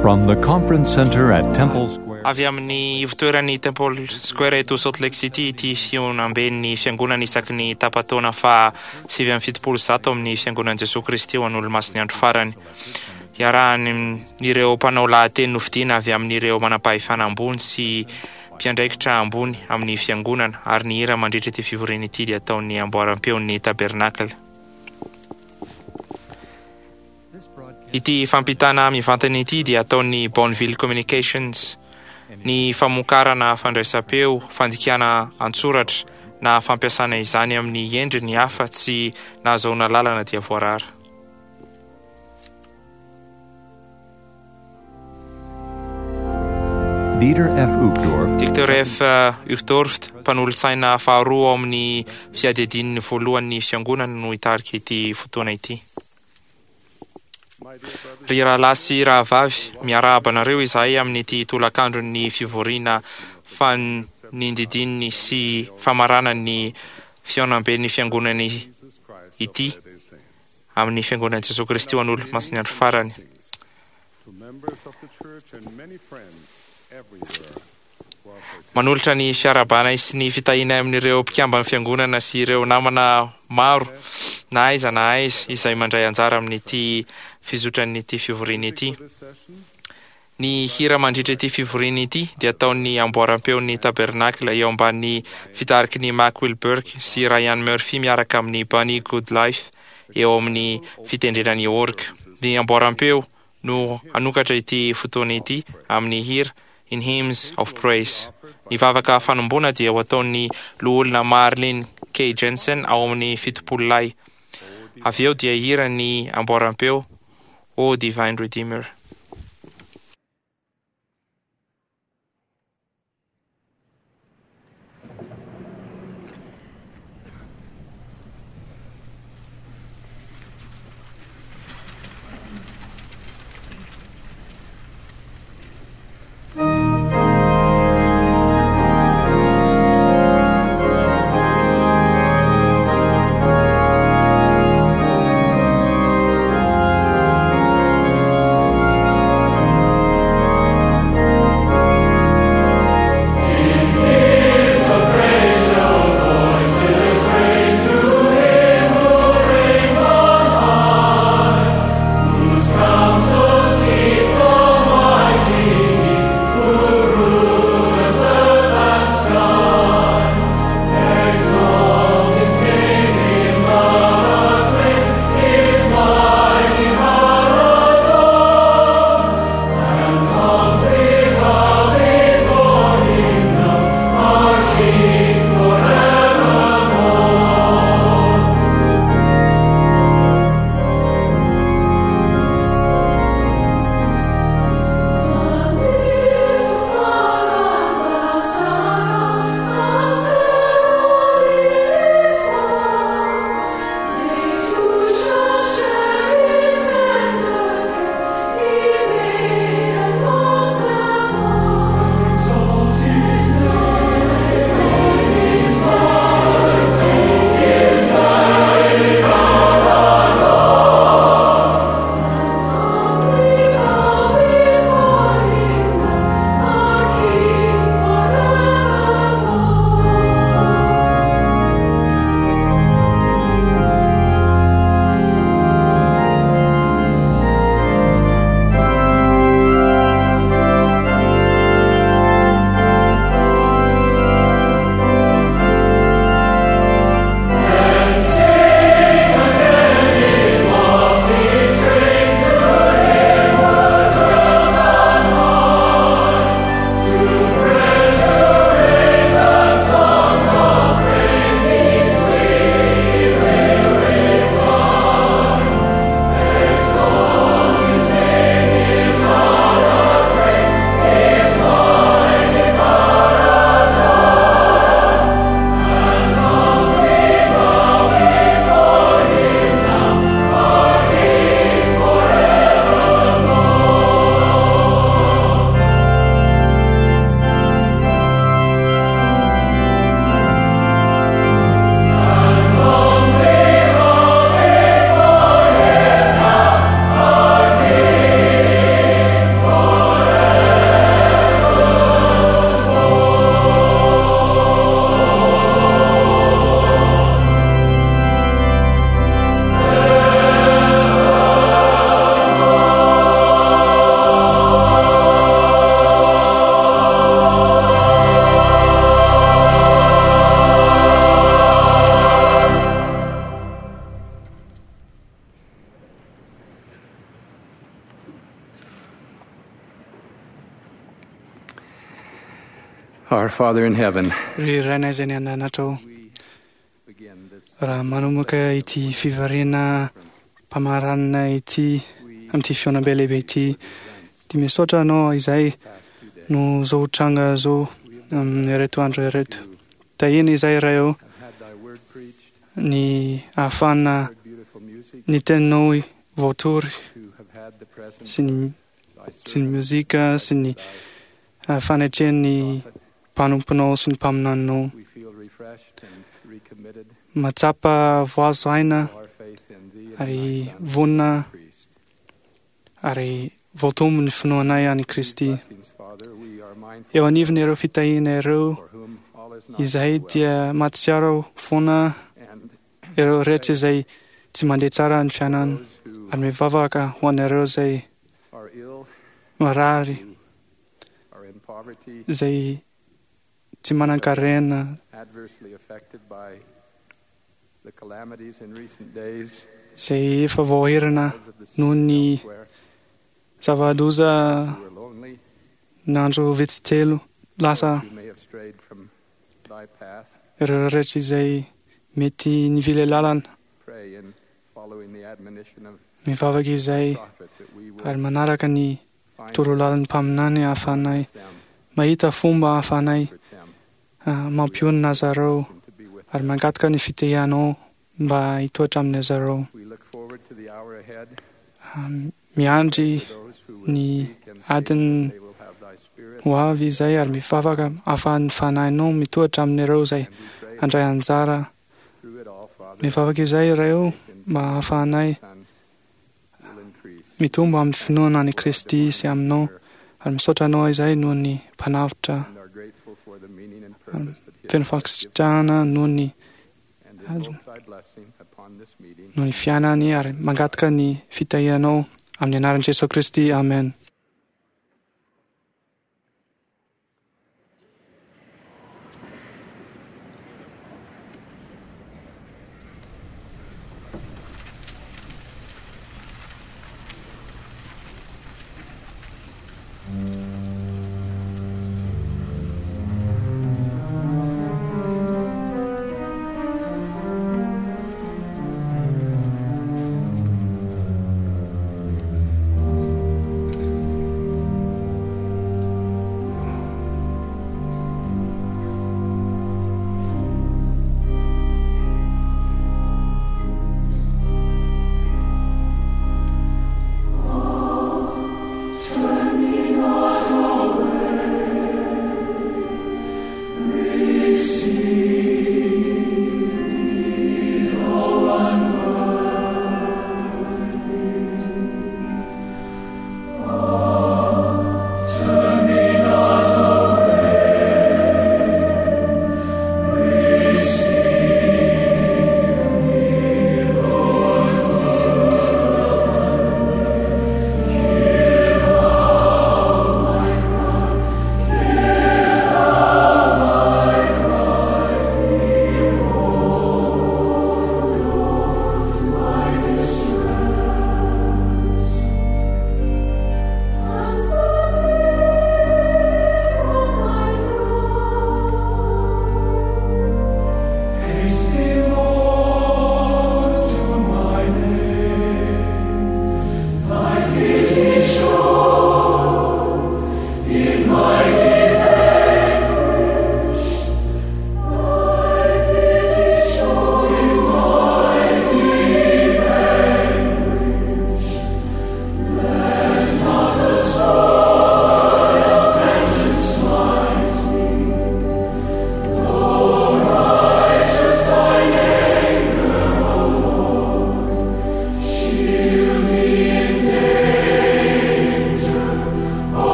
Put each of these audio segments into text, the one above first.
From the Conference Center at Temple Square. Avy amin'ny ivotoeran'ny Temple Square eto Salt Lake City ity fihaonamben'ny Fiangonana isaky ny tapa-taona faha 179 amin'ny Fiangonan'i Jesoa Kristy ho an'Olomasin'ny Andro Farany. Iarahan'ireo mpanao lahateny nofidiana avy amin'ireo manampahefana ambony sy mpiandraikitra ambony amin'ny Fiangonana ary ny hira mandritra ity fivoriana ity dia ataon'ny amboaram-peon'ny Tabernacle. Ity fampitana mivantana ity dia ataon'ny Bonneville Communications. Ny famokarana fandraisam-peo, fandikana an-tsoratra, na fampiasana izany amin'ny endriny hafa tsy nahazahoana lalana dia voarara. Dieter F. Uchtdorf. Dieter F. Uchtdorf, mpanolotsaina faharoa ao amin'ny Fiadidian'ny Voalohan'ny Fiangonana no hitarika ity fotoana ity. Ry rahalahy sy rahavavy, miarahaba anareo izahay amin'ity tolakandron'ny fivoriana fanindidin'ny sy famaranan'ny fihaonamben'ny Fiangonana ity amin'ny Fiangonan'i Jesoa Kristy ho an'Olomasin'ny Andro Farany. Manolotra ny fiarahabanay sy ny fitahianay amin'ireo mpikamban'ny Fiangonana sy ireo namana maro na aiza na aiza izay mandray anjara amin'ity fizotran'ity fivoriana ity. Ny hira mandritra ity fivoriana ity dia ataon'ny amboaram-peon'ny Tabernacle eo ambany fitariky ny Mack Wilberg sy Ryan Murphy miaraka amin'i Bunny Goodlife eo amin'ny fitendrena ny orgue. Ny amboaram-peo no hanokatra ity fotoana ity amin'ny hira In Hymns of Praise. Ny vavaka fanomboana dia ho ataon'ny Loholona Marlin K. Jensen ao amin'ny Fitopololahy. Avy eo dia hira ny amboaram-peo O Divine Redeemer. Our Father in heaven, Ry Rainay izay any an-danitra ô, raha manomboka ity fivoriana mpamaranana ity amin'ity fihaonambe lehibe ity, dia misaotra Anao izay no zao tranga zao amin'ireto andro ireto. Tahiana izay Ray ô, ny ahafahana ny teninao voatory sy ny sy ny mozika sy ny fanetren'ny mpanomponao sy ny mpaminaninao. Mahatsapa voazo aina ary vonona ary voatombo ny finoanay an'i Kristy. Eo anivon'ireo fitahiana ireo izay dia mahatsiaro foana ireo rehetra izay tsy mandeha tsara ny fiainana ary mivavaka ho an'ireo izay marary, izay tsy manan-karena, izay efa voahirana noho ny zava-doza nandro vitsy telo lasa, ireo rehetra izay mety nivily lalana. Mivavaka izay ary manaraka ny torolalan'ny mpaminany ahafahanay mahita fomba ahafahanay mampionona azy ireo ary mangataka ny fitahianao mba hitoetra amin'ny azy ireo. Miandry ny adiny ho avy izay ary mivavaka ahafahan'ny fanahinao mitoetra amin'ireo izay handray anjara. Mivavaka izay Ray ô mba ahafahanay mitombo amin'ny finoana an'i Kristy sy aminao ary misaotra anao izay noho ny mpanavotra feno fankasitrahana noho ny noho ny fiainany ary mangataka ny fitahianao amin'ny anaran'i Jesoa Kristy. Amen.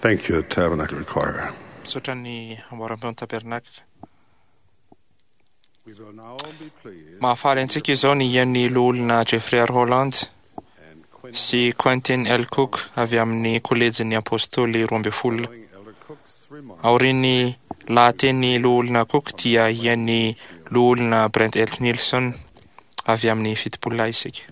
Thank you, Tabernacle Choir. Misaotra ny amboaram-peon'ny Tabernakla. We will now be pleased Mahafaly antsika izao ny hihaino ny loholona Jeffrey R. Holland and Quentin sy Quentin L. Cook avy amin'ny kolejin'ny Apôstôly 12. Elder Cook's remarks. Aorian'ny lahateny loholona Cook dia hihaino ny loholona Brent L. Nielsen avy amin'ny 70 isika.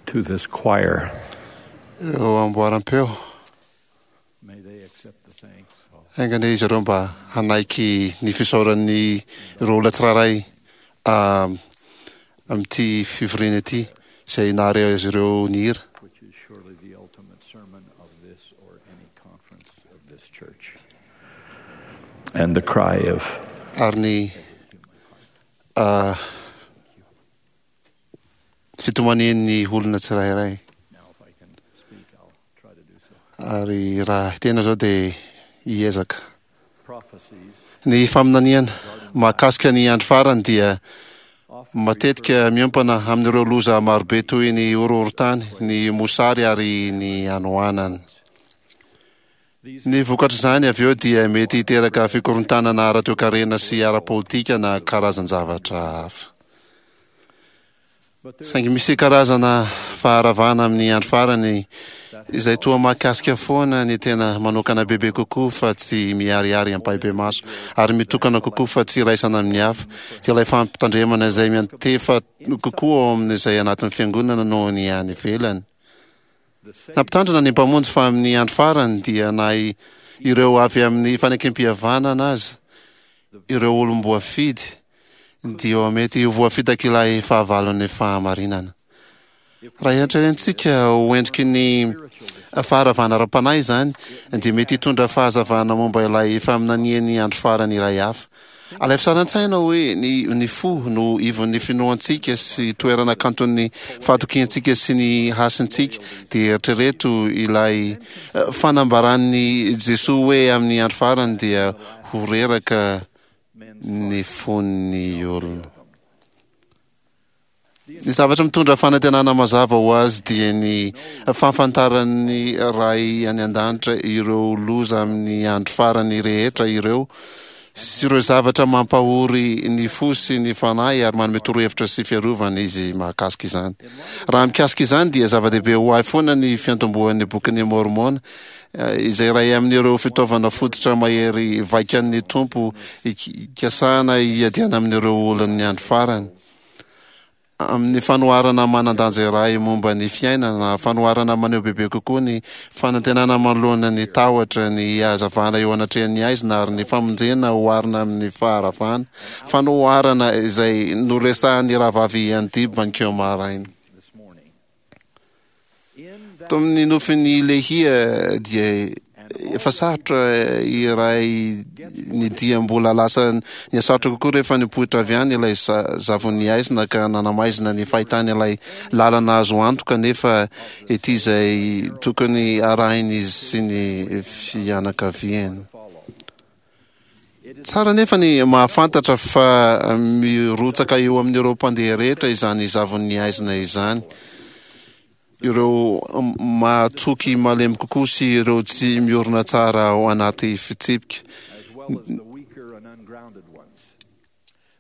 To this choir, Ireo amboaram-peo may they accept the thanks of Aingana izy ireo mba hanaiky ny fisaoran'ny ireo olona tsirairay amin'ity fivoriana ity izay nahare azy ireo nihira. which is surely the ultimate sermon of this or any conference of this church. And the cry of Ary ny fitomanian'ny olona tsirairay. now, if I can speak, I'll try to do so. Ary raha tena zao dia hiezaka. Prophecies Ny faminaniana mahakasika ny andro farany dia often matetika miompana amin'ireo loza marobe toy ny horohorontany, ny mosary ary ny hanoanana. these Ny vokatr'izany avy eo dia mety hiteraka fikorontanana ara-toekarena sy ara-politika na karazan-javatra hafa. but there Saingy misy karazana faharavana amin'ny andro farany izay toa mahakasika foana ny tena manokana bebe kokoa fa tsy miharihary ampahibemaso ary mitokana kokoa fa tsy iraisana amin'ny hafa. Dia ilay fampitandremana izay miantefa kokoa ao amin'izay anatin'ny fiangonana noho ny any ivelany. the same Nampitandrina ny mpamonjy fa amin'ny andro farany dia na ireo avy amin'ny fanekem-pihavanana aza, ireo olom-boafidy dia mety ho voafitaka ilay fahavalon'ny fahamarinana. Raha eritreretintsika ho endriky ny faharavana ara-panahy izany dia mety hitondra fahazavana momba ilay faminanian'ny andro farany iray hafa. Alaivo sary an-tsaina hoe ny fo no ivon'ny finoantsika sy toerana kanton'ny fahatokiantsika sy ny hasintsika, dia eritrereto ilay fanambaran'i Jesoa hoe amin'ny andro farany dia ho reraka ny fon'ny olona. Ny zavatra mitondra fanantenana mazava ho azy dia ny fahafantaran'ny Ray any an-danitra ireo loza amin'ny andro farany rehetra ireo sy ireo zavatra mampahory ny fo sy ny fanahy ary manome torohevitra sy fiarovana izy mahakasika izany. Raha mikasika izany dia zava-dehibe ho ahy foana ny fiantombohan'ny bokin'ny Môrmôna izay iray amin'ireo fitaovana fototra mahery vaikan'ny Tompo ikasana hiadiana amin'ireo olon'ny andro farany. Amin'ny fanoharana manan-danja iray momba ny fiainana, fanoharana maneho bebe kokoa ny fanantenana manoloana ny tahotra, ny hazavana eo anatrehan'ny haizina ary ny famonjena oharina amin'ny faharavana, fanoharana izay noresahan'ny rahavavy Andy Bankeo maraina. this morning. In that Tamin'ny nofin'ny Lehia dia efa sarotra iray ny dia mbola lasa nihasarotra kokoa rehefa nipoitra avy any ilay zavon'ny haizina ka nanamaizina ny fahitany ilay lalana azo antoka nefa ety izay tokony arahin'izy sy ny fianakaviany. follow. It is Tsara nefa ny mahafantatra fa mirotsaka eo amin'ireo mpandeha rehetra izany zavon'ny haizina izany. Ireo mahatoky malemy kokoa sy ireo tsy miorina tsara ao anaty fitsipika. as well as the weaker and ungrounded ones.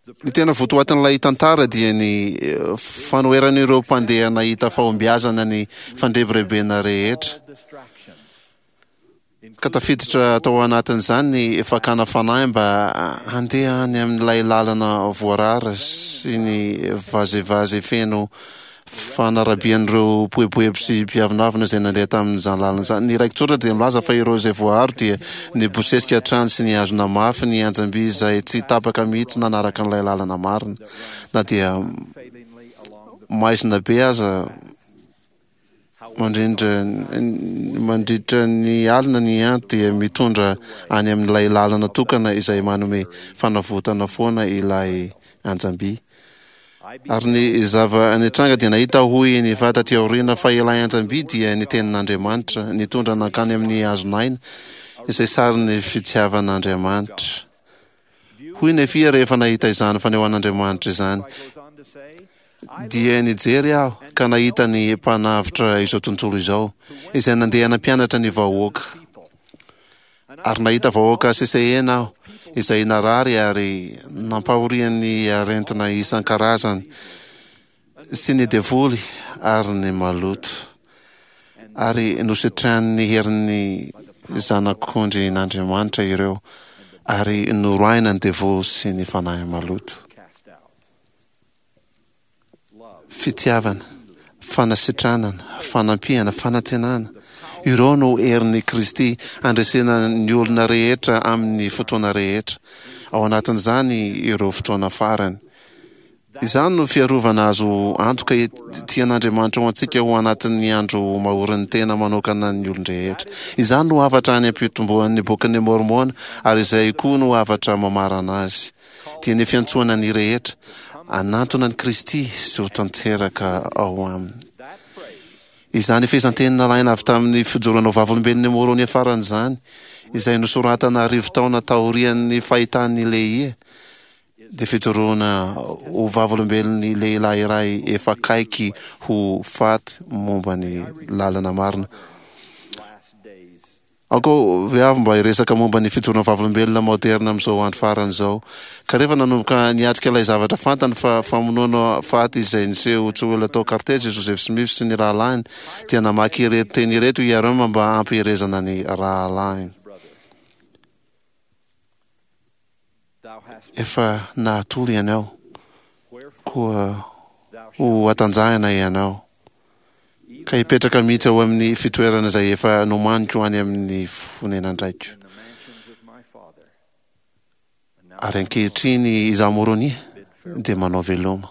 The Ny tena votoatin'ilay tantara dia ny fanoheran'ireo mpandeha nahita fahombiazana ny fandrebirebena rehetra. all distractions, Ka tafiditra tao anatin'izany ny fakana fanahy mba handeha any amin'ilay lalana voarara sy ny vazivazy feno fanarabian'ireo mpieboebo sy mpiavonavona izay nandeha tamin'izany lalana izany. Ny raiki-tsoratra dia milaza fa ireo izay voaaro dia nibosesika hatrany sy nihazona mafy ny anjam-by izay tsy tapaka mihitsy nanaraka an'ilay lalana marina. Na dia failingly along the maizina be aza mandrindra ny alina ny andro dia mitondra any amin'ilay lalana tokana izay manome fanavotana foana ilay anjam-by. Ary ny zava-nitranga dia nahita hoy ny vata aty aoriana fa ilay anjam-by dia ny tenin'Andriamanitra nitondra nankany amin'ny hazon'aina izay sarin'ny fitiavan'Andriamanitra. Hoy Nefia rehefa nahita izany fanehoan'Andriamanitra izany, Dia nijery aho ka nahita ny Mpanavotra izao tontolo izao, izay nandeha nampianatra ny vahoaka. Ary nahita vahoaka sesehena aho, izay narary ary nampahorian'ny arentina isan-karazany, sy ny devoly ary ny maloto, ary nositranin'ny herin'ny Zanak'ondrin'Andriamanitra ireo, ary noroahina ny devoly sy ny fanahy maloto. Fitiavana, fanasitranana, fanampiana, fanantenana, ireo no herin'i Kristy handresena ny olona rehetra amin'ny fotoana rehetra, ao anatin'izany ireo fotoana farany. Izany no fiarovana azo antoka tian'Andriamanitra ho antsika ho anatin'ny andro mahorin'ny tena manokana ny olon-drehetra. Izany no hafatra any am-pitomboan'ny Bokin'i Môrmôna ary izay koa no hafatra mamarana azy, dia ny fiantsoana ny rehetra hanantona an'i Kristy sy ho tanteraka ao Aminy. Izany fehezanteny nalaina avy tamin'ny fijoroana ho vavolombelon'i Môrônia farany izany, izay nosoratana arivotaona taorian'ny fahitan'i Lehia, dia fijoroana ho vavolombelon'ny lehilahy iray efa akaiky ho faty momba ny lalana marina. Aoka ve avy mba hiresaka momba ny fijoroana vavolombelona maoderina amin'izao andro farany izao. Ka rehefa nanomboka niatrika ilay zavatra fantany fa famonoana faty izay niseho tsy ho ela tao Carthage i Joseph Smith sy ny rahalahiny, dia namaky ireto teny ireto i Hyrum mba hampiherezana ny rahalahiny. Efa nahatory ianao, koa ho hatanjahina ianao, ka hipetraka mihitsy ao amin'ny fitoerana izay efa nomaniko any amin'ny fonenan-draiko. Ary ankehitriny izaho Moronia dia manao veloma,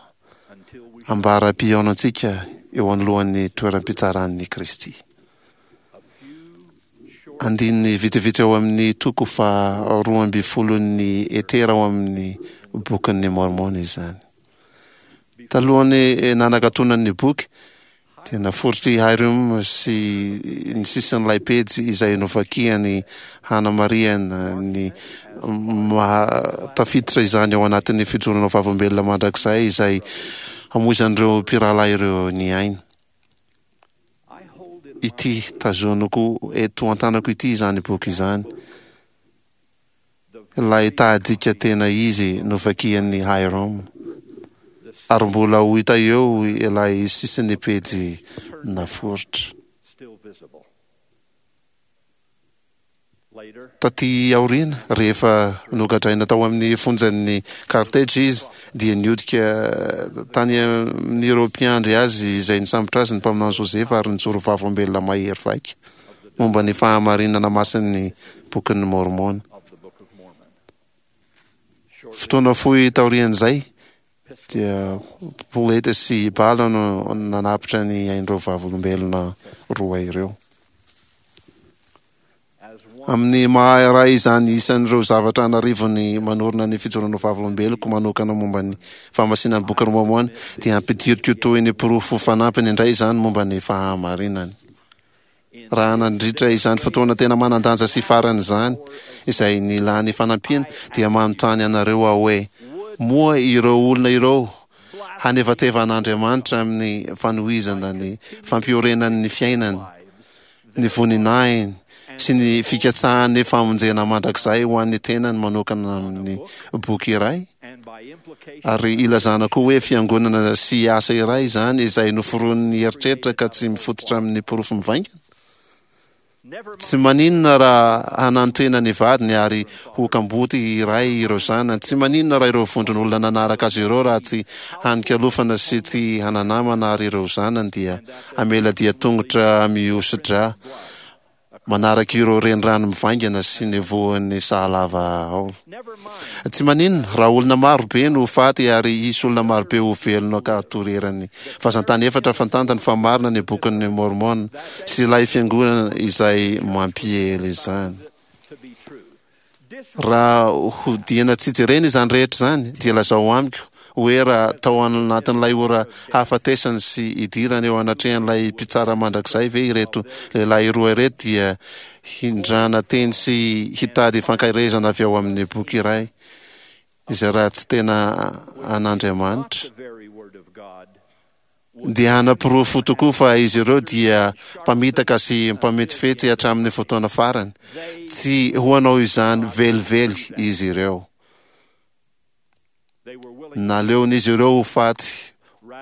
ambara-pihaonantsika eo anoloan'ny toeram-pitsaran'i Kristy. Andininy vitsivitsy ao amin'ny toko faha roambifolon'ny Etera ao amin'ny Bokin'i Môrmôna izany. Talohan'ny nanakatonany ny boky, dia naforitr'i Hyrum sy ny sisin'ilay pejy izay novakiany hanamarihana ny maha tafiditra izany ao anatin'ny fijoroana vavolombelona mandrakizay izay hamoizan'ireo mpirahalahy ireo ny ainy. Ity tazoniko eto an-tanako ity izany boky izany, ilay tahadika tena izy novakian'i Hyrum, ary mbola ho hita eo ilay sisin'ny pejy naforitra. Tatỳ aoriana, rehefa nogadraina tao amin'ny fonjan'i Carthage izy, dia nihodika tany amin'ireo mpiandry azy izay nisambotra azy ny mpaminany Josefa ary nijoro vavolombelona mahery vaika momba ny fahamarinana masin'ny Bokin'i Môrmôna. Fotoana fohy taorian'izay, dia poleta sy bala no nanapitra ny ain'ireo vavolombelona roa ireo. Amin'ny maha iray izany isan'ireo zavatra an'arivony manorina ny fijoroana ho vavolombeloko manokana momba ny fahamasinan'ny Bokin'i Môrmôna, dia ampidiriko toy ny porofo fanampiny indray izany momba ny fahamarinany. Raha nandritra izany fotoana tena manan-danja sy farany izany, izay nilany fanampiana, dia manontany anareo aho hoe, Moa ireo olona ireo hanevateva an'Andriamanitra amin'ny fanohizana ny fampiorenany ny fiainany, ny voninahiny sy ny fikatsahany famonjena mandrakizay ho an'ny tenany manokana amin'ny boky iray? Ary ilazana koa hoe fiangonana sy asa iray izany izay noforonin'ny eritreritra ka tsy mifototra amin'ny porofo mivaingana? Tsy maninona raha hanantena ny vadiny ary ho kamboty iray ireo zanany. Tsy maninona raha ireo vondron'olona nanaraka azy ireo raha tsy hanin-kialofana sy tsy hana-namana ary ireo zanany dia hamela dian-tongotra mihoso-drà manaraka ireo renirano mivaingana sy ny vohon'ny sahalava ao. Tsy maninona raha olona maro be no ho faty ary hisy olona maro be ho velona ka hatory eran'ny vazan-tany efatra fantantany fa marina ny Bokin'i Môrmôna sy ilay Fiangonana izay mampiely izany. Raha hodiana tsy jerena izany rehetra izany, dia lazao amiko hoe raha tao anatin'ilay ora hahafatesany sy hidirany eo anatrehan'ilay Mpitsara Mandrakizay ve ireto lehilahy roa ireto dia hindrana teny sy hitady fankaherezana avy ao amin'ny boky iray. izay raha tsy tena an'Andriamanitra, dia hanaporofo tokoa fa izy ireo dia mpamitaka sy mpametifetsy hatramin'ny fotoana farany. Tsy ho hanao izany velively izy ireo. Naleon'izy ireo ho faty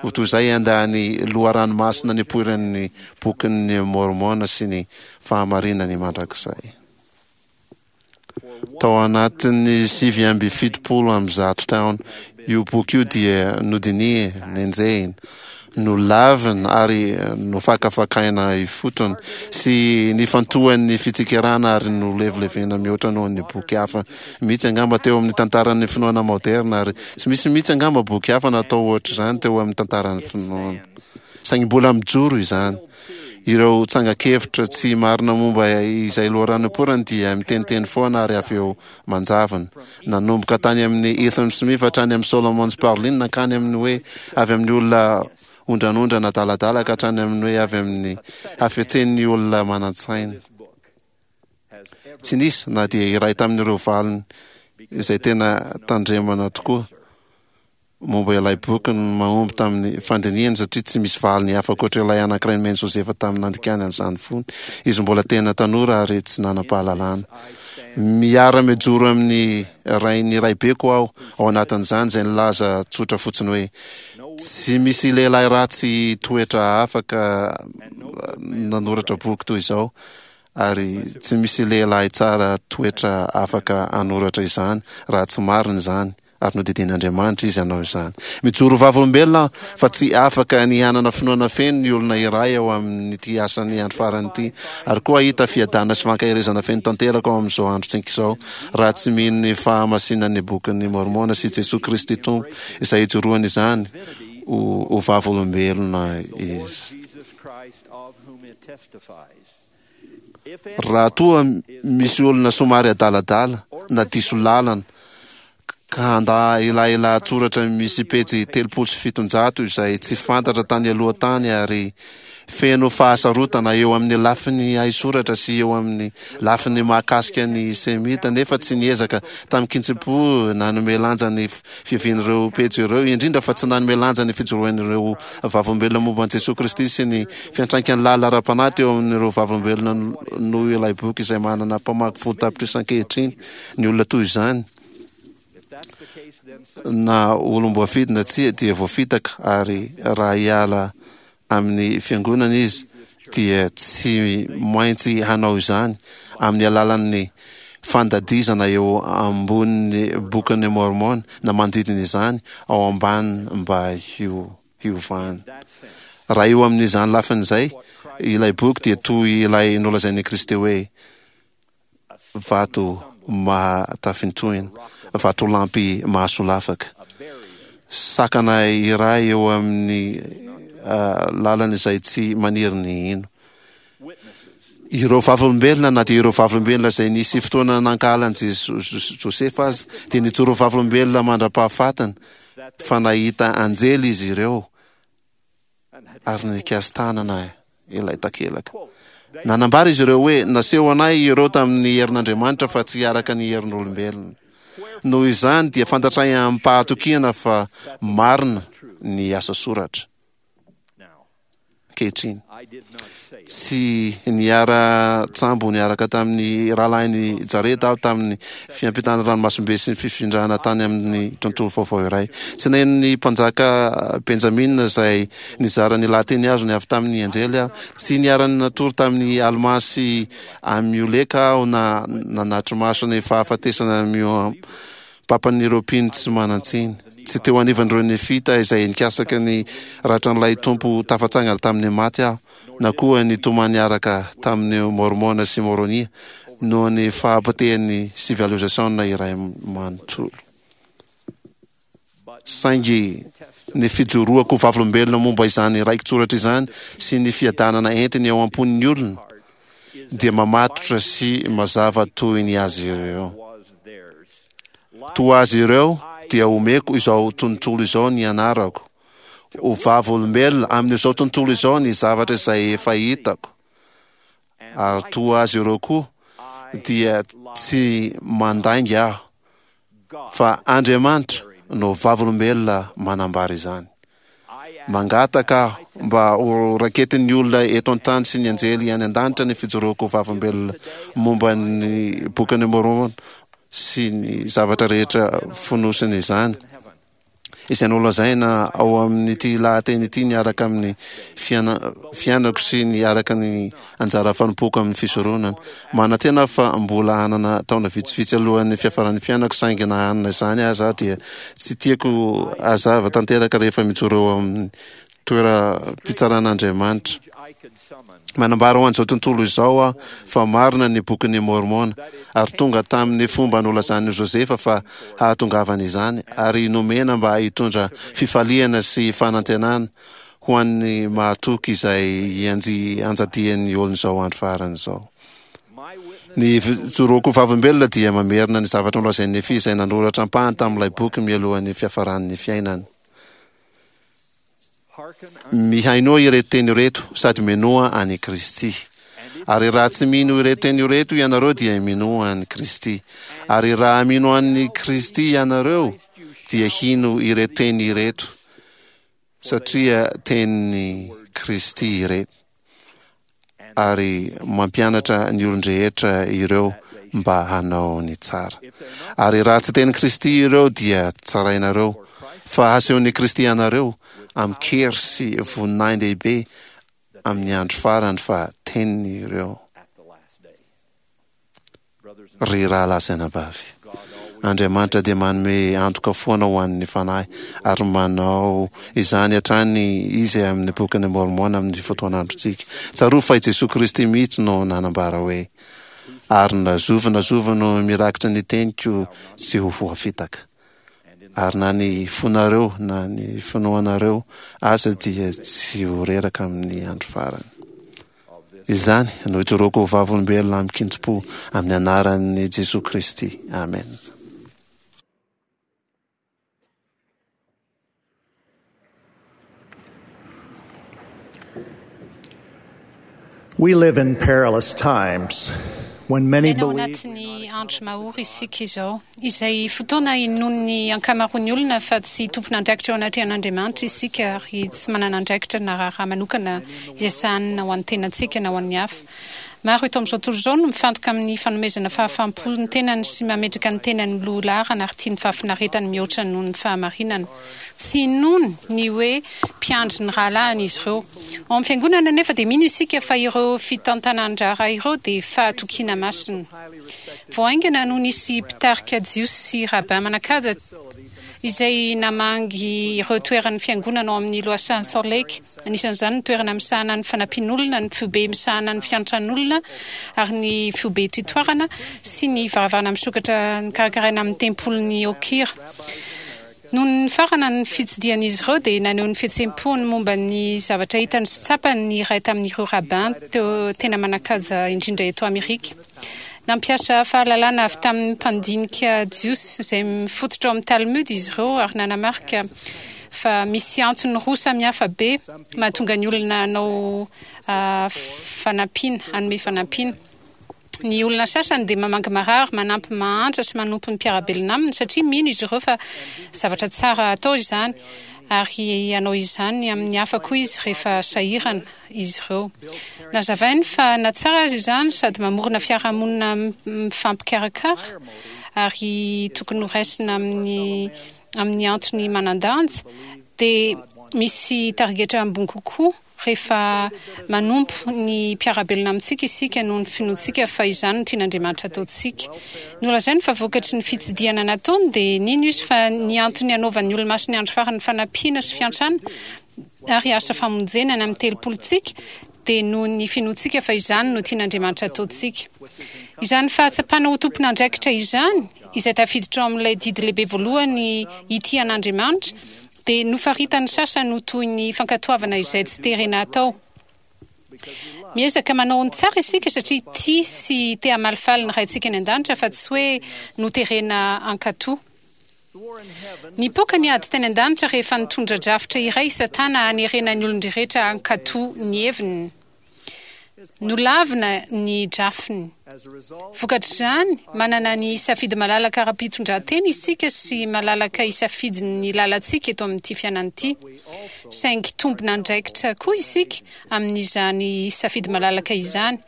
ho toy izay handà ny loharano masina nipoiran'ny Bokin'i Môrmôna sy ny fahamarinany mandrakizay. Tao anatin'ny 179 taona, io boky io dia nodinihina, nenjehina, nolavina ary nofakafakaina ifotony sy nifantohan'ny fitsikerana ary nolevilevena mihoatra noho ny boky hafa mihitsy angamba teo amin'ny tantaran'ny finoana maoderina ary tsy misy mihitsy angamba boky hafa natao ohatr'izany teo amin'ny tantaran'ny finoana. Saingy mbola mijoro izany. Ireo tsangan-kevitra tsy marina momba izay loharano nipoirany dia miteniteny foana ary avy eo manjavona. Nanomboka tany amin'i Ethan Smith hatrany amin'i Solomon Sparling nankany amin'ny hoe avy amin'ny olona ondranondrana adaladala ka hatrany amin'ny hoe avy amin'ny hafetsen'ny olona manan-tsaina. Tsy nisy na dia iray tamin'ireo valiny izay tena tandremana tokoa. Momba ilay boky no mahomby tamin'ny fandinihana satria tsy misy valiny hafa ankoatra ilay anankiray nomen'i Josefa tamin'ny nandikany an'izany fony izy mbola tena tanora ary tsy nanam-pahalalana. Miara-mijoro amin'ny rain'ny raibeko aho ao anatin'izany izay nilaza tsotra fotsiny hoe, Tsy misy lehilahy ratsy toetra afaka nanoratra boky toy izao ary tsy misy lehilahy tsara toetra afaka hanoratra izany raha tsy marina izany. ary nodidian'Andriamanitra izy hanao izany. Mijoro vavolombelona aho fa tsy afaka ny hanana finoana feno ny olona iray ao amin'ity asan'ny andro farany ity, ary koa hahita fiadanana sy fankaherezana feno tanteraka ao amin'izao androntsika izao, raha tsy mino ny fahamasinan'ny Bokin'i Môrmôna sy Jesoa Kristy Tompo, izay ijoroany izany ho vavolombelona izy. Raha toa misy olona somary adaladala na diso lalana ka handà ilay lahatsoratra misy pejy 730 izay tsy fantatra tany aloha tany ary feno fahasarotana eo amin'ny lafiny haisoratra sy eo amin'ny lafiny mahakasika ny Semita nefa tsy niezaka tamin-kitsim-po nanome lanja ny fiavian'ireo pejy ireo, indrindra fa tsy nanome lanja ny fijoroan'ireo vavolombelona momba an'i Jesoa Kristy sy ny fiantraikany lalina ara-panahy teo amin'ireo vavolombelona noho ilay boky izay manana mpamaky 10 tapitrisa ankehitriny ny olona toy izany na olom-boafidy na tsia dia voafitaka ary raha hiala amin'ny fiangonana izy dia tsy maintsy hanao izany amin'ny alalan'ny fandadizana eo ambonin'ny Bokin'i Môrmôna na manodidina izany ao ambany mba hiovany. Raha eo amin'izany lafiny izay, ilay boky dia toy ilay nolazain'i Kristy hoe, Vato mahatafintohina, vatolampy mahasolafaka, sakana iray eo amin'ny lalan'izay tsy maniry ny hino. Ireo vavolombelona, na dia ireo vavolombelona izay nisy fotoana nankahala an'i Josefa aza, dia nijoro vavolombelona mandra-pahafatiny fa nahita anjely izy ireo ary nikasi-tanana ilay takelaka. Nanambara izy ireo hoe, Naseho anay ireo tamin'ny herin'Andriamanitra fa tsy araka ny herin'olombelona. Noho izany dia fantatray amim-pahatokiana fa marina ny asa soratra. Ankehitriny. Tsy niara-tsambo niaraka tamin'ny rahalahin'i Jareda aho tamin'ny fiampitana ranomasimbe sy ny fifindrana tany amin'ny tontolo vaovao iray. Tsy naheno ny mpanjaka Benjamina izay nizara ny lahateny azony avy tamin'ny anjely aho. Tsy niara-natory tamin'i Almà sy Amioleka aho na nanatri-maso ny fahafatesana mihoam-papan'ireo mpino tsy manan-tsiny. Tsy teo anivon'ireo Nefita izay nikasaka ny ratran'ilay Tompo tafatsangana tamin'ny maty aho, na koa nitomany niaraka tamin'i Môrmôna sy Môrônia noho ny fahapotehan'ny sivilizasiona iray manontolo. Saingy ny fijoroako ho vavolombelona momba izany raiki-tsoratra izany sy ny fiadanana entiny ao am-pon'ny olona dia mamatotra sy mazava toy ny azy ireo. Toa azy ireo dia omeko izao tontolo izao ny anarako, ho vavolombelona amin'izao tontolo izao ny zavatra izay efa hitako, ary toa azy ireo koa dia tsy mandainga aho. Fa Andriamanitra no vavolombelona manambara izany. Mangataka aho mba ho raketin'ny olona eto an-tany sy ny anjely any an-danitra ny fijoroako ho vavolombelona momba ny Bokin'i Môrmôna sy ny zavatra rehetra fonosin'izany, izay nolazaina ao amin'ity lahateny ity miaraka amin'ny fiainako sy ny araka ny anjara fanompoako amin'ny fisoronana. Manantena aho fa mbola hanana taona vitsivitsy alohan'ny fiafaran'ny fiainako, saingy na hanana izany aza aho dia tsy tiako hazava tanteraka rehefa mijoro eo amin'ny toeram-pitsaran'Andriamanitra. Manambara ho an'izao tontolo izao aho fa marina ny Bokin'i Môrmôna, ary tonga tamin'ny fomba nolazan'i Josefa fa hahatongavany izany, ary nomena mba hitondra fifaliana sy fanantenana ho an'ny mahatoky izay ianjadian'ny olon'izao andro farany izao. Ny fijoroako ho vavolombelona dia mamerina ny zavatra nolazain'i Nefia izay nanoratra ampahany tamin'ilay boky mialohan'ny fiafaran'ny fiainany. Mihainoa ireto teny ireto sady minoa an'i Kristy. Ary raha tsy mino ireto teny ireto ianareo dia minoa an'i Kristy. Ary raha mino an'i Kristy ianareo dia hino ireto teny ireto satria tenin'i Kristy ireto ary mampianatra ny olon-drehetra ireo mba hanao ny tsara. Ary raha tsy tenin'i Kristy ireo dia tsarainareo, fa hasehon'i Kristy anareo amin-kery sy voninahin-dehibe amin'ny andro farany fa teniny ireo. Ry rahalahy sy anabavy, Andriamanitra dia manome antoka foana ho an'ny fanahy, ary manao izany hatrany Izy amin'ny Bokin'i Môrmôna amin'ny fotoan'androntsika. Tsarovy fa i Jesoa Kristy mihitsy no nanambara hoe, Ary na zovy na zovy no mirakitra ny teniko tsy ho voafitaka. Ary na ny fonareo na ny finoanareo aza dia tsy ho reraka amin'ny andro farany. Izany no ijoroako ho vavolombelona amin-kintim-po amin'ny anaran'i Jesoa Kristy. Amen. We live in perilous times when many Miaina ao believe anatin'ny andro mahory isika izao, izay fotoana inoan'ny ankamaroan'ny olona fa tsy tompon'andraikitra eo anatrehan'Andriamanitra isika ary tsy manana andraikitra na raharaha manokana izay sahanina ho an'ny tenantsika na ho an'ny hafa. Maro eto amin'izao tontolo izao no mifantoka amin'ny fanomezana fahafaham-po ny tenany sy mametraka ny tenany ho loha laharana ary tia ny fahafinaretany mihoatra noho ny fahamarinana. Tsy inoany ny hoe mpiandry ny rahalahiny izy ireo. Ao amin'ny Fiangonana anefa dia mino isika fa ireo fitantanan-draharaha ireo dia fahatokiana masina. Vao haingana no nisy mpitarika Jiosy sy rabbin manan-kaja izay namangy ireo toeran'ny Fiangonana ao amin'ny Lohasahan'i Salt Lake, anisan'izany ny toerana misahana ny fanampian'olona, ny foibe misahana ny fiantran'olona ary ny foibe tutoarana sy ny varavarana misokatra nokarakaraina amin'ny tempolin'i Okira. Nony nifarana ny fitsidihan'izy ireo dia naneho ny fihetseham-pony momba ny zavatra hitany sy tsapany ny iray tamin'ireo rabbin teo tena manan-kaja indrindra eto Amerika. Nampiasa fahalalana avy tamin'ny mpandinika jiosy izay mifototra ao amin'ny Talmud izy ireo ary nanamarika fa misy antony roa samihafa be mahatonga ny olona hanao fanampiana, hanome fanampiana. Ny olona sasany dia mamangy marary, manampy mahantra sy manompo ny mpiara-belona aminy satria mino izy ireo fa zavatra tsara atao izany, ary hanao izany amin'ny hafa koa izy rehefa sahirana izy ireo. Nazavainy fa na tsara aza izany sady mamorona fiarahamonina mifampikarakara ary tokony horaisina amin'ny amin'ny antony manan-danja, dia misy tarigetra ambony kokoa Rehefa manompo ny mpiara-belona amintsika isika noho ny finoantsika fa izany no tian'Andriamanitra hataontsika. Nolazainy fa vokatry ny fitsidihana nataony dia nino izy fa ny antony hanaovan'ny Olomasin'ny Andro Farany fanampiana sy fiantrana ary asa famonjena any amin'ny telopolontsika dia noho ny finoantsika fa izany no tian'Andriamanitra hataontsika. Izany fahatsapana ho tompon'andraikitra izany, izay tafiditra ao amin'ilay didy lehibe voalohany hitia an'Andriamanitra, dia nofaritan'ny sasany ho toy ny fankatoavana izay tsy terena atao. Miezaka manao ny tsara isika satria tia sy te hamalifaly ny Raintsika any an-danitra fa tsy hoe noterena hankatò. Nipoaka ny ady tany an-danitra rehefa nitondra drafitra iray i Satana hanerena ny olon-drehetra hankatò ny heviny. Nolavina ny drafiny. Vokatr'izany, manana ny safidy malalaka ara-pitondrantena isika sy malalaka hisafidy ny lalantsika eto amin'ity fiainana ity. Saingy tompon'andraikitra koa isika amin'izany safidy malalaka izany.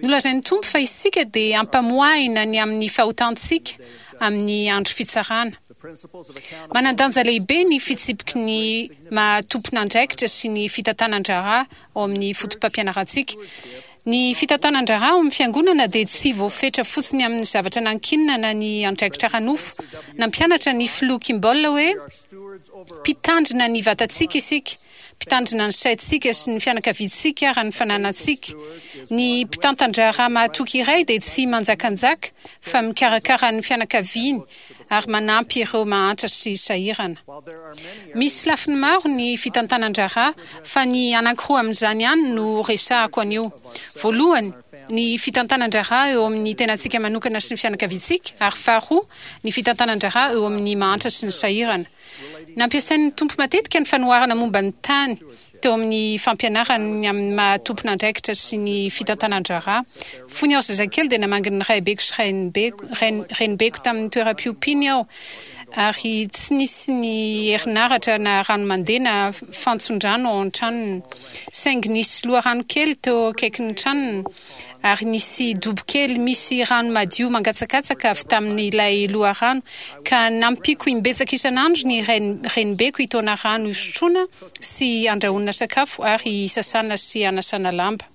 Nolazain'ny Tompo fa isika dia hampamoahina ny amin'ny fahotantsika amin'ny andro fitsarana. Manan-danja lehibe ny fitsipiky ny maha tompon'andraikitra sy ny fitantanan-draharaha ao amin'ny fotopampianarantsika. Ny fitantanan-draharaha ao amin'ny Fiangonana dia tsy voafetra fotsiny amin'ny zavatra nankinina na ny andraikitra ara-nofo. Nampianatra ny Filoha Kimball hoe, Mpitandrina ny vatantsika isika, mpitandrina ny saintsika sy ny fianakaviantsika ary ny fananantsika. Ny mpitantan-draharaha mahatoky iray dia tsy manjakanjaka fa mikarakara ny fianakaviany ary manampy ireo mahantra sy sahirana. Misy lafiny maro ny fitantanan-draharaha fa ny anankiroa amin'izany ihany no resahako anio. Voalohany, ny fitantanan-draharaha eo amin'ny tenantsika manokana sy ny fianakaviantsika, ary faharoa, ny fitantanan-draharaha eo amin'ny mahantra sy ny sahirana. Nampiasain'ny Tompo matetika ny fanoharana momba ny tany teo amin'ny fampianarany ny amin'ny maha tompon'andraikitra sy ny fitantanan-draharaha. Fony aho zazakely dia namangy ny raibeko sy renibeko tamin'ny toeram-piompiany aho, ary tsy nisy ny herinaratra na rano mandeha na fantson-drano ao an-tranony. Saingy nisy loharano kely teo akaikin'ny tranony. ary nisy dobo kely misy rano madio mangatsakatsaka avy tamin'ilay loharano, ka nampiako imbetsaka isan'andro ny renibeko hitaona rano hisotroana sy handrahoana sakafo ary hisasana sy hanasana lamba.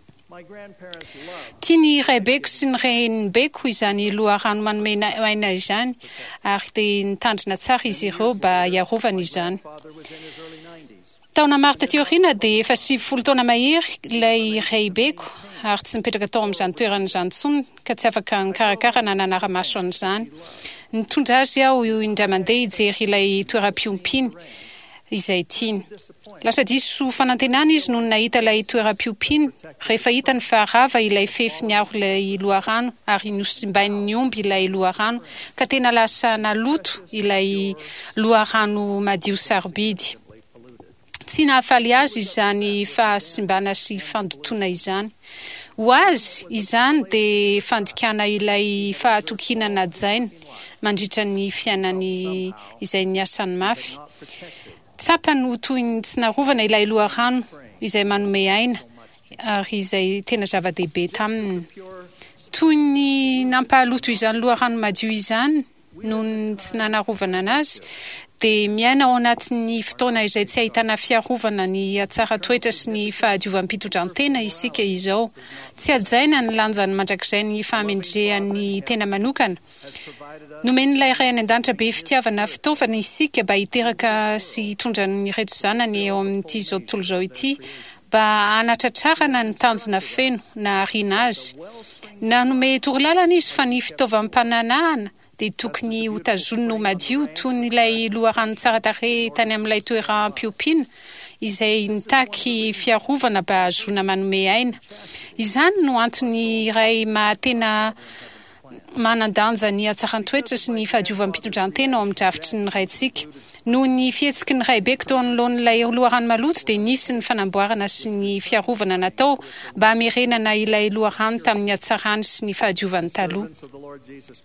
Tian'ny raibeko sy ny renibeko izany loharano manome aina izany, ary dia nitandrina tsara izy ireo mba hiarovana izany. Taona maro taty aoriana dia efa 90 taona mahery ilay raibeko ary tsy nipetraka tao amin'izany toerana izany intsony ka tsy afaka nikarakara na nanara-maso an'izany. Nitondra azy aho indray mandeha hijery ilay toeram-piompiany izay tiany. Lasa diso fanantenana izy nony nahita ilay toeram-piompiany rehefa hitany fa rava ilay fefy niaro ilay loharano ary nosimbain'ny omby ilay loharano ka tena lasa naloto ilay loharano madio sarobidy. Tsy nahafaly azy izany fahasimbana sy fandotoana izany. Ho azy, izany dia fandikana ilay fahatokiana najainy mandritra ny fiainany izay niasany mafy. Tsapany ho toy ny tsy narovana ilay loharano izay manome aina ary izay tena zava-dehibe taminy. Toy ny nampahaloto izany loharano madio izany noho ny tsy nanarovana anazy, dia miaina ao anatin'ny fotoana izay tsy ahitana fiarovana ny hatsaran-toetra sy ny fahadiovam-pitondran-tena isika izao. Tsy hajaina ny lanjany mandrakizay ny fahamendrehan'ny tena manokana. Nomen'ilay Ray any An-danitra be fitiavana fitaovana isika mba hiteraka sy hitondra an'ireto zanany eo amin'ity izao tontolo izao ity mba hanatratrarana ny tanjona feno nahariana azy. Nanome torolalana izy fa ny fitaovam-pananahana dia tokony hotazonina ho madio toy ny ilay loharano tsara tarehy tany amin'ilay toeram-piompiana izay nitaky fiarovana mba hahazoana manome aina. Izany no antony iray maha tena Manan-danja ny hatsaran-toetra sy ny fahadiovam-pitondran-tena ao amin'ny drafitry ny Raintsika. Noho ny fihetsiky ny raibeko teo anoloan'ilay loharano maloto dia nisy ny fanamboarana sy ny fiarovana natao mba hamerenana ilay loharano tamin'ny hatsarany sy ny fahadiovany taloha.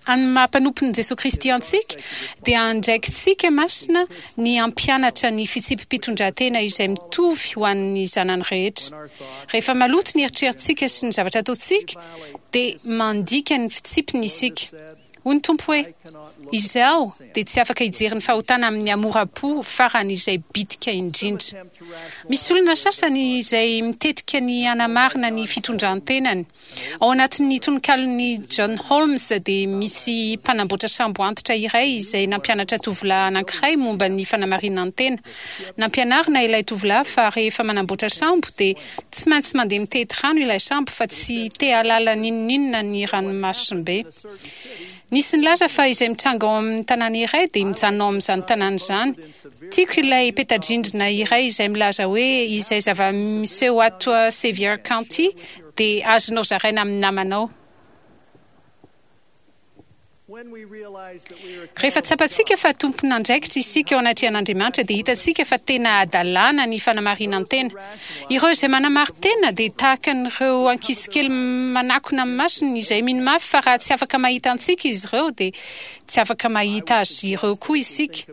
Amin'ny maha mpanompon'i Jesoa Kristy antsika dia andraikitsika masina ny hampianatra ny fitsipi-pitondran-tena izay mitovy ho an'ny zanany rehetra. Rehefa maloto ny eritreritsika sy ny zavatra ataontsika dia mandika ny fitsipiny isika. Hoy ny Tompo hoe, Izaho dia tsy afaka hijery ny fahotana amin'ny hamoram-po farany izay bitika indrindra. Misy olona sasany izay mitetika ny hanamarina ny fitondran-tenany. Ao anatin'ny tononkalon'i John Holmes dia misy mpanamboatra sambo antitra iray izay nampianatra tovolahy anankiray momba ny fanamarinan-tena. Nampianarina ilay tovolahy fa rehefa manamboatra sambo dia Tsy maintsy mandeha mitety rano ilay sambo fa tsy te hahalala n'inon'inona ny ranomasimbe. Nisy nilaza fa izay mitranga ao amin'ny tanàna iray dia mijanona ao amin'izany tanàna izany. Tiako ilay peta-drindrina iray izay milaza hoe izay zava-miseho ato Sevier County dia azonao zaraina amin'ny namanao. Rehefa tsapantsika fa tompon'andraikitra isika eo anatrehan'Andriamanitra dia hitantsika fa tena hadalana ny fanamarinan-tena. Ireo izay manamarin-tena dia tahaka an'ireo ankizikely manakona amin'ny masony izay mino mafy fa raha tsy afaka mahita antsika izy ireo dia tsy afaka mahita azy ireo koa isika.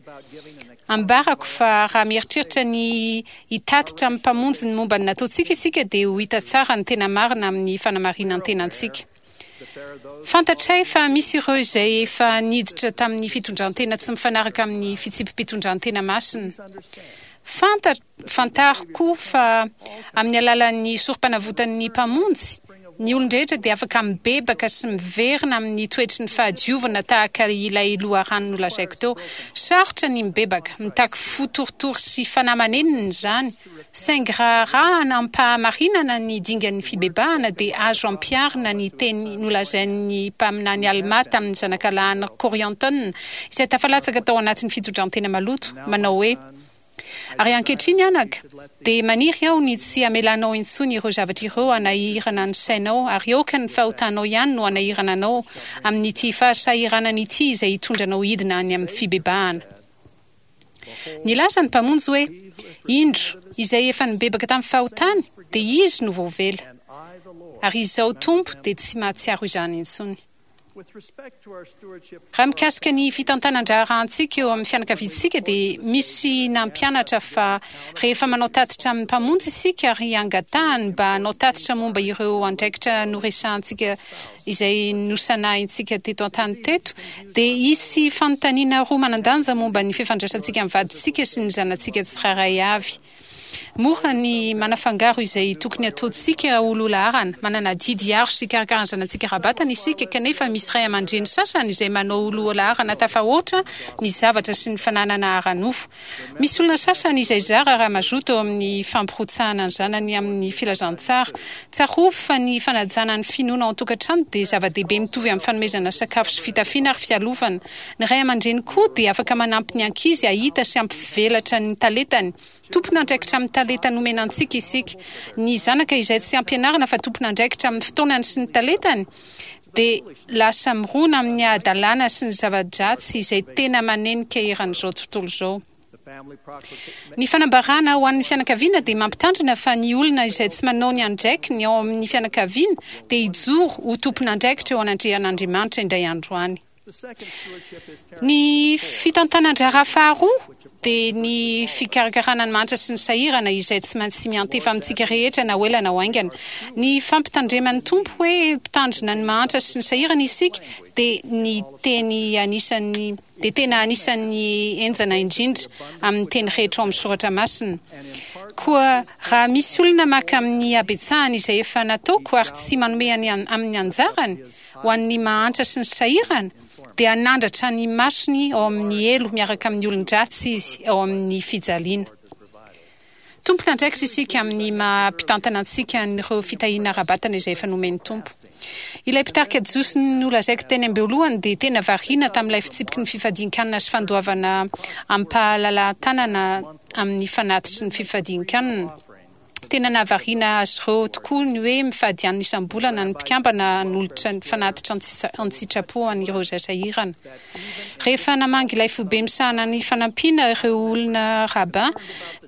Ambarako fa raha mieritreritra ny hitatitra amin'ny Mpamonjy ny momba ny nataontsika isika dia ho hita tsara ny tena marina amin'ny fanamarinan-tenantsika. Fantatray fa misy ireo izay efa niditra tamin'ny fitondran-tena tsy mifanaraka amin'ny fitsipi-pitondran-tena masina. Fanta, fantaro koa fa amin'ny alalan'ny sorompanavotan'ny Mpamonjy, ny olon-drehetra dia afaka mibebaka sy miverina amin'ny toetry ny fahadiovana tahaka ilay loharano nolazaiko teo. Sarotra ny mibebaka, mitaky fo torotoro sy fanahy manenina izany. Saingy raha arahana amim-pahamarinana ny dingan'ny fibebahana dia azo ampiharina ny teny nolazain'ny mpaminany Almà tamin'ny zanakalahin'i Kôriantôna izay tafalatsaka tao anatin'ny fitondran-tena maloto, manao hoe, Ary ankehitriny, anaka, dia maniry aho ny tsy hamelanao intsony ireo zavatra ireo hanahirana ny sainao, ary aoka ny fahotanao ihany no hanahirana anao amin'ity fahasahiranana ity izay hitondra anao hidina any amin'ny fibebahana. Nilaza ny Mpamonjy hoe, Indro, izay efa nibebaka tamin'ny fahotany, dia izy no voavela. Ary Izaho Tompo dia tsy mahatsiaro izany intsony. Raha mikasika ny fitantanan-draharahantsika eo amin'ny fianakaviantsika dia misy nampianatra fa rehefa manao tatitra amin'ny Mpamonjy isika ary angatahany mba hanao tatitra momba ireo andraikitra noresahantsika izay nosanahintsika teto an-tany teto dia hisy fanontaniana roa manan-danja momba ny fifandraisantsika amin'ny vadintsika sy ny zanatsika tsirairay avy. Mora ny manafangaro izay tokony hataontsika ho loha laharana. Manana adidy hiaro sy hikarakara ny zanatsika ara-batana isika, kanefa misy ray aman-dreny sasany izay manao ho loha laharana tafahoatra ny zavatra sy ny fananana ara-nofo. Misy olona sasany izay zara raha mazoto eo amin'ny fampirotsahana ny zanany amin'ny filazantsara. Tsarovy fa ny fanajana ny finoana ao an-tokantrano dia zava-dehibe mitovy amin'ny fanomezana sakafo sy fitafiana ary fialofana. Ny ray aman-dreny koa dia afaka manampy ny ankizy hahita sy hampivelatra ny talentany. Tompon'andraikitra amin'ny talenta nomena antsika isika. Ny zanaka izay tsy ampianarina fa tompon'andraikitra amin'ny fotoanany sy ny talentany dia lasa mirona amin'ny hadalana sy ny zava-dratsy izay tena manenika eran'izao tontolo izao. Ny fanambarana ho an'ny fianakaviana dia mampitandrina fa ny olona izay tsy manao ny andraikiny ao amin'ny fianakaviana dia hijoro ho tompon'andraikitra eo anatrehan'Andriamanitra indray andro any. Ny fitantanan-draharaha faharoa dia ny fikarakarana ny mahantra sy ny sahirana izay tsy maintsy miantefa amintsika rehetra na ho ela na ho haingana. Ny fampitandreman'ny Tompo hoe mpitandrina ny mahantra sy ny sahirana isika dia ny teny anisan'ny dia tena anisan'ny henjana indrindra amin'ny teny rehetra ao amin'ny soratra masina. Koa raha misy olona maka amin'ny habetsahany izay efa nataoko ary tsy manome amin'ny anjarany, ho an'ny mahantra sy ny sahirana, dia hanandratra ny masony ao amin'ny helo miaraka amin'ny olon-dratsy izy ao amin'ny fijaliana. Tompon'andraikitra isika amin'ny maha mpitantana antsika an'ireo fitahiana ara-batana izay efa nomen'ny Tompo. Ilay mpitarika jiosy nolazaiko teny am-boalohany dia tena variana tamin'ilay fitsipiky ny fifadian-kanina sy fandoavana amim-pahalalahan-tanana amin'ny fanatitry ny fifadian-kanina. Tena nahavariana azy ireo tokoa ny hoe mifady hanina isam-bolana ny mpikambana hanolotra ny fanatitra an-tsitrapo an'ireo izay sahirana. Rehefa namangy ilay foibe misahana ny fanampiana ireo olona rabbin,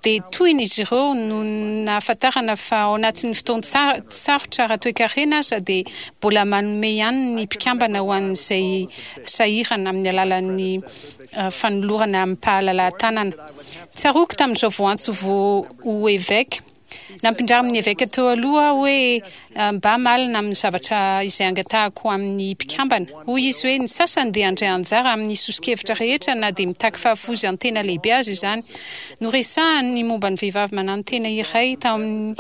dia tohina izy ireo noho ny nahafantarana fa ao anatin'ny fotoan-tsarotra ara-toekarena aza dia mbola manome ihany ny mpikambana ho an'izay sahirana amin'ny alalan'ny fanolorana amim-pahalalahan-tanana. Tsaroako tamin'izao voantso vao ho eveka. Nampindramin'ny eveka teo aloha aho hoe mba malina amin'ny zavatra izay angatahako amin'ny mpikambana. Hoy izy hoe ny sasany dia handray anjara amin'ny soso-kevitra rehetra na dia mitaky fahafoizan-tena lehibe aza izany. Noresahany ny momba ny vehivavy mananotena iray tao amin'ny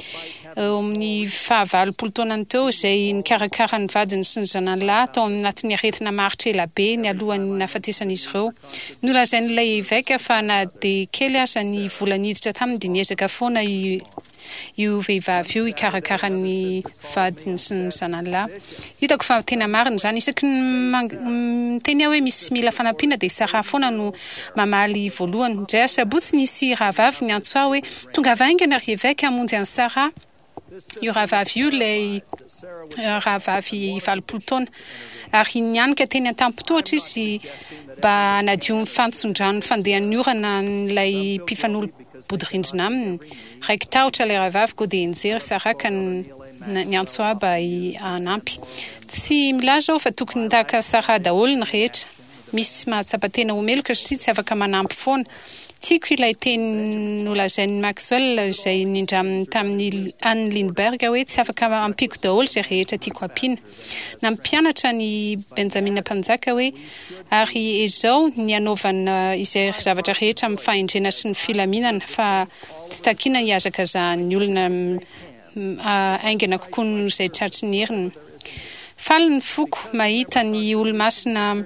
eo amin'ny fahavalopolo taonany teo izay nikarakara ny vadiny sy ny zanany lahy tao anatin'ny aretina maharitra ela be nialohan'ny nahafatesan'izy ireo. Nolazain'ilay eveka fa na dia kely aza ny vola niditra taminy dia niezaka foana io vehivavy io hikarakara ny vadiny sy ny zanany lahy. Hitako fa tena marina izany. Isaky ny miteny aho hoe misy mila fanampiana dia Sarah foana no mamaly voalohany. Indray asabotsy nisy rahavavy niantso ahy hoe, Tongava haingana ry eveka hamonjy an'i Sarah. Io rahavavy io ilay rahavavy 80 taona, ary nianika teny an-tampon-tohatra izy mba hanadio ny fantson-drano fandehan'ny orana an'ilay mpifanolo-bodirindrina aminy. Raiki-tahotra ilay rahavavy koa dia nijery Sarah ka niantso ahy mba hanampy. Tsy milaza aho fa tokony tahaka Sarah daholo ny rehetra. Misy mahatsapa tena ho meloka satria tsy afaka manampy foana. Tiako ilay teny nolazain'i Maxwell izay nindraminy tamin'i Anne Lindbergh hoe tsy afaka ampiako daholo izay rehetra tiako ampiana. Nampianatra an'i Benjamina Mpanjaka hoe, Ary ezao ny hanaovana izay zavatra rehetra amin'ny fahendrena sy ny filaminana, fa tsy takina hihazakazahan'ny olona haingana kokoa noho izay tratry ny heriny. Faly ny foko mahita ny Olomasina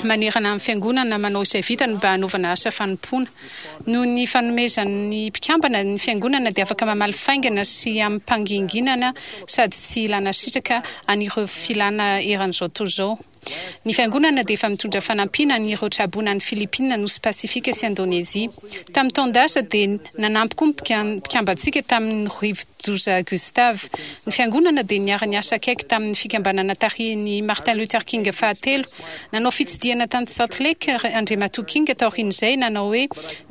manerana ny Fiangonana manao izay vitany mba hanaovana asa fanompoana. Noho ny fanomezan'ny mpikambana, ny Fiangonana dia afaka mamaly faingana sy amim-panginginana sady tsy ilana sitraka an'ireo filàna eran'izao tontolo izao. Ny Fiangonana dia efa mitondra fanampiana an'ireo traboina any Filipina, Nosy Pasifika sy Indonezia. Tamin'ny taon-dasa dia nanampy koa ny mpikambantsika tamin'ny rivo-doza Gustav. Ny Fiangonana dia niara-niasa akaiky tamin'ny fikambanana tarihin'i Martin Luther King fahatelo. Nanao fitsidihana tany Salt Lake Andriamatoa King taorian'izay, nanao hoe,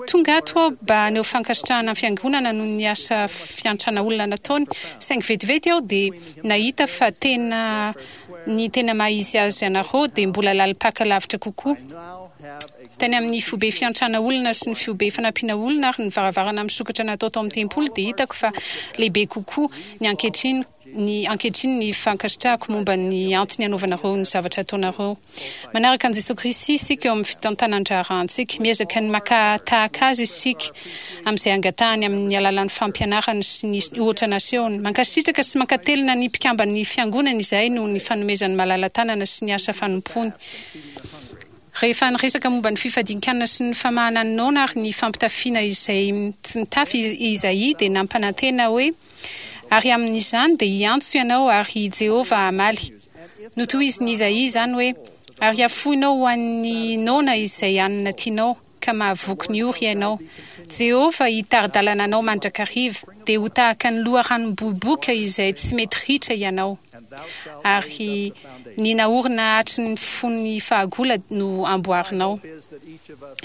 Tonga ato aho mba haneho fankasitrahana ny Fiangonana noho ny asa fiantrana olona nataony, saingy vetivety aho dia nahita fa tena Ny tena maha izy azy anareo dia mbola lalim-paka lavitra kokoa. Tany amin'ny foibe fiantrana olona sy ny fiobe fanampiana olona ary ny varavarana misokatra natao tao amin'ny tempoly dia hitako fa lehibe kokoa ny ankehitriny ny ankehitriny ny fankasitrahako momba ny antony anaovanareo ny zavatra ataonareo. Manaraka an'i Jesoa Kristy isika eo amin'ny fitantanan-draharahantsika. Miezaka ny maka tahaka Azy isika amin'izay angatahany amin'ny alalan'ny fampianarany sy ny ohatra nasehony. Mankasitraka sy mankatelina ny mpikamban'ny Fiangonana izahay noho ny fanomezany malala-tanana sy ny asa fanompoany. Rehefa niresaka momba ny fifadian-kanina sy ny famahana ny noana ary ny fampitafiana izay tsy nitafy i Izaia dia nampanantena hoe, Ary amin'izany dia hiantso ianao ary i Jehovah hamaly. Notohizin'i Izaia izany hoe, Ary hafoinao ho an'ny noana izay hanina tianao, ka mahavoky ny ory ianao. Jehovah hitari-dalana anao mandrakariva, dia ho tahaka ny loharanom-boiboka izay tsy mety ritra ianao. Ary ny naorina hatry ny fony fahagola no amboarinao.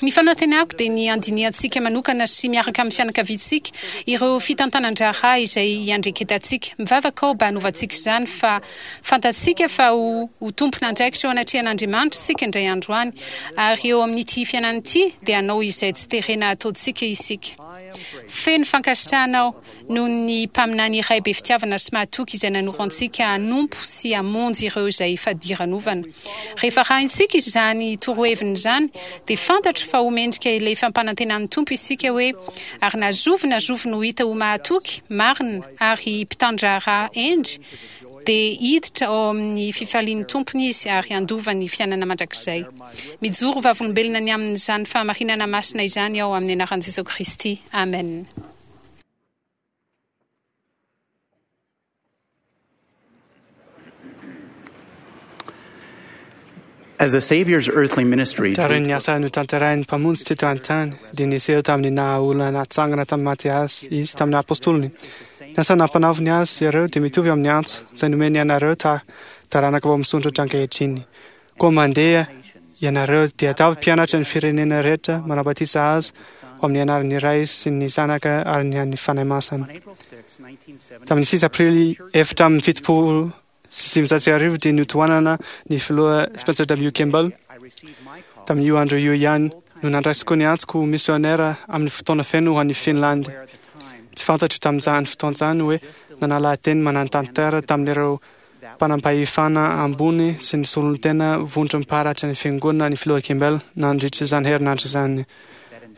Ny fanantenako dia ny handinihantsika manokana sy miaraka amin'ny fianakaviantsika ireo fitantanan-draharaha izay iandreketantsika. Mivavaka aho mba hanovantsika izany fa fantatsika fa ho ho tompon'andraikitra eo anatrehan'Andriamanitra isika indray andro any, ary eo amin'ity fiainana ity dia hanao izay tsy terena hataontsika isika. Feno fankasitrahana aho noho ny mpaminany iray be fitiavana sy mahatoky izay nanoro antsika hanompo sy hamonjy ireo izay fadiranovana. Rehefa arahintsika izany toroheviny izany, dia fantatro fa ho mendrika ilay fampanantenan'ny Tompo isika hoe, Ary na zovy na zovy no hita ho mahatoky, marina, ary mpitan-draharaha hendry, dia hiditra ao amin'ny fifalian'ny Tompony izy ary handova ny fiainana mandrakizay. Mijoro ho vavolombelona ny amin'izany fahamarinana masina izany aho amin'ny anaran'i Jesoa Kristy, amena. As the Savior's earthly ministry drew Taorian'ny asa notanterahin'ny Mpamonjy teto an-tany, dia niseho tamin'ny naha-olona natsangana tamin'ny maty Azy Izy tamin'ny Apostoliny. Ny asa nampanaoviny azy ireo dia mitovy amin'ny antso izay nomeny anareo ta taranaka vao misondrotra ankehitriny. Koa mandeha ianareo dia ataovy mpianatra ny firenena rehetra, manao batisa azy ho amin'ny anaran'ny Ray sy ny Zanaka ary ny an'ny Fanahy Masina. Tamin'ny 6 Aprily 1974 dia notohanana ny filoha Spencer W. Kimball. Tamin'io andro io ihany no nandraisiko ny antsoko ho misionera amin'ny fotoana feno ho any Finlandy. Tsy fantatro tamin'izany fotoana izany hoe nanala teny manan-tantara tamin'ireo mpanam-pahefana ambony sy ny solontena vondrom-paritra ny Fiangonana ny Filoha Kimball nandritra izany herinandro izany.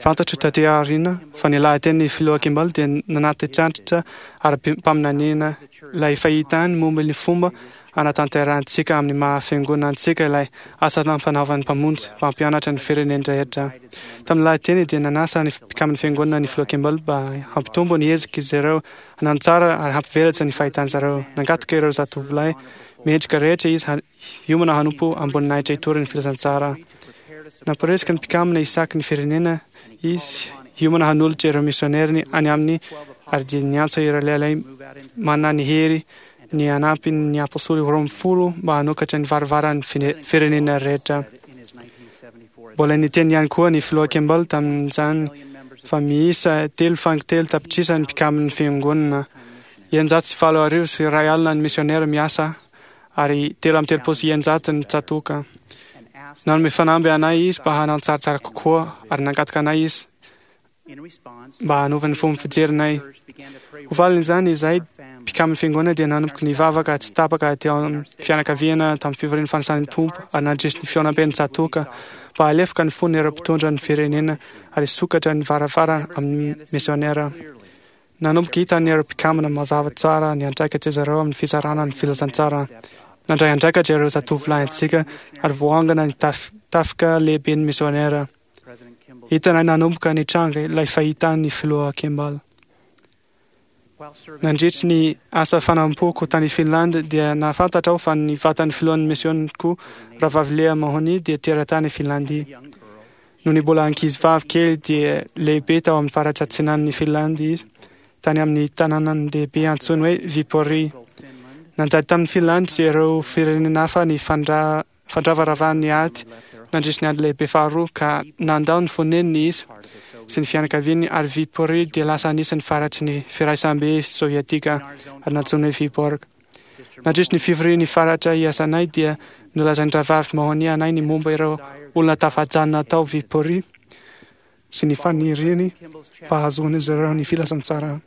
Fantatro taty aoriana fa ny lahatenin'ny Filoha Kimball dia nanatitrantitra ara-paminaniana ilay fahitany momba ny fomba hanatanterahantsika amin'ny maha Fiangonana antsika ilay asa nampanaovan'ny Mpamonjy mpampianatra ny firenen-drehetra. Tamin'ny lahateny dia nanasa ny mpikamban'ny Fiangonana ny Filoha Kimball mba hampitombo ny ezak'izy ireo Hanatsara ary hampivelatra ny fahitan-dry zareo. Nangataka ireo zatovolahy mendrika rehetra izy hiomana hanompo am-boninahitra hitory ny filazantsara. Namporisika ny mpikambana isaky ny firenena izy hiomana hanolotra ireo misioneriny any amin'ny Ary dia niantso ireo lehilahy manana ny hery ny hanampy ny apostoly 12 mba hanokatra ny varavaran'ny firenena rehetra. Mbola niteny ihany koa ny filoha Kimball tamin'izany fa miisa 3,3 tapitrisa ny mpikamin'ny fiangonana, 1086 ny misionera miasa ary 633 ny tsatoka. Nanome fanamby anay izy mba hanao tsaratsara kokoa ary nangataka anay izy mba hanova ny fomba fijerinay. Ho valin'izany, izahay mpikamin'ny fiangonana dia nanomboka nivavaka tsy tapaka teo amin'ny fianakaviana tamin'ny fivorian'ny fanasan'ny Tompo ary nandresy ny fihaonamben'ny tsatoka mba halefoka ny fon'ireo mpitondra ny firenena ary hisokatra ny varavarana amin'ny misionera. Nanomboka hitan'ireo mpikambana mazava tsara ny andraikitry zareo amin'ny fizarana ny filazantsara. Nandray andraikitra ireo zatovolahintsika ary voaangona ny tafika lehiben'ny misionera. Hitanay nanomboka nitranga ilay fahitan'ny filoha Kimball. Nandritry ny asa fanompoako tany Finlande dia nahafantatra aho fa ny vatan'ny filohan'ny misioniko, Rahavavy Lea Mahoney, dia teratany Finlandy. Nony mbola ankizivavy kely dia lehibe tao amin'ny faritra atsinanan'i Finlandy izy, tany amin'ny tanànan-dehibe antsoiny hoe Viipuri. Nanjary tamin'i Finlandy sy ireo firenena hafa ny fandravaravahan'ny ady nandritry ny Ady Lehibe Faharoa, ka nandao ny foneniny izy sy ny fianakaviany, ary Viipuri dia lasa anisan'ny faritry ny Firaisambe Sovietika ary nantsoiny hoe Vyborg. Nandritry ny fivorian'ny faritra iasanay dia nolazain'ny Rahavavy Mahoney anay ny momba ireo olona tafajanona tao Viipuri sy ny faniriany mba hahazoan'izy ireo ny filazantsara.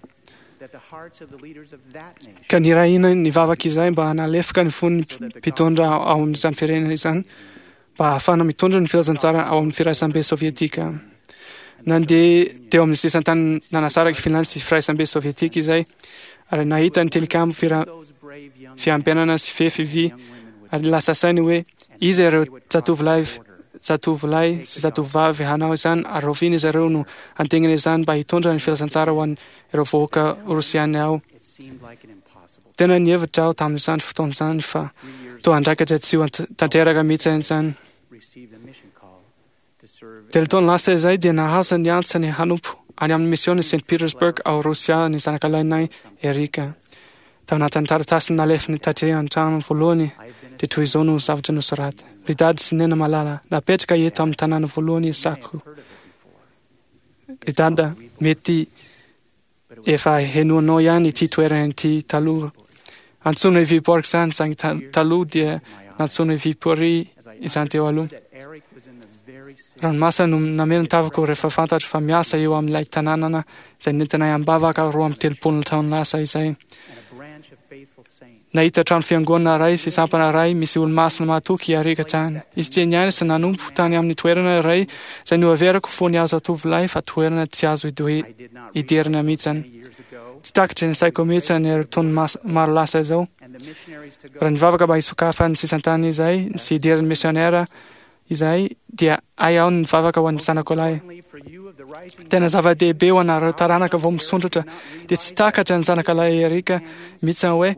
Ka nirahina nivavaka izahay mba hanalefaka ny fon'ny mpitondra ao amin'izany firenena izany mba hahafahana mitondra ny filazantsara ao amin'ny Firaisambe Sovietika. Nandeha teo amin'ny sisan-tany nanasaraka i Finlandy sy Firaisambe Sovietika izay, ary nahita ny tilikambo fiambenana sy fefy vy, ary lasa sainy hoe iza ireo zatovolahy zatovolahy sy zatovovavy hanao izany ary rahoviana izy ireo no handingana izany mba hitondra ny filazantsara ho an'ireo vahoaka rosiana ao. Tena nihevitra aho tamin'izany fotoana izany fa toa andraikitra tsy ho tanteraka mihitsy izany. Telo taona lasa izay dia nahazo ny antsany hanompo any amin'ny misiôn'i Saint Petersburg ao Rosia ny zanakalahinay Erika. Tao anatin'ny taratasy nalefany taty an-trano voalohany dia toy izao no zavatra nosoratany, Ry Dady sy Nena malala, napetraka eto amin'ny tanàna voalohany isako. Ry Dada, mety Efa henoinao ihany ity toerana ity taloha. Antsoina hoe Viborg izany, saingy taloha dia nantsoina hoe Viipuri izany teo aloha. Ranomasina no nameno ny tavako rehefa fantatro fa miasa eo amin'ilay tanànana izay nentinay am-bavaka 32 taona lasa izay. Nahita trano fiangonana iray sy sampana iray misy olo-masina mahatoky i Eric tany. Izy dia niaina sy nanompo tany amin'ny toerana iray izay noheveriko fony aho zatovolahy fa toerana tsy azo idirana mihitsy. Tsy takatry ny saiko mihitsy ny taona maro lasa izao. Raha nivavaka mba hisokafan'ny sisan-tany izay sy hidiran'ny misionera izahay dia hay aho ny nivavaka ho an'ny zanako lahy. Tena zava-dehibe ho anareo taranaka vao misondrotra dia tsy takatra ny zanaka lahy Erika mihitsy hoe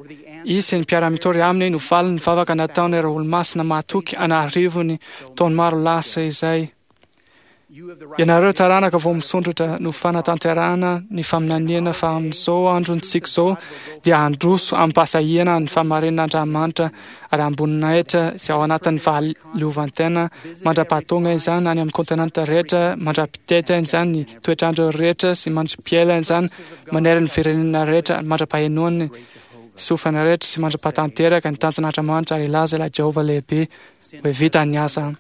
izy sy ny mpiara-mitory aminy no valin'ny vavaka nataon'ireo olo-masina mahatoky an'arivony taona maro lasa izay. Ianareo taranaka vao misondrotra no fanatanterahana ny faminaniana fa amin'izao androntsika izao dia handroso amim-pahasahiana ny fahamarinan'Andriamanitra ary amboninahitra sy ao anatin'ny fahaleovantena mandra-pahatonga izany any amin'ny kontinanta rehetra, mandra-pitety izany ny toetr'andro rehetra sy mandra-piela izany manerana ny firenena rehetra ary mandra-pahenoan'ny sofina rehetra sy mandra-pahatanteraka ny tanjon'Andriamanitra ary hilaza ilay Jehovah lehibe hoe vita ny asa.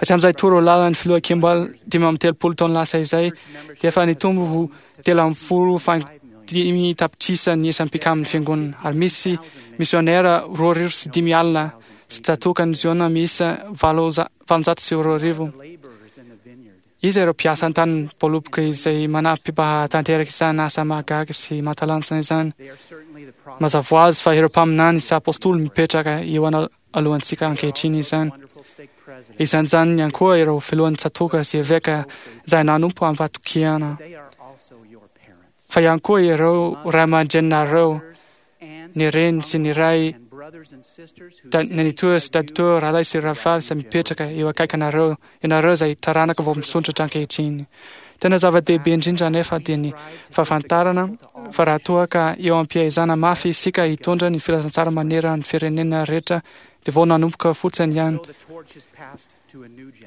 Hatramin'izay toro lalan'ny filoha Kimball 35 taona lasa izay dia efa nitombo ho 13.5 tapitrisa ny isan'ny mpikamin'ny fiangonana ary misy misionera 520 sy tsatokan'i Ziona miisa 2008. Iza ireo mpiasa an-tany voaloboka izay manampy mba hahatanteraka izany asa mahagaga sy mahatalanjona izany? Mazava ho azy fa ireo mpaminany sy apostoly mipetraka eo alohantsika ankehitriny izany. Isan'izany ihany koa ireo filohan'ny tsatòka sy eveka izay nanompo am-pahatokiana, fa ihany koa ireo ray aman-dreninareo, ny reny sy ny ray, nenitoa sy daditoa, rahalahy sy rahavavy izay mipetraka eo akaikinareo, ianareo izay taranaka vao misondrotra ankehitriny. Tena zava-dehibe indrindra anefa dia ny fahafantarana fa raha toa ka eo am-piaizana mafy isika hitondra ny filazantsara manerana ny firenena rehetra dia vao nanomboka fotsiny ihany.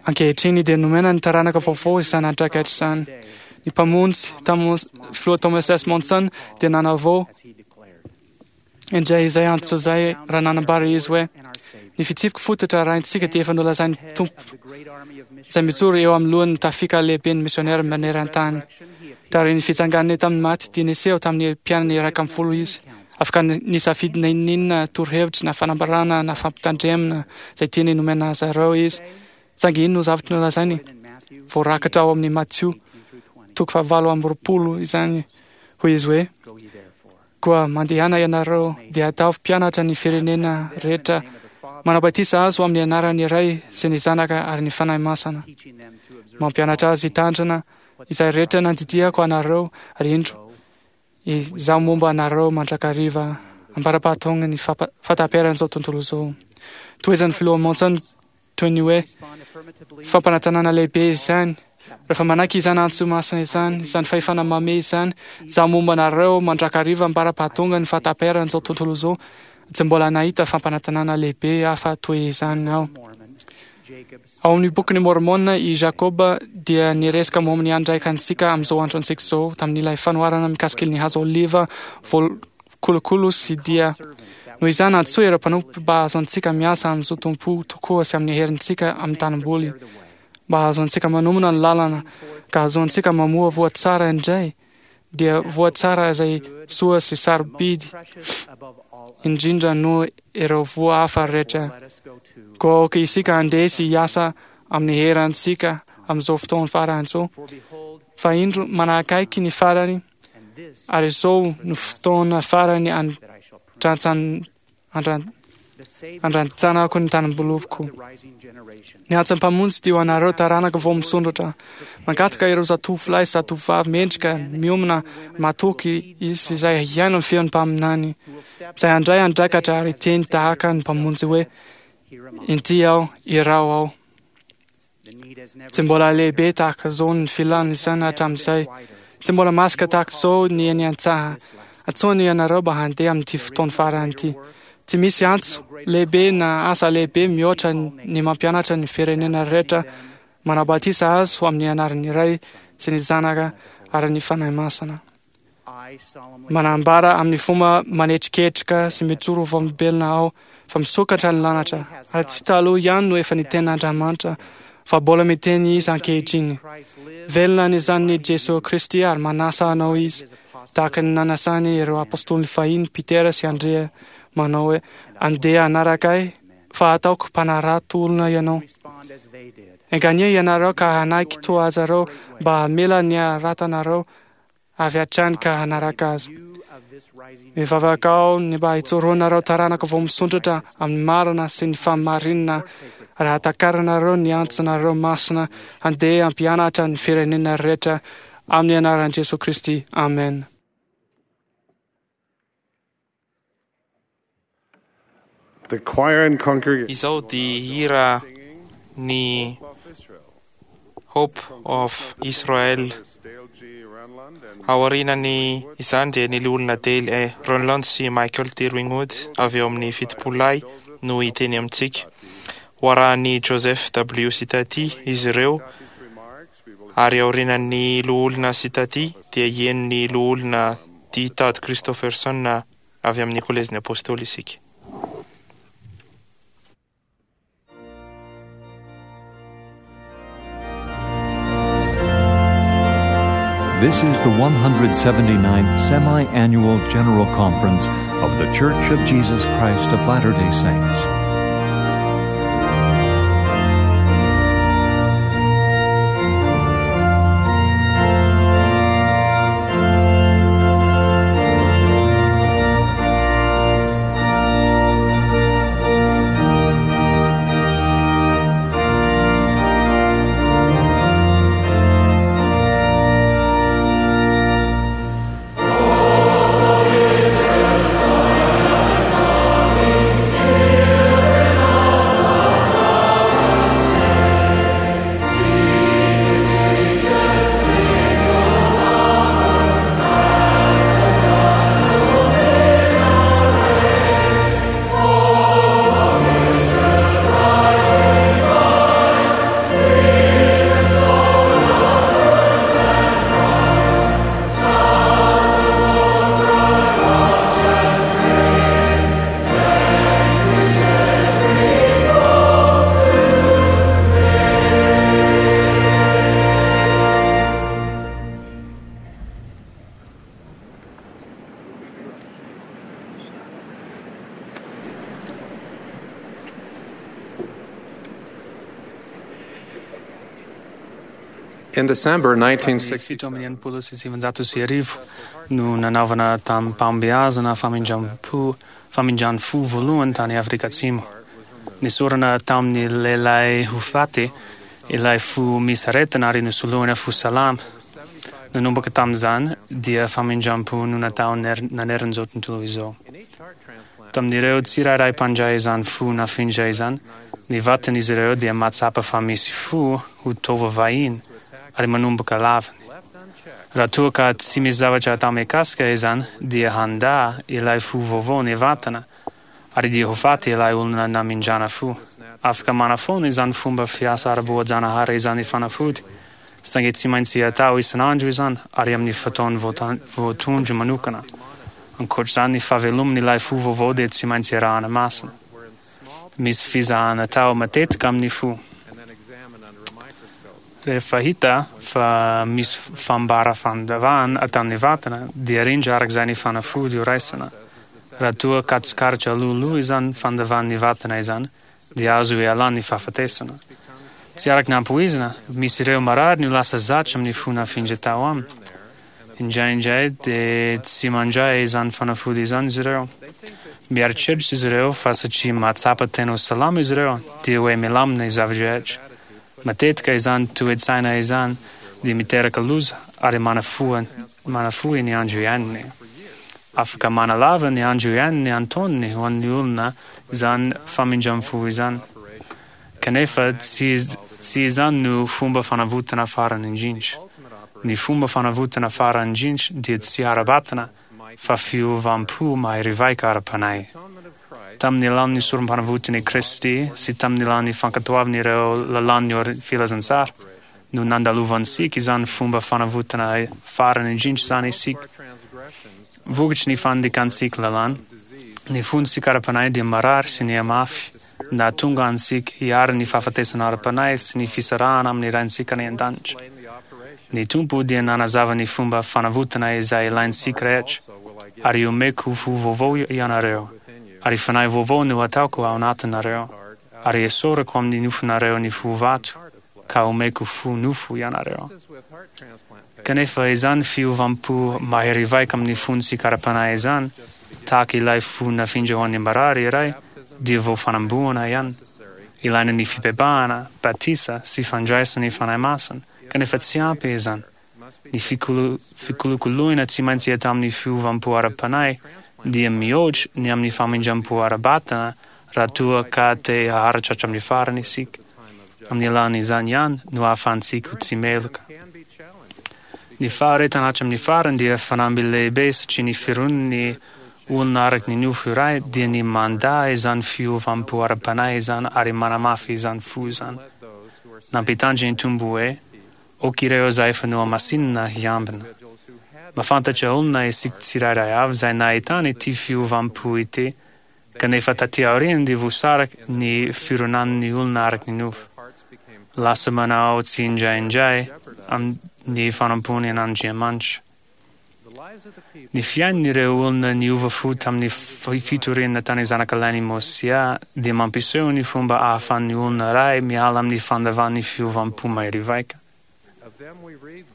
Ankehitriny dia nomena ny taranaka vaovao izany andraikitra izany. Ny Mpamonjy, Filoha Thomas S. Monson, dia nanavao indray izay antso izay raha nanambara izy hoe ny fitsipika fototra arahintsika dia efa nolazain'ny Tompo izay mijoro eo amin'ny lohan'ny tafika lehiben'ny misionera maneran-tany. Taorian'ny fitsanganany tamin'ny maty dia niseho tamin'ny mpianany 11 izy. Afaka nisafidy na inona torohevitra na fanambarana na fampitandremana izay tiany nomena azy ireo izy. Saingy inona no zavatra nolazainy? Voarakitra ao amin'ny Matio toko faha-28 izany. Hoy izy hoe, Koa mandehana ianareo dia ataovy mpianatra ny firenena rehetra, manao batisa azy ho amin'ny anaran'ny Ray sy ny Zanaka ary ny Fanahy Masina. Mampianatra azy hitandrina izay rehetra nandidiako anareo, ary indro, Izaho momba anareo mandrakariva ambara-pahatonga ny fahataperan'izao tontolo izao. Tohizan'ny Filoha Monson toy ny hoe fampanantenana lehibe izany. Rehefa manaiky izany antso masina izany, izany fahefana mamehy izany, izaho momba anareo mandrakariva ambara-pahatonga ny fahataperan'izao tontolo izao, tsy mbola nahita fampanantenana lehibe hafa toy izany aho. Ao amin'ny Bokin'i Môrmôna, i Jakôba dia niresaka momba ny andraikantsika amin'izao androntsika izao tamin'ilay fanoharana mikasika ny hazo oliva voakolokolo sy dia noho izany antsoy ireo mpanompo mba hahazoantsika miasa amin'ny zotom-po tokoa sy amin'ny herintsika amin'ny tanimboly mba hahazoantsika manomana ny lalana ka hahazoantsika mamoa voa tsara indray dia voa tsara izay soa sy sarobidy indrindra noho ireo voa hafa rehetra. Koa aoka isika handeha sy hiasa amin'ny herantsika amin'izao fotoana farany izao, fa indro manakaiky ny farany, ary izao no fotoana farany Andrantsanako ny tanimbolopoko. Ny antsan'ny Mpamonjy dia ho anareo taranaka vao misondrotra. Mangataka ireo zatovolahy sy zatovovavy mendrika, miomana, matoky izy izay hihaino ny feon'ny mpaminany, izay handray andraikatra ary hiteny tahaka ny Mpamonjy hoe, Inty aho, iraho aho. Tsy mbola lehibe tahaka izao ny filana izany hatramin'izay. Tsy mbola masaka tahaka izao ny eny an-tsaha. Antsoina ianareo mba handeha amin'ity fotoana farany ity. Tsy misy antso lehibe na asa lehibe mihoatra ny mampianatra ny firenena rehetra manao batisa azy ho amin'ny anaran'ny Ray sy ny Zanaka ary ny Fanahy Masina. Manambara amin'ny fomba manetriketrika sy mijoro ho vavolombelona aho fa misokatra ny lanitra, ary tsy taloha ihany no efa niteny Andriamanitra, fa mbola miteny Izy ankehitriny. Velona ny Zanany Jesoa Kristy ary manasa anao Izy, tahaka ny nanasany ireo apostoliny fahiny Petera sy Andrea, manao hoe, Andeha hanaraka Ahy, fa hataoko mpanarato olona ianao. Enganie ianareo ka hanaiky toa azy ireo mba hamela ny haratanareo avy hatrany ka hanaraka azy. Mivavaka aho ny mba hijoroanareo taranaka vao misondrotra amin'ny marina sy ny fahamarinana raha takarinareo ny antsonareo masina handeha hampianatra ny firenena rehetra amin'ny anaran'i Jesoa Kristy. Amen. The choir and congregation Izao dia hira ny Hope of Israel. Aorianany izany dia ny loholona Dale E. Renlund sy Michael D. Ringwood avy eo amin'ny Fitopololahy no hiteny amintsika. Ho arahan'i Joseph W. Sitati izy ireo ary aorianan'ny loholona Sitati dia hieno ny loholona D. Todd Christofferson avy amin'ny Kolejin'ny Apostoly isika. This is the 179th Semi Annual General Conference of The Church of Jesus Christ of Latter day Saints. In December Tamin'ny 1967 no nanaovana tamim-pahombiazana famindram-po famindran'ny fo voalohany tany Afrika Atsimo. Nesorina tamin'ny lehilahy ho faty ilay fo misy aretina ary nosoloina fo salama. Nanomboka tamin'izany dia famindram-po no natao naneran'izao tontolo izao. Tamin'ireo tsirairay mpandray izany fo nafindra izany, ny vatan'izy ireo dia mahatsapa fa misy fo ho taova vahiny ary manomboka laviny. Raha toa ka tsy misy zavatra atao mikasika izany dia handà ilay fo vaovao ny vatana ary dia ho faty ilay olona namindrana fo. Afaka manafoana izany fomba fiasa ara-boajanahary izany fanafody, saingy tsy maintsy atao isan'andro izany ary amin'ny fotoana voatondro manokana. Ankoatr'izany, ny fahaveloman'ilay fo vaovao dia tsy maintsy arahana masina. Misy fizahana atao matetika amin'ny fo. Rehefa hita fa misy fambara fandavahana ataon'ny vatana, dia arindra araka izay ny fanafody ho raisina. Raha toa ka tsikaritra alohaloha izany fandavan'ny vatana izany, dia azo ialana ny fahafatesana. Tsy araka ny ampoizina, misy ireo marary no lasa zatra amin'ny fo nafindra tao aminy. Indraindray dia tsy mandray izany fanafody izany izy ireo. Mieritreritra izy ireo fa satria mahatsapa tena ho salama izy ireo, dia hoe milamina ny zava-drehetra. Matetika izany toe-tsaina izany dia miteraka loza ary manafoha manafohy ny andro iainany. Afaka manalava ny andro iainany antonony ho an'ny olona izany famindram-po izany. Kanefa tsy tsy izany no fomba fanavotana farany indrindra. Ny fomba fanavotana farany indrindra dia tsy ara-batana fa fiovam-po mahery vaika ara-panahy. Tamin'ny alalan'ny sorom-panavotan'i Kristy sy tamin'ny alalan'ny fankatoavana ireo lalàn'ny filazantsara no nandalovantsika izany fomba fanavotana farany indrindra izany isika. Vokatry ny fandikantsika lalàna, ny fontsika ara-panahy dia marary sy nihamafy, nahatonga antsika hiharan'ny fahafatesana ara-panahy sy ny fisarahana amin'ny Raintsika any An-danitra. Ny Tompo dia nanazava ny fomba fanavotana izay ilaintsika rehetra, Ary omeko fo vaovao ianareo, ary fanahy vaovao no hataoko ao anatinareo, ary esoriko amin'ny nofonareo ny fo vato, ka omeko fo nofo ianareo. Kanefa izany fiovam-po mahery vaika amin'ny fontsika ara-panahy izany, tahaka ilay fo nafindra ho an'ny marary iray, dia vao fanamboana ihany. Ilaina ny fibebahana, batisa, sy fandraisana ny Fanahy Masina, kanefa tsy ampy izany. Ny fikolokoloina tsy maintsy atao amin'ny fiovam-po ara-panahy dia mihoatra ny amin'ny famindram-po ara-batana raha toa ka te haharitra hatramin'ny farany isika. Amin'ny alalan'izany ihany no ahafahantsika ho tsy meloka. Ny faharetana hatramin'ny farany dia fanamby lehibe satria ny firon'ny olona araka ny nofo iray dia ny mandà izany fiovam-po ara-panahy izany ary manamafy izany fo izany. Nampitandrina ny Tompo hoe, Ok ireo izay efa nohamasinina hiambina. Mahafantatra olona isika tsirairay avy izay nahitana ity fiovam-po ity, kanefa taty aoriana dia voasaraka ny fironan'ny olona araka ny nofo. Lasa manao tsindraindray amin'ny fanompoany an'Andriamanitra. Ny fiainan'ireo olona niova fo tamin'ny fitoriana tany zanakalahin'i Môsià dia mampiseho ny fomba ahafahan'ny olona iray miala amin'ny fandavan'ny fiovam-po mahery vaika.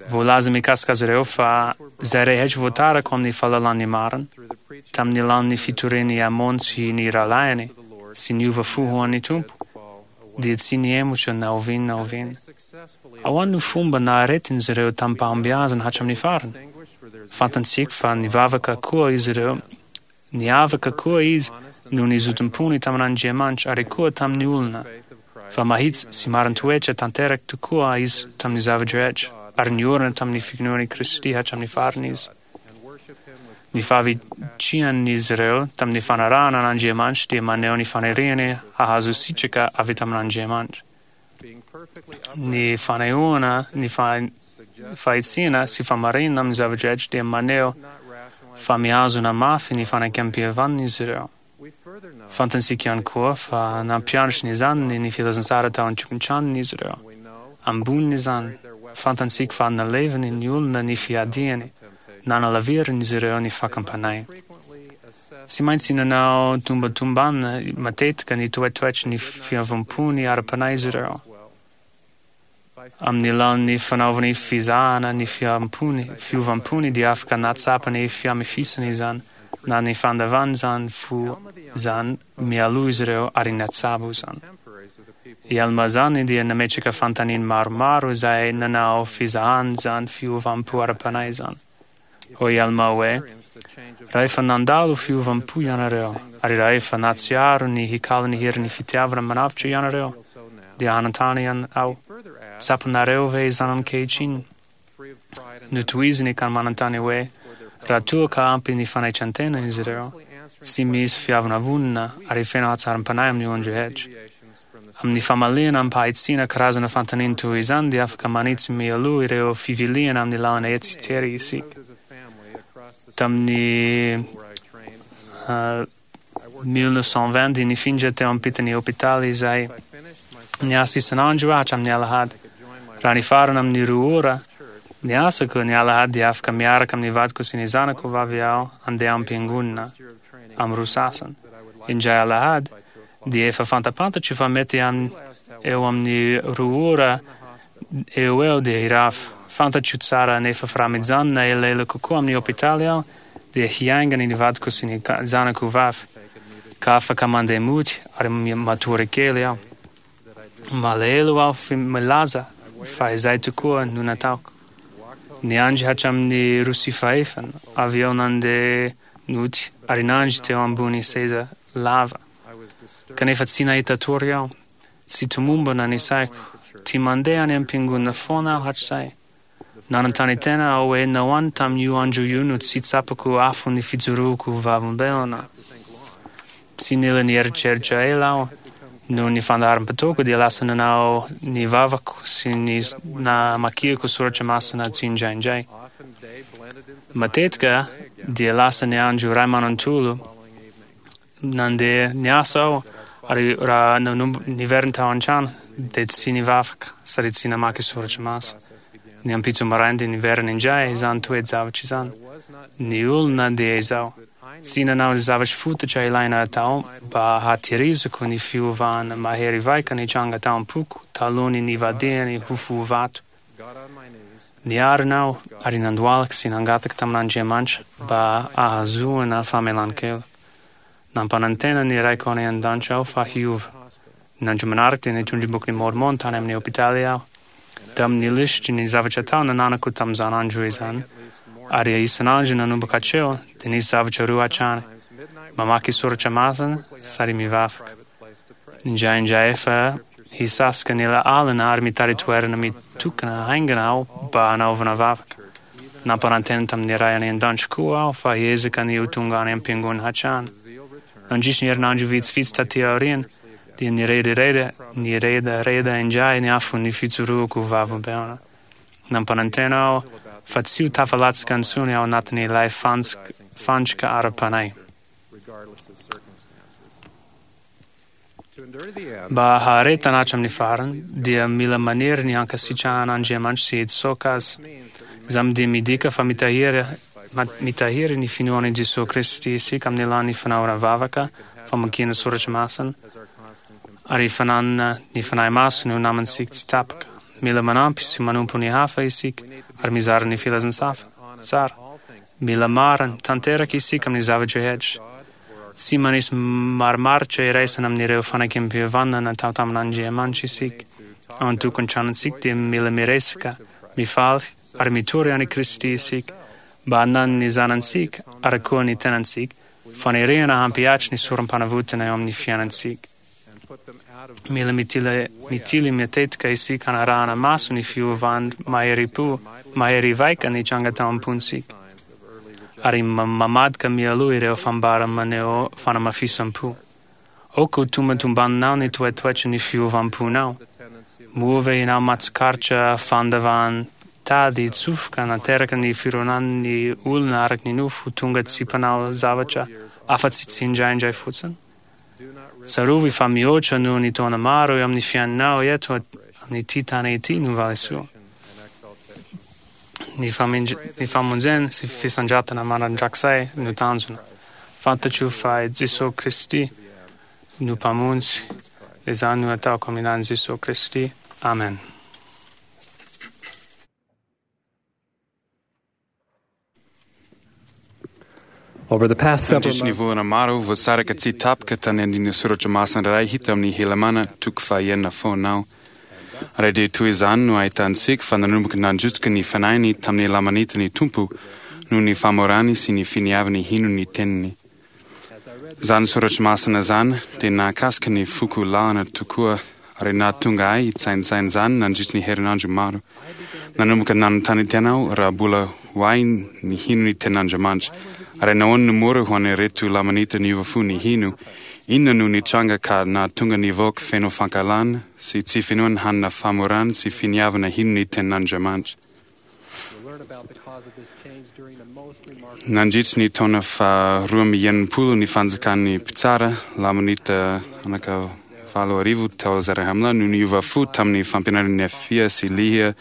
Voalaza mikasika azy ireo fa izay rehetra voatarako amin'ny fahalalan'ny marina, tamin'ny alalan'ny fitorian'i Amôna sy ny rahalahiny, sy niova fo ho an'ny Tompo, dia tsy nihemotra na oviana na oviana. Ahoana no fomba naharetin'izy ireo tamim-pahombiazana hatramin'ny farany? Fantatsika fa nivavaka koa izy ireo, niavaka koa izy noho ny zotom-pony tamin'Andriamanitra ary koa tamin'ny olona, fa mahitsy sy marin-toetra tanteraka tokoa izy tamin'ny zava-drehetra, ary niorina tamin'ny finoan'i Kristy hatramin'ny farany izy. Ny fahavitrihan'izy ireo tamin'ny fanarahana an'Andriamanitra dia maneho ny faniriany hahazo sitraka avy tamin'Andriamanitra. Ny fanehoana ny fahitsiana sy fahamarinana amin'ny zava-drehetra dia maneho fa mihazona mafy ny fanekempihavanana izy ireo. Fantatsika ihany koa fa nampianatra ny zanany ny filazantsara tao an-tokantranony izy ireo. Ambonin'izany, fantatsika fa naleviny ny olona ny fiadiany, nanalaviran'izy ireo ny fakam-panahy. Tsy maintsy nanao tombantombana matetika ny toetoetry ny fiovam-pony ara-panahy izy ireo. Amin'ny alalan'ny fanaovany fizahana ny fiampony, fiovampony dia afaka nahatsapa ny fihamafisana izany na ny fandavana izany fo izany mialoha izy ireo ary natsabo izany. I Almà izany dia nametraka fanontaniana maromaro izay nanao fizahana izany fiovam-po ara-panahy izany. Hoy i Almà hoe, Raha efa nandalo fiovam-po ianareo, ary raha efa nahatsiaro ny hikalo ny herin'ny fitiavana manavotra ianareo, dia hanontany aho, Tsapanareo ve izany ankehitriny? Notohiziny ka manontany hoe, Raha toa ka ampy ny fanaitran-tena izy ireo, tsy misy fiavonavonana ary feno hatsaram-panahy amin'ny olon-drehetra. Amin'ny famaliana amim-pahitsiana karazana fanontaniana toy izany dia afaka manitsy mialoha ireo fiviliana amin'ny lalana etsy tery isika. Tamin'ny 1920 dia nifindra teo ampitan'ny hopitaly izahay. Niasa isan'andro aho hatramin'ny alahady. Raha nifarana amin'ny 2 ora ny asako ny alahady dia afaka miaraka amin'ny vadiko sy ny zanako vavy aho handeha am-piangonana amin'ny roa sasany. Indray alahady dia efa fantapantatro fa mety any eo amin'ny 2 ora eo eo dia hirava. Fantatro tsara anefa fa raha mijanona elaela kokoa amin'ny hopitaly aho dia hiaingana ny vadiko sy ny zanako vavy, ka afaka mandeha mody ary matory kely aho. Malahelo aho milaza fa izay tokoa no nataoko. Niandry hatramin'ny 2:15, avy eo nandeha nody ary nandry teo ambony seza lava. Kanefa tsy nahita tory aho. Tsy tomombana ny saiko. Tia mandeha any am-piangonana foana aho hatrizay. Nanontany tena aho hoe nahoana tamin'io andro io no tsy tsapako afo ny fijoroako ho vavolombelona. Tsy nila nieritreritra ela aho. Noho ny fandaharam-potoako dia lasa nanao ny vavako sy ny namakiako soratra masina tsindraindray. Matetika dia lasa ny andro iray manontolo nandeha niasa aho ary raha nanomboka niverina tao an-trano dia tsy nivavaka sady tsy namaky soratra masina. Ny ampitso maraina dia niverina indray izany toe-javatra izany. Ny olona dia izao. Tsy nanao ny zavatra fototra ilaina atao mba hahatehirizako ny fiovana mahery vaika nitranga tao am-poko talohan'ny nivadihany ho fo vato. Niarina aho ary nandohalika sy nangataka tamin'Andriamanitra mba hahazoana famelan-keloka. Nampanantena ny Raiko any an-danitra aho fa hiova. Ny andro manaraka dia nitondra ny Bokin'i Môrmôna tany amin'ny hôpitaly aho. Tamin'ny lisitry ny zavatra atao nananako tamin'izany andro izany, ary isan'andro nanomboka hatreo, dia nisy zavatra roa hatrany, mamaky soratra masina sady mivavaka. Indraindray efa hisasaka ny alina ary mitady toerana mitokana haingana aho mba hanaovana vavaka. Nampanantena tamin'ny Ray any an-danitra koa aho fa hiezaka ny ho tonga any am-piangonana hatrany. Nandritra ny herinandro vitsivitsy taty aoriana, dia niredareda niredareda indray ny afon'ny fijoroako ho vavolombelona. Nampanantena aho fa tsy ho tafalatsaka intsony ao anatin'ilay fandrika ara-panahy. Mba haharetana hatramin'ny farany, dia mila maniry ny hankasitrahan'Andriamanitra sy hitsoaka azy. Izany dia midika fa mitahiry mitahiry ny finoana i Jesoa Kristy isika amin'ny alalan'ny fanaovana vavaka, famakiana soratra masina, ary fananana ny Fanahy Masina ho namantsika tsy tapaka. Mila manampy sy manompo ny hafa isika ary mizara ny filazantsara. Tsara. Mila marina tanteraka isika amin'ny zava-drehetra. Tsy manisy marimaritra iraisana amin'ireo fanekempihavanana natao tamin'Andriamanitra isika. Ao an-tokantranontsika dia mila miresaka, mifaly, ary mitory an'i Kristy isika, mba hanan'ny zanantsika, ary koa ny tenantsika, faniriana hampihatra ny sorom-panavotana eo amin'ny fiainantsika. Mila mitily, mitily matetika isika hanarahana maso ny fiovan maherim-po, mahery vaika nitranga tao am-pontsika, ary mamadika mialoha ireo fambara maneho fanamafisam-po. Aoka ho tombantombaninao ny toetoetry ny fiovam-ponao. Moa ve ianao mahatsikaritra fandavan tady hitsofoka nateraka ny fironan'ny olona araka ny nofo ho tonga tsy mpanao zavatra afa-tsy tsindraindray fotsiny? Tsarovy fa mihoatra noho ny taona maro eo amin'ny fiainanao eto amin'ity tany ity no valisoa. Ny ny famonjena sy fisandratana mandrakizay no tanjona. Fantatro fa i Jesoa Kristy no Mpamonjy, izany no ataoko amin'ny anaran'i Jesoa Kristy. Amen. Over the past several Nandritry ny months, volana maro voasaraka tsy tapaka tany andininy soratra masina iray hita amin'ny Helamàna toko fahenina foana aho. Ary dia toy izany no ahitantsika fa nanomboka nandrotsaka ny fanahiny tamin'ny Lamanita ny Tompo noho ny famorany sy ny finiavany hino ny teniny. Izany soratra masina izany dia nahakasika ny foko lalina tokoa ary nahatonga ahy hitsaintsaina izany nandritry ny herinandro maro. Nanomboka nanontany tena aho raha mbola ho ahy ny hino ny tenin'Andriamanitra. Ary nahoana no mora ho an'ireto Lamanita niova fo ny hino? Inona no nitranga ka nahatonga ny vahoaka feno fankahalana sy tsy finoana hanana famorana sy finiavana hino ny tenin'Andriamanitra? Nandritry ny taona faha-62 ny fanjakan'ny mpitsara Lamanita anaka 8000 tao Zarahemla no niova fo tamin'ny fampianaran'i Nefia sy Lihia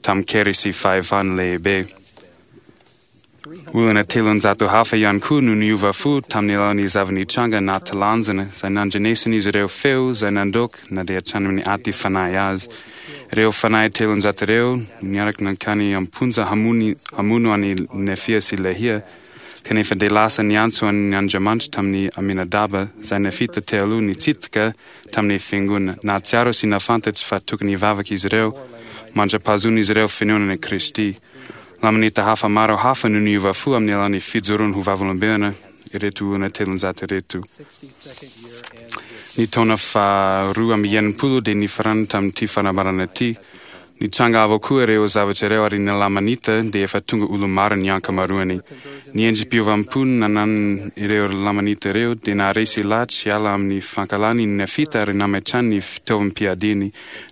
tamin-kery sy fahefana lehibe. Olona 300 hafa ihany koa no niova fo tamin'ny alalan'ny zava-nitranga nahatalanjona izay nandrenesan'izy ireo feo izay nandoaka na dia hatrany amin'ny aty fanahy azy. Ireo fanahy 300 ireo no niaraka nankany am-ponja hamono an'i Nefia sy Lehia, kanefa dia lasa niantso an'i Andriamanitra tamin'i Aminadaba izay nefita teo aloha nitsidika tamin'ny fiangonana. Nahatsiaro sy nahafantatra fa tokony hivavaka izy ireo mandra-pahazoan'izy ireo finoana an'i Kristy. Lamanita hafa maro hafa no niova fo amin'ny alalan'ny fijoroany ho vavolombelona ireto olona 300 ireto. Ny taona faha-62 dia nifarana tamin'ity fanambarana ity. Nitranga avokoa ireo zavatra ireo ary ny Lamanita dia efa tonga olo-maro ny ankamaroany. Ny endri-piovam-po nanan'ireo Lamanita ireo dia naharesy lahatra hiala amin'ny fankahalany ny Nefita ary nametrahany ny fitaovam-piadiany.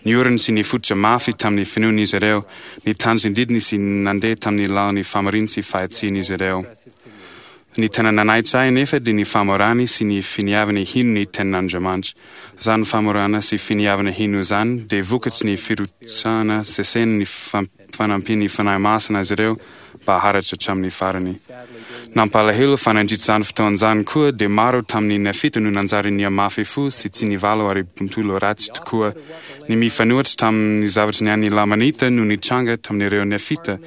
Niorina sy nifototra mafy tamin'ny finoana izy ireo, nitandro ny didiny sy nandeha tamin'ny lalan'ny fahamarinana sy fahitsiana izy ireo. Ny tena nanaitra ahy anefa dia ny famorany sy ny finiavany hino ny tenin'Andriamanitra. Izany famorana sy finiavana hino izany dia vokatry ny firotsahana sesehiny ny fanampian'ny Fanahy Masina azy ireo mba haharitra hatramin'ny farany. Nampalahelo fa nandritra izany fotoana izany koa dia maro tamin'ny Nefita no nanjary nihamafy fo sy tsy nivalo ary bontolo ratsy tokoa. Ny mifanohitra tamin'ny zavatra niainan'ny Lamanita no nitranga tamin'ireo Nefita.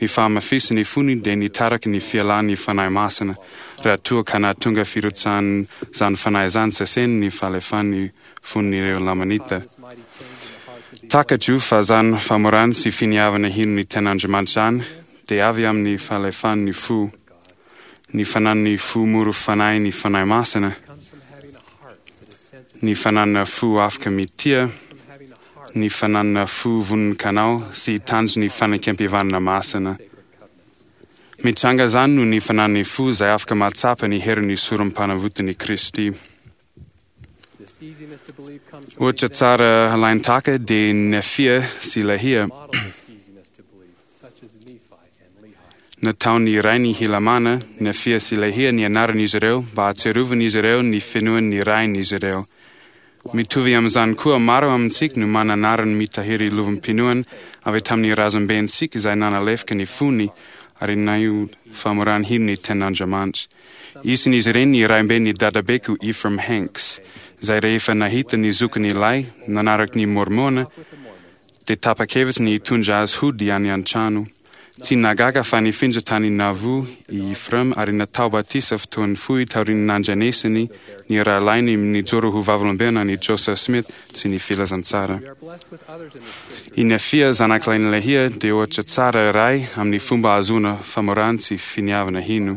Ny fahamafisan'ny fony dia nitaraky ny fialan'ny Fanahy Masina, raha toa ka nahatonga firotsahan'izany Fanahy izany sesehiny ny fahalefan'ny fon'ireo Lamanita. Takatro fa izany famorana sy finiavana hino ny tenin'Andriamanitra izany dia avy amin'ny fahalefan'ny fo, ny fanan'ny fo mora fanahy ny Fanahy Masina, ny fananana fo afaka mitia, ny fananana fo vonon-kanao sy hitandro ny fanekempihavanana masina. Mitranga izany noho ny fanan'ny fo izay afaka mahatsapa ny herin'ny sorom-panavotan'i Kristy. Ohatra tsara halain-tahaka dia Nefia sy Lehia. Nataon'ny rainy Helamàna, Nefia sy Lehia ny anaran'izy ireo mba hahatsiarovan'izy ireo ny finoan'ny rain'izy ireo. Mitovy amin'izany koa, maro amintsika no manana anarana mitahiry lovam-pinoana avy tamin'ny razambentsika izay nanalefaka ny fony ary naneho famorana hino ny tenin'Andriamanitra. Isan'izy ireny ny raimben'ny dadabeko Ephraim Hanks, izay rehefa nahita ny zokiny lahy nanaraka ny Môrmôna, dia tapa-kevitra ny hitondra azy hody any an-trano. Tsy nahagaga fa nifindra tany Nauvoo i Ephraim ary natao batisa fotoana fohy taorian'ny nandrenesany ny rahalahiny nijoro ho vavolombelona an'i Joseph Smith sy ny filazantsara. I Nefia zanakalahin'i Lehia dia ohatra tsara iray amin'ny fomba ahazoana famorana sy finiavana hino.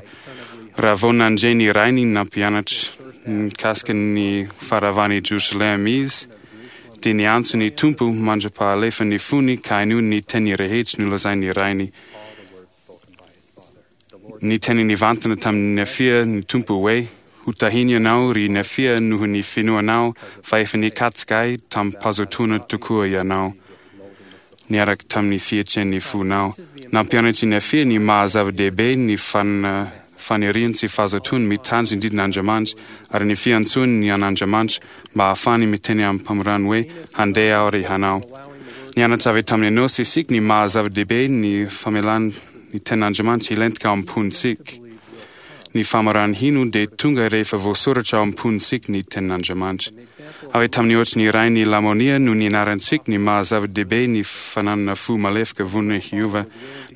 Raha vao nandre ny rainy nampianatra mikasika ny faharavan'i Jerosalema izy, dia niantso ny Tompo mandra-pahalefan'ny fony ka hainoany ny teny rehetra nolazain'ny rainy. Niteny nivantana tamin'i Nefia ny Tompo hoe, Ho tahiny ianao, ry Nefia, noho ny finoanao, fa efa nikatsaka ahy tamim-pahazotoana tokoa ianao, niaraka tamin'ny fihetsen'ny fonao. Nampianatra i Nefia ny maha-zava-dehibe ny faniriany sy fahazotoany mitandro ny didin'Andriamanitra ary ny fiantsoany ny an'Andriamanitra mba hahafahany miteny amim-pamorana hoe, Handeha aho ary hanao. Nianatra avy tamin'i Enôsy isika ny maha-zava-dehibe ny famelana ny tenin'Andriamanitra hilentika ao am-pontsika. Ny famorana hino dia tonga rehefa voasoratra ao am-pontsika ny tenin'Andriamanitra. Avy tamin'ny ohatry ny rain'i Lamonia no nianarantsika ny maha zava-dehibe ny fananana fo malefaka vonona hiova.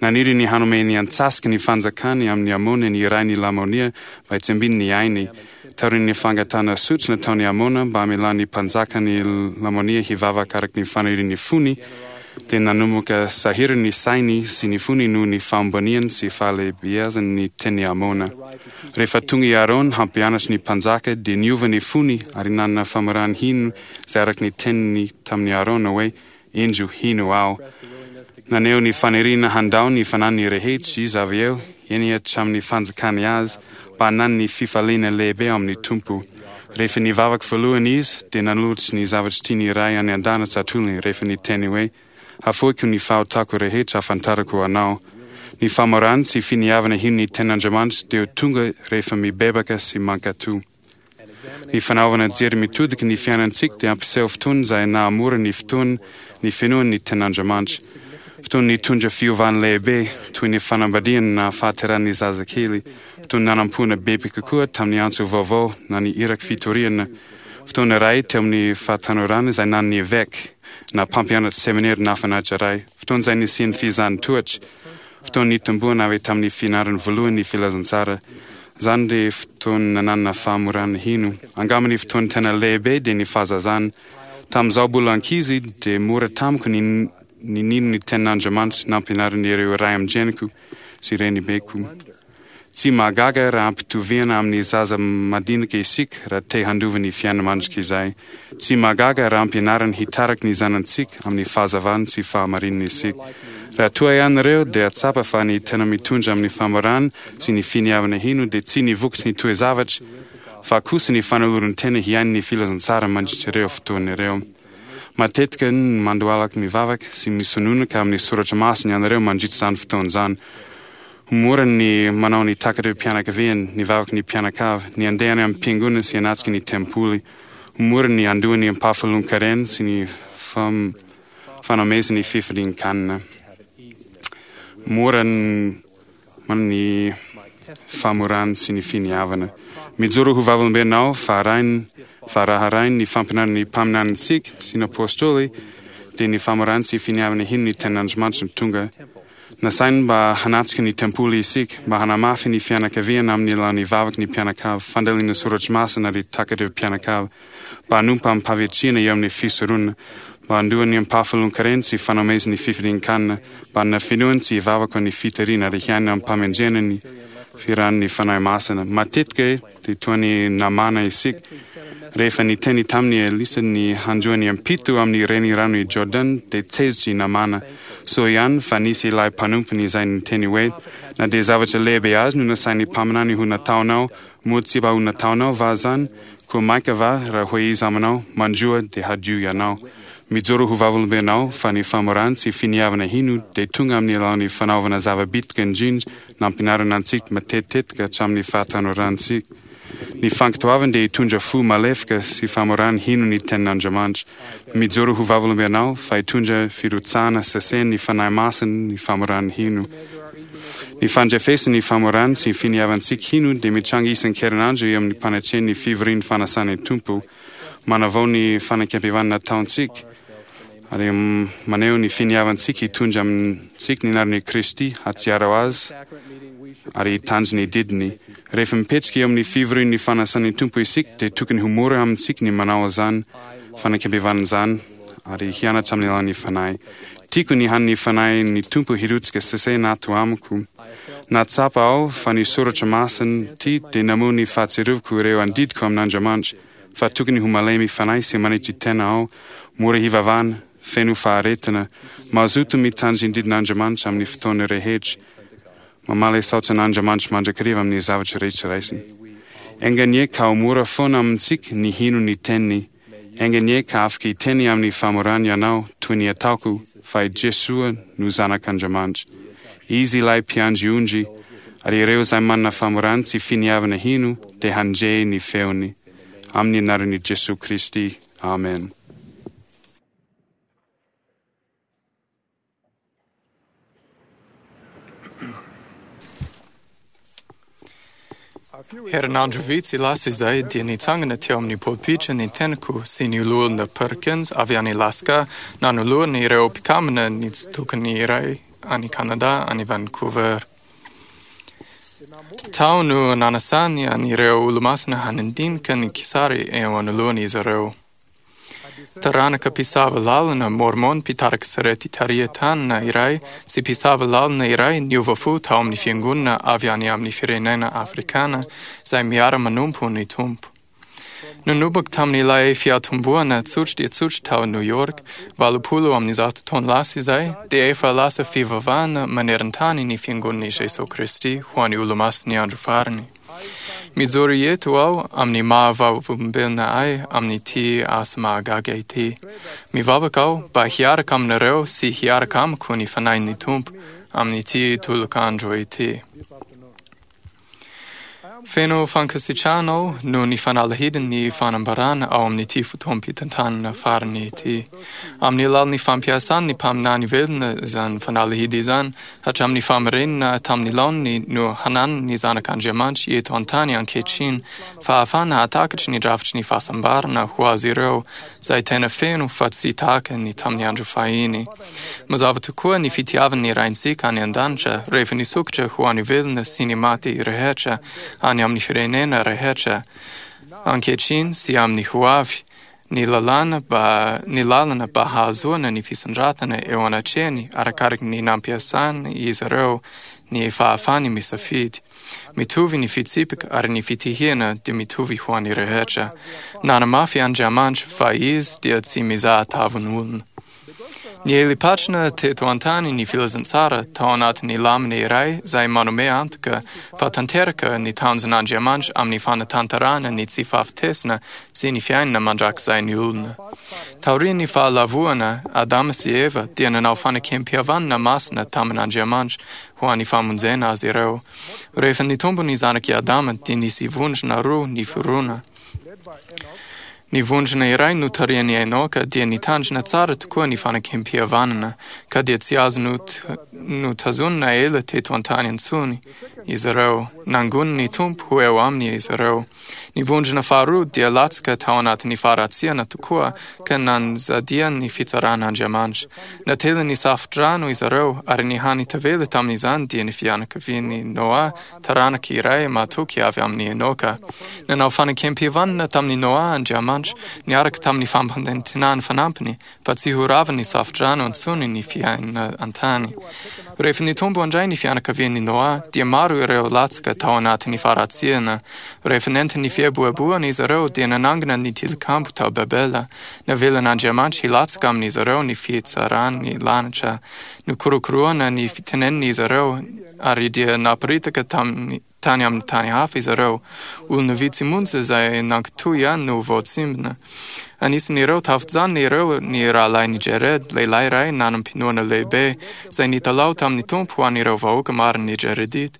Naniry ny hanome ny antsasaky ny fanjakany amin'i Amona ny rain'i Lamonia mba hitsimbiny ny ainy. Taorian'ny fangatahana sotro nataon'i Amona mba hamelan'ny mpanjakan'i Lamonia hivavaka araka ny fanirian'ny fony, dia nanomboka sahirana ny sainy sy ny fony noho ny fahamboniany sy fahalehibeazany ny tenin'i Amona. Rehefa tonga i Aarona hampianatra ny mpanjaka, dia niova ny fony ary nanana famorana hino izay araka ny teniny tamin'i Aarona hoe, Indro, hino aho. Naneho ny faniriana handao ny fananany rehetra izy avy eo, eny hatramin'ny fanjakany azy, mba hananany ny fifaliana lehibe ao amin'ny Tompo. Rehefa nivavaka voalohany izy, dia nanolotra ny zavatra tiany Ray any an-danitra atolony rehefa niteny hoe, Hafoiko ny fahotako rehetra ahafantarako Anao. Ny famorana sy finiavana hino ny Tenin'Andriamanitra dia ho tonga rehefa mibebaka sy mankatò. Ny fanaovana jery mitodika ny fiainantsika dia hampiseho fotoana izay nahamora ny fotoana ny finoana ny Tenin'Andriamanitra. Fotoana nitondra fiovana lehibe, toy ny fanambadiana na fahaterahan'ny zazakely, fotoana nanampoana bebe kokoa tamin'ny antso vaovao na ny iraky fitoriana, fotoana iray teo amin'ny fahatanorana izay nanana eveka na mpampianatra seminera nahafinaritra iray, fotoana izay nisian'ny fizahana tohatra, fotoana nitomboana avy tamin'ny fianarana voalohany ny filazantsara. Izany dia fotoana nanana fahamorana hino. Angamba ny fotoana tena lehibe dia ny fahazazana. Tamin'izaho mbola ankizy dia mora tamiko ny ny nino ny tenin'Andriamanitra nampianarin'ireo ray aman-dreniko sy renibeko. Tsy mahagaga raha ampitoviana amin'ny zaza madinika isika raha te handova ny fiainana mandrakizay. Tsy mahagaga raha ampianarina hitarika ny zanantsika amin'ny fahazavana sy fahamarinana isika. Raha toa ianareo dia tsapa fa ny tena mitondra amin'ny famorana sy ny finiavana hino dia tsy ny vokatry ny toe-zavatra fa kosa ny fanoloran-tena hiaina ny filazantsara mandritra ireo fotoana ireo. Matetika no mandohalaka mivavaka sy misononaka amin'ny soratra masina ianareo mandritra izany fotoana izany. Ho mora ny manao ny takatr'ireo mpianakaviany, ny vavaky ny mpianakavy, ny handeha any am-piangonana sy hanatrika ny tempoly. Ho mora ny handoa ny ampahafolon-karena sy ny fanomezana ny fifalian-kanina. Mora ny manana ny famorana sy ny finiavana. Mijoro ho vavolombelona aho fa arahin fa raha arahin ny fampianaran'ny mpaminanintsika sy ny apôstôly dia ny famorana sy finiavana hino ny tenin'Andriamanitra no tonga. Nasainy mba hanatrika ny tempoly isika, mba hanamafy ny fianakaviana amin'ny alalan'ny vavaky ny mpianakavy, fandalina soratra masina ary takatr'ireo mpianakavy, mba hanompo amim-pahavitrihana eo amin'ny fisoronana, mba handoa ny ampahafolon-karena sy fanomezana ny fifalian-kanina, mba hanana finoana sy hivavaka ny fitoriana ary hiaina amim-pahamendrehana ny firan'ny Fanahy Masina. Matetika dia toa ny namana isika. Rehefa niteny tamin'i Elisa ny handroa ny ampito amin'ny renirano i Jordan, dia tezitra i Namana. Soa ihany fa nisy ilay mpanompony izay niteny hoe, Na dia zavatra lehibe azy no nasain'ny mpaminany ho nataonao, moa tsy mba ho nataonao va izany? Koa mainka va raha hoe izy aminao, Mandroa, dia hadio ianao. Mijoro ho vavolombelonao fa ny famorana sy finiavana hino dia tonga amin'ny alalan'ny fanaovana zava-bitika indrindra nampianarina antsika matetitetika hatramin'ny fahatanorantsika. Ny fankatoavana dia hitondra fo malefaka sy famorana hino ny Tenin'Andriamanitra. Mijoro ho vavolombelonao fa hitondra firotsahana saseny ny Fanahy Masina ny famorana hino. Ny fandrefesana ny famorana sy ny finiavantsika hino dia mitranga isan-kerinandro eo amin'ny mpanatrehan'ny fivorian'ny fanasan'ny Tompo. Manavao ny fanekempihavanana ataontsika ary maneho ny finiavantsika hitondra amintsika ny anaran'i Kristy, hahatsiaro Azy ary hitandro ny didiny. Rehefa mipetraka eo amin'ny fivorian'ny fanasan'ny Tompo isika dia tokony ho mora amintsika ny manao izany fanekempihavanana izany ary hianatra amin'ny alalan'ny Fanahy. Tiako ny hanin'ny Fanahin'ny Tompo hirotsaka sesehina ato amiko. Nahatsapa aho fa ny soratra masina ity dia namoha ny fahatsiarovako ireo andidiko amin'Andriamanitra, fa tokony ho malemy fanahy sy manetry tena aho, mora hivavahana, feno faharetana, mazoto mitandro ny didin'Andriamanitra amin'ny fotoana rehetra, mamaly saotra an'Andriamanitra mandrakariva amin'ny zavatra rehetra raisiny. Enga anie ka ho mora foana amintsika ny hino ny teniny. Enga anie ka afaka hiteny amin'ny famorana ianao toy ny ataoko fa i Jesoa no Zanak'Andriamanitra. Izy ilay mpiandry ondry, ary ireo izay manana famorana sy finiavana hino dia handre ny feony. Amin'ny anaran'i Jesoa Kristy. Amen. Herinandro vitsy lasa izay dia nitsangana teo amin'ny polpitra ny tenako sy ny loholona Perkins avy any Alaska nanoloana ireo mpikambana nitsitokany iray any Canada any Vancouver. Tao no nanasany an'ireo olomasina handinika ny kisary eo anoloan'izy ireo. Taranaka mpisava lalana Mormon mpitarika sarety tarihan-tanana iray sy mpisava lalana iray niova fo tao amin'ny fiangonana avy any amin'ny firenena afrikana izay miara-manompo ny Tompo. Nanomboka tamin'ilay fiatombohana tsotra dia tsotra tao New York, 180 taona lasa izay, dia efa lasa fivavahana maneran-tany ny fiangonan'i Jesoa Kristy ho an'ny Olomasin'ny Andro Farany. Mijoro eto aho amin'ny maha vavolombelona ahy amin'ity asa mahagaga ity. Mivavaka aho mba hiaraka aminareo sy hiaraka amiko ny Fanahin'ny Tompo amin'ity tolokandro ity. Feno fankasitrahana aho noho ny fanalahidin'ny fanambarana ao amin'ity fotoam-pitantanana farany ity. Amin'ny alalan'ny fampiasan'ny mpaminany velona izany fanalahidy izany, hatramin'ny fahamarinana tamin'ny laoniny no hananan'ny Zanak'Andriamanitra eto an-tany ankehitriny fahafahana hahatakatra ny drafitry ny fahasambarana ho azy ireo, izay tena feno fa tsy tahaka ny tamin'ny andro fahiny. Mazava tokoa ny fitiavan'ny Raintsika any an-danitra rehefa nisokatra ho an'ny velona sy ny maty rehetra any amin'ny firenena rehetra, ankehitriny sy amin'ny ho avy, ny lalàna mba ny lalana mba hahazoana ny fisandratana eo anatrehany arakaraka ny nampiasan'izy ireo ny fahafahany misafidy. Mitovy ny fitsipika ary ny fitihina dia mitovy ho an'ny rehetra. Nanamafy Andriamanitra fa Izy dia tsy mizaha tavan'olona. Niely patrana teto an-tany ny filazantsara tao anatin'ny lamina iray izay manome antoka fa tanteraka ny tanjon'Andriamanitra amin'ny fanatanterahana ny tsy fahafatesana sy ny fiainana mandrakizain'ny olona. Taorian'ny fahalavoana, Adama sy Eva dia nanao fanekem-pihavanana masina tamin'Andriamanitra ho an'ny famonjena azy ireo. Rehefa nitombo ny zanak'i Adama dia nisy vondrona roa niforona. Ny vondrona iray notarihan'i Enoka dia nitandrina tsara tokoa ny fanekem-pihavanana, ka dia tsy azo notazonina ela teto an-tany intsony izy ireo. Nangonin'ny Tompo ho eo aminy izy ireo. Ny vondrona faharoa dia latsaka tao anatin'ny faharatsiana tokoa ka nanjadian'ny fitsaran'Andriamanitra. Natelin'ny safo-drano izy ireo, ary ny hany tavela tamin'izany dia ny fianakavian'i Noa taranaka iray mahatoky avy amin'i Enoka. Nanao fanekem-pihavanana tamin'i Noa Andriamanitra, niaraka tamin'ny fampanantenany fanampiny fa tsy ho ravan'ny safodrano intsony ny fiainana an-tany. Rehefa nitombo indray ny fianakavian'i Noa, dia maro ireo latsaka tao anatin'ny faharatsiana. Rehefa nentin'ny fieboeboana izy ireo, dia nanangana ny tilikambo tao Babela. Navelan'Andriamanitra hilatsaka amin'izy ireo ny fitsaran'ny lanitra. Nokorokoroana ny fitenenin'izy ireo, ary dia naparitaka tamin'ny tany amin'ny tany hafa izy ireo. Olona vitsy monja izay nankatò ihany no voatsimbina. Anisan'ireo tafajanona ireo ny rahalahin'i Jared, lehilahy iray nanam-pinoana lehibe, izay nitalaho tamin'ny Tompo ho an'ireo vahoaka marin'ny Jaredita.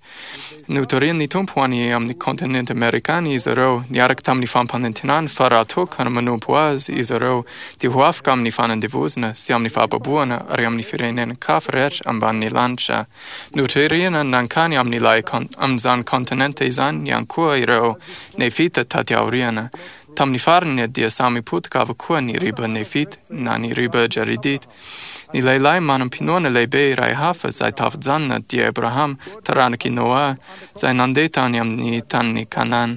Notorian'ny Tompo ho any amin'ny kontinenta amerikana izy ireo, niaraka tamin'ny fampanantenany fa raha toa ka manompo Azy izy ireo, dia ho afaka amin'ny fanandevozana sy amin'ny fahababoana ary amin'ny firenen-kafa rehetra ambanin'ny lanitra. Noterena nankany amin'ilay amin'izany kontinenta izany ihany koa ireo Nefita taty aoriana. Tamin'ny farany dia samy potika avokoa ny riba Nefita na ny riba Jaredita. Ny lehilahy manam-pinoana lehibe iray hafa izay tafajanona dia Abrahama, taranak'i Noa, izay nandeha tany amin'ny tanin'i Kanana.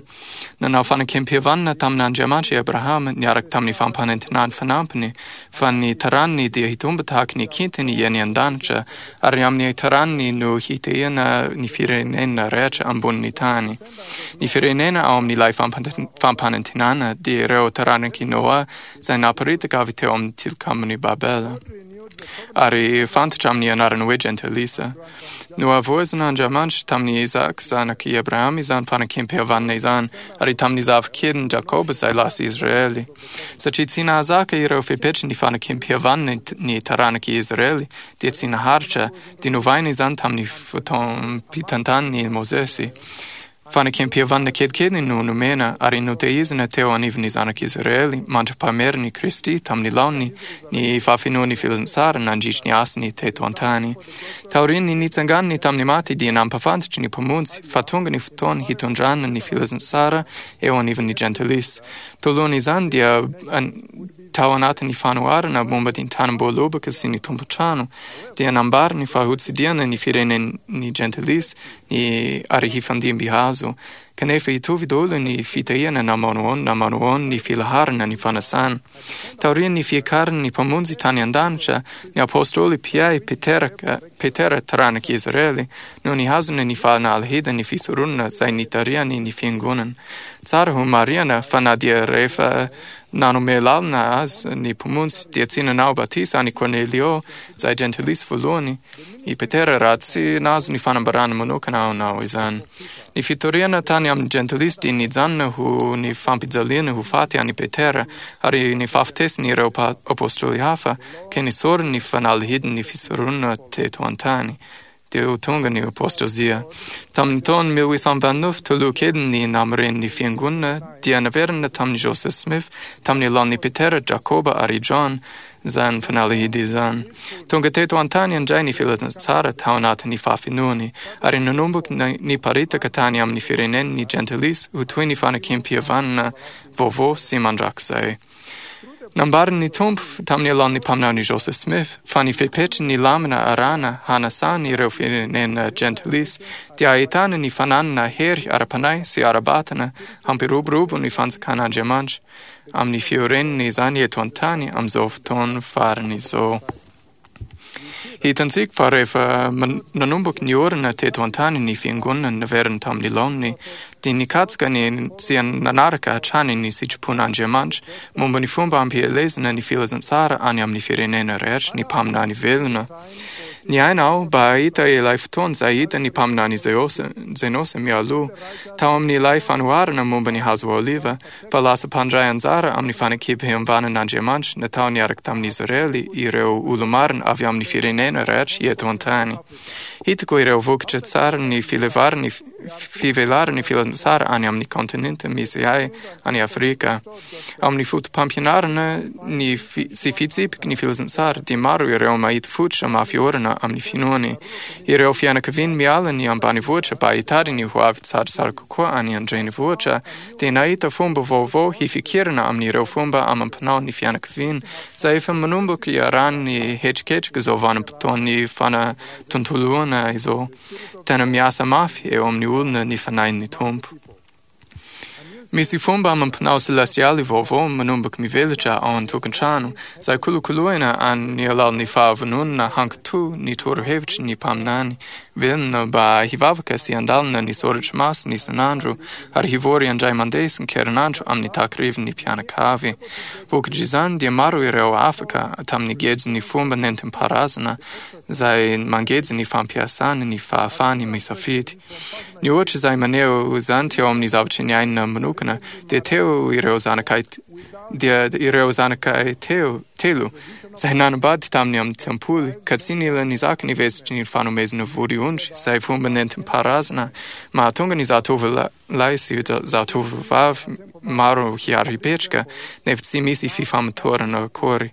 Nanao fanekem-pihavanana tamin'Andriamanitra i Abrahama niaraka tamin'ny fampanantenany fanampiny fa ny taraniny dia hitombo tahaka ny kintany eny an-danitra, ary amin'ny taraniny no hitahiana ny firenena rehetra ambonin'ny tany. Ny firenena ao amin'ilay fampanantenana dia ireo taranak'i Noa izay naparitaka avy teo amin'ny tilikambon'i Babela, ary fantatra amin'ny anarana hoe Jentilisa. Nohavaozin'Andriamanitra tamin'i Isaka zanak'i Abrahama izany fanekem-pihavanana izany, ary tamin'ny zafikeliny Jakoba izay lasa Israely. Satria tsy nahazaka ireo fepetry ny fanekem-pihavanana ny taranak'i Israely, dia tsy naharitra, dia novaina izany tamin'ny fotoam-pitantanan'i Mosesy. Fanekempihavanana kelikely no nomena ary notehizina teo anivon'ny zanak'Israely mandra-pahamerin'i Kristy tamin'ny laoniny ny fahafenoan'ny filazantsara nandritry ny asany teto an-tany. Taorian'ny nitsanganany tamin'ny maty dia nampahafantatry ny Mpamonjy fa tonga ny fotoana hitondrana ny filazantsara eo anivon'ny Jentilisa. Talohan'izany dia tao anatin'ny fanoharana momba ny tanimboaloboka sy ny tompon-trano dia nambarany fa hotsidihana ny firenen'ny Jentilisa ny ary hifandimby hazo, kanefa hitovy daholo ny fitahiana na manao ahoana na manao ahoana ny filaharana ny fanasana. Taorian'ny fiakaran'ny Mpamonjy tany an-danitra, ny Apôstôly Piay, Petera, Petera taranak'i Israely, no nihazona ny fanalahidin'ny fisoronana izay nitarihany ny Fiangonana. Tsara ho marihana fa na dia rehefa nanome lalana azy ny Mpamonjy dia tsy nanao batisa an'i Kornelio, izay Jentilisa voalohany, i Petera raha tsy nahazo ny fanambarana manokana hanao izany. Ny fitoriana tany amin'ny Jentilisa dia nijanona ho ny fampijaliana ho faty an'i Petera ary ny fahafatesany ireo apostoly hafa, ka nesoriny ny fanalahidin'ny fisoronana teto an-tany. Dia ho tonga ny apostozia. Tamin'ny taona 1829, taloha kelin'ny namoren'ny Fiangonana, dia naverina tamin'i Joseph Smith, tamin'ny alalan'i Petera, Jakoba ary John, izany fanalahidy izany. Tonga teto an-tany indray ny filazantsara tao anatin'ny fahafenoany, ary nanomboka niparitaka tany amin'ny firenen'ny Jentilisa ho toy ny fanekempihavanana vaovao sy mandrakizay. Nambaran'ny Tompo tamin'ny alalan'ny mpaminany Joseph Smith fa ny fepetry ny lamina arahana hanasany ireo firenena Jentilisa dia ahitana ny fananana hery ara-panahy sy ara-batana hampiroborobo ny fanjakan'Andriamanitra amin'ny fiorenana izany eto an-tany amin'izao fotoana farany izao. Hitantsika fa rehefa nanomboka niorina teto an-tany ny fiangonana naverina tamin'ny laoniny, dia nikatsaka ny sy nanaraka hatrany ny sitrapon'Andriamanitra momba ny fomba hampielezana ny filazantsara any amin'ny firenena rehetra ny mpaminany velona. Niaina aho mba hahita ilay fotoana izay hitan'ny mpaminany Zenôsa mialoha, tao amin'ilay fanoharana momba ny hazo oliva, fa lasa mpandray anjara amin'ny fanekempihavanan'Andriamanitra natao niaraka tamin'i Israely ireo olo-marina avy amin'ny firenena rehetra eto an-tany. Hitako ireo vokatra tsaran'ny filevaran'ny fivelaran'ny filazantsara any amin'ny kontinenta misy ahy any Afrika. Ao amin'ny fotopampianarana ny sy fitsipiky ny filazantsara dia maro ireo mahita fototra mafy orina amin'ny finoany. Ireo fianakaviany miala ny ambanivohitra mba hitady ny hoavy tsaratsara kokoa any an-drenivohitra dia nahita fomba vaovao hifikirana amin'ireo fomba amam-panao ny fianakaviana, izay efa manomboka iarahan'ny hetraketraka izao vanim-potoan'ny fanatontoloana izao. Tena miasa mafy eo amin'ny olona ny Fanahin'ny Tompo. Misy fomba amam-panao selestialy vaovao manomboka mivelatra ao an-tokantrano, izay kolokoloina amin'ny alalan'ny fahavononana hankatò ny torohevitry ny mpaminany. Velona mba hivavaka sy handalina ny soratra masina isan'andro ary hivory indray mandeha isan-kerinandro amin'ny takarivin'ny mpianakavy. Vokatr'izany dia maro ireo afaka tamin'ny gejin'ny fomba nentim-paharazana izay mangeja ny fampiasana ny fahafahany misafidy. Ny ohatra izay maneho izany teo amin'ny zavatra niainana manokana dia teo ireo zanakay dia ireo zanakay teo telo izay nanambady tamin'ny amin'ny tempoly, ka tsy nila nizaka ny vesatry ny fanomezana vodiondry izay fomba nentim-paharazana mahatonga ny zatovolahy sy zatovovavy maro hiara-hipetraka, nefa tsy misy fifamatorana akory.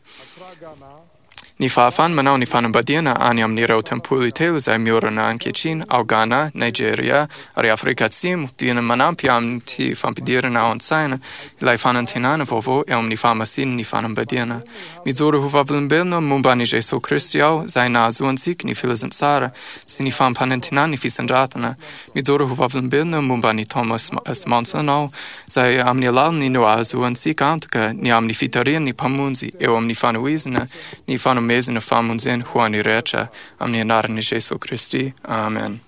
Ny fahafahany manao ny fanambadiana any amin'ireo tempoly telo izay miorina ankehitriny ao Ghana, Nigeria ary Afrika Atsimo dia manampy amin'ity fampidirana ao an-tsaina ilay fanantenana vaovao eo amin'ny fahamasinan'ny fanambadiana. Mijoro ho vavolombelona momba an'i Jesoa Kristy aho izay nahazoantsika ny filazantsara sy ny fampanantenan'ny fisandratana. Mijoro ho vavolombelona momba an'i Thomas S. Monson aho izay amin'ny alalany no ahazoantsika antoka ny amin'ny fitarihan'ny Mpamonjy eo amin'ny fanohizana ny fanomezana famonjena ho an'ny rehetra amin'ny anaran'i Jesoa Kristy. Amen.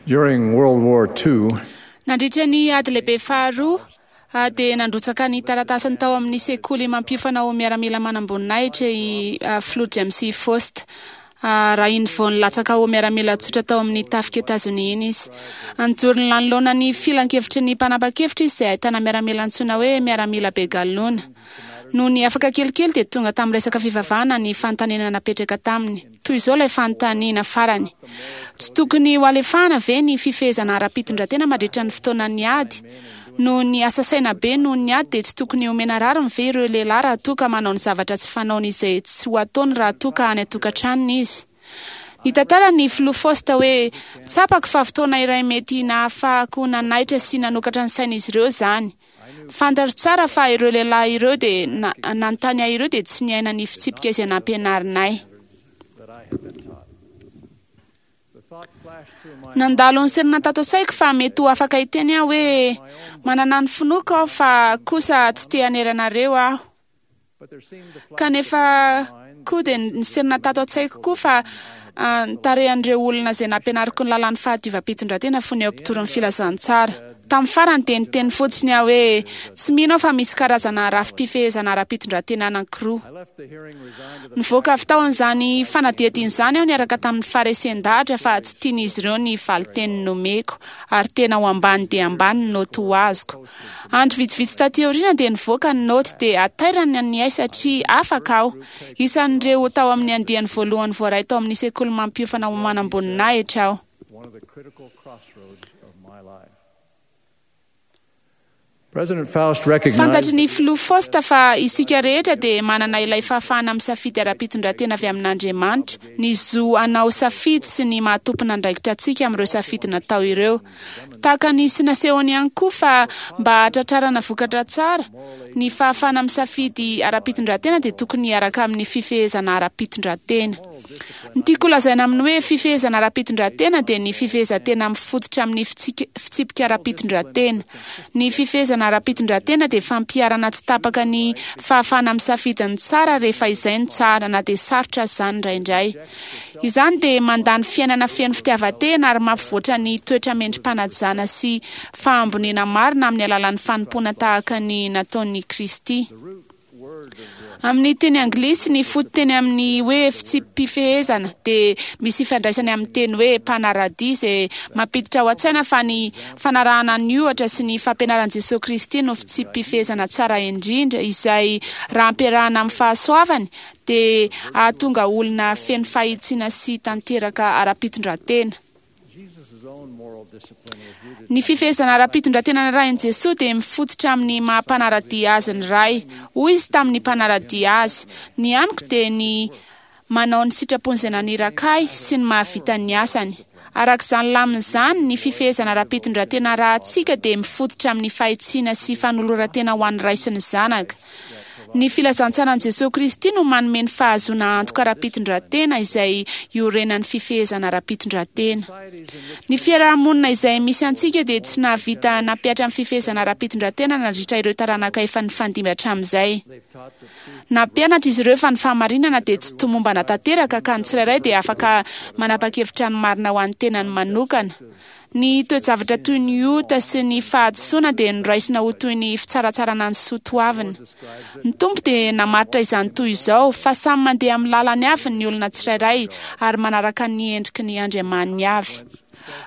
During World War II, Nandritra ny ady lehibe faharoa, dia nandrotsaka ny taratasiny tao amin'ny sekoly mampiofana ho miaramila manamboninahitra i Filoha James Faust. Raha iny vao nilatsaka ho miaramila tsotra tao amin'ny tafik'i Etazonia iny izy. Nijoro nanoloana ny filankevitry ny mpanapa-kevitra izy izay ahitana miaramila antsoina hoe miaramila be galona. Nony afaka kelikely dia tonga tamin'ny resaka fivavahana ny fanontaniana napetraka taminy. Toy izao ilay fanontaniana farany, Tsy tokony hoalefahana ve ny fifehezana ara-pitondran-tena mandritra ny fotoanan'ny ady? Noho ny asa saina be noho ny ady dia tsy tokony homena rariny ve ireo lehilahy raha toa ka manao ny zavatra tsy fanaony izay tsy ho ataony raha toa ka any an-tokantranony izy? Nitantara ny Filoha Faust hoe, Tsapako fa fotoana iray mety nahafahako nanaitra sy nanokatra ny sain'izy ireo izany. Fantatro tsara fa ireo lehilahy ireo dia nanontany ahy ireo dia tsy niaina ny fitsipika izay nampianarinay. Nandalo ny serina tato an-tsaiko fa mety ho afaka hiteny aho hoe, Manana ny finoako aho fa kosa tsy te hanery anareo aho. Kanefa koa dia niserina tato an-tsaiko koa fa ny tarehan'ireo olona izay nampianariko ny lalàn'ny fahadiovam-pitondrantena fony eo mpitory ny filazantsara. Tamin'ny farany dia niteny fotsiny aho hoe, Tsy mino aho fa misy karazana rafi-pifehezana ara-pitondrantena anankiroa. Nivoaka avy tao amin'izany fanadihadiana izany aho niaraka tamin'ny faharesen-dahatra fa tsy tian'izy ireo ny valin-teny nomeko ary tena ho ambany dia ambany ny naoty ho azoko. Andro vitsivitsy taty aoriana dia nivoaka ny naoty dia hatairana ny ahy satria afaka aho. Isan'ireo tao amin'ny andiany voalohany voaray tao amin'ny sekoly mampiofana ho manamboninahitra aho. Fantatry ny Filoha Faust fa isika rehetra dia manana ilay fahafahana misafidy ara-pitondran-tena avy amin'Andriamanitra, ny zo hanao safidy sy ny maha-tompon'andraikitra antsika amin'ireo safidy natao ireo. Tahaka ny sy nasehony ihany koa fa mba hahatratrarana vokatra tsara, ny fahafahana misafidy ara-pitondran-tena dia tokony hiaraka amin'ny fifehezana ara-pitondran-tena. Ny tiako holazaina amin'ny hoe fifehezana ara-pitondran-tena dia ny fifehezan-tena mifototra amin'ny fitsipika ara-pitondran-tena. Ny fifehezana ara-pitondran-tena dia fampiharana tsy tapaka ny fahafahana misafidy ny tsara rehefa izay no tsara, na dia sarotra aza izany indraindray. Izany dia mandany fiainana feno fitiavan-tena ary mampivoatra ny toetra mendri-panajana sy fahamboniana marina amin'ny alalan'ny fanompoana tahaka ny nataon'i Kristy. Amin'ny teny anglisy, ny fototeny amin'ny hoe fitsipi-pifehezana dia misy ifandraisany amin'ny teny hoe mpanaradia izay mampiditra ao an-tsaina fa ny fanarahana ny ohatra sy ny fampianaran'i Jesoa Kristy no fitsipi-pifehezana tsara indrindra izay raha ampiarahana amin'ny fahasoavany dia hahatonga olona feno fahitsiana sy tanteraka ara-pitondran-tena. Ny fifehezana ara-pitondran-tena narahin'i Jesoa dia mifototra amin'ny maha mpanara-dia Azy ny Ray. Hoy Izy tamin'ny mpanara-dia Azy, Ny haniko dia ny manao ny sitrapon'izay naniraka Ahy sy ny mahavita ny asany. Araka izany lamina izany, ny fifehezana ara-pitondran-tena arahantsika dia mifototra amin'ny fahitsiana sy fanoloran-tena ho an'ny Ray sy ny Zanaka. Ny filazantsaran'i Jesoa Kristy no manome ny fahazoana antoka ara-pitondran-tena izay iorenan'ny fifehezana ara-pitondran-tena. Ny fiaraha-monina izay misy antsika dia tsy nahavita nampihatra ny fifehezana ara-pitondran-tena nandritra ireo taranaka efa nifandimby hatramin'izay. Nampianatra izy ireo fa ny fahamarinana dia tsy tomombana tanteraka ka ny tsirairay dia afaka manapa-kevitra ny marina ho an'ny tenany manokana. Ny toe-javatra toy ny ota sy ny fahadisoana dia noraisina ho toy ny fitsaratsarana ny soa toavina. Ny Tompo dia namaritra izany toy izao, fa samy mandeha amin'ny lalany avy ny olona tsirairay ary manaraka ny endriky ny andriamaniny avy.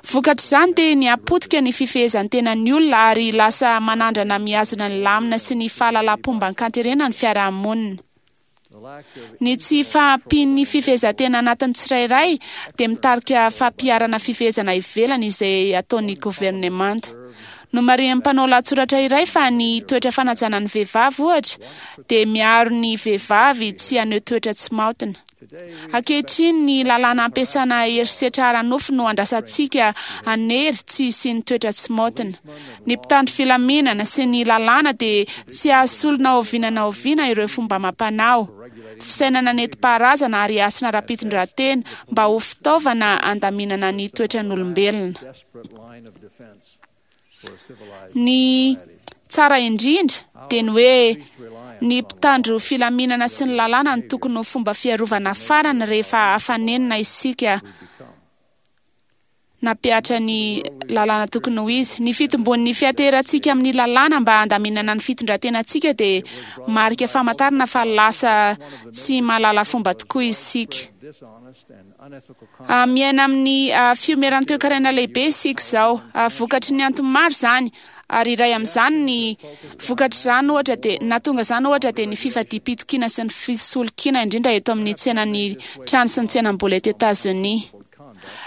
Vokatr'izany dia nihapotika ny fifehezan-tenan'ny olona ary lasa manandrana mihazona ny lamina sy ny fahalalam-pomba an-kanterena ny fiarahamonina. Ny tsy fahampian'ny fifehezan-tena anatin'ny tsirairay dia mitarika fampiharana fifehezana ivelany izay ataon'ny governemanta. Nomarihan'ny mpanao lahatsoratra iray fa ny toetra fanajana ny vehivavy, ohatra, dia miaro ny vehivavy tsy haneho toetra tsy maotina. Ankehitriny, ny lalàna ampiasana herisetra ara-nofo no andrasantsika hanery tsy hisian'ny toetra tsy maotina. Ny mpitandro filaminana sy ny lalàna dia tsy hahasolo na oviana na oviana ireo fomba amam-panao, fisainana nentim-paharazana ary hasina ara-pitondrantena mba ho fitaovana handaminana ny toetran'olombelona. Ny tsara indrindra dia ny hoe ny mpitandro filaminana sy ny lalàna no tokony ho fomba fiarovana farany rehefa afa-nenina isika. nampihatra ny lalàna tokony ho izy. Ny fitombon'ny fianteherantsika amin'ny lalàna mba handaminana ny fitondran-tenantsika dia marika famantarana fa lasa tsy mahalala fomba tokoa isika. Miaina amin'ny fiomeran'ny toekarena lehibe isika izao. Vokatry ny antony maro izany, ary iray amin'izany ny vokatr'izany ohatra dia nahatonga izany ohatra dia ny fifadiam-pitokiana sy ny fisolokiana indrindra eto amin'ny tsenan'ny trano sy ny tsenam-bola eto Etazonia.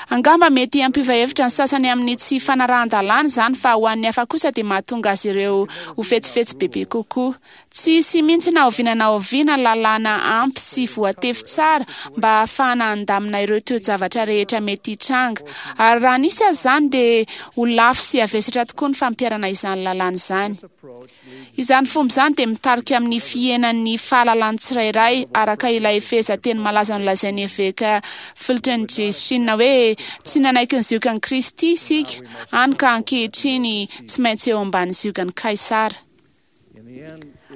Angamba mety hampiova hevitra ny sasany amin'ny tsy fanarahan-dalàna izany fa ho an'ny hafa kosa dia mahatonga azy ireo ho fetsifetsy bebe kokoa. Tsy hisy mihitsy na oviana na oviana lalàna ampy sy voatefy tsara mba hahafahana handamina ireo toe-javatra rehetra mety hitranga. Ary raha nisy aza izany dia ho lafo sy havesatra tokoa ny fampiharana izany lalàna izany. Izany fomba izany dia mitarika amin'ny fihenan'ny fahalalan'ny tsirairay, araka ilay fehezanteny malaza nolazain'ny eveka Fulton J. Sheen hoe, Tsy nanaiky ny ziogan'i Kristy isika, hany ka ankehitriny tsy maintsy eo ambany ziogan'i Kaisara.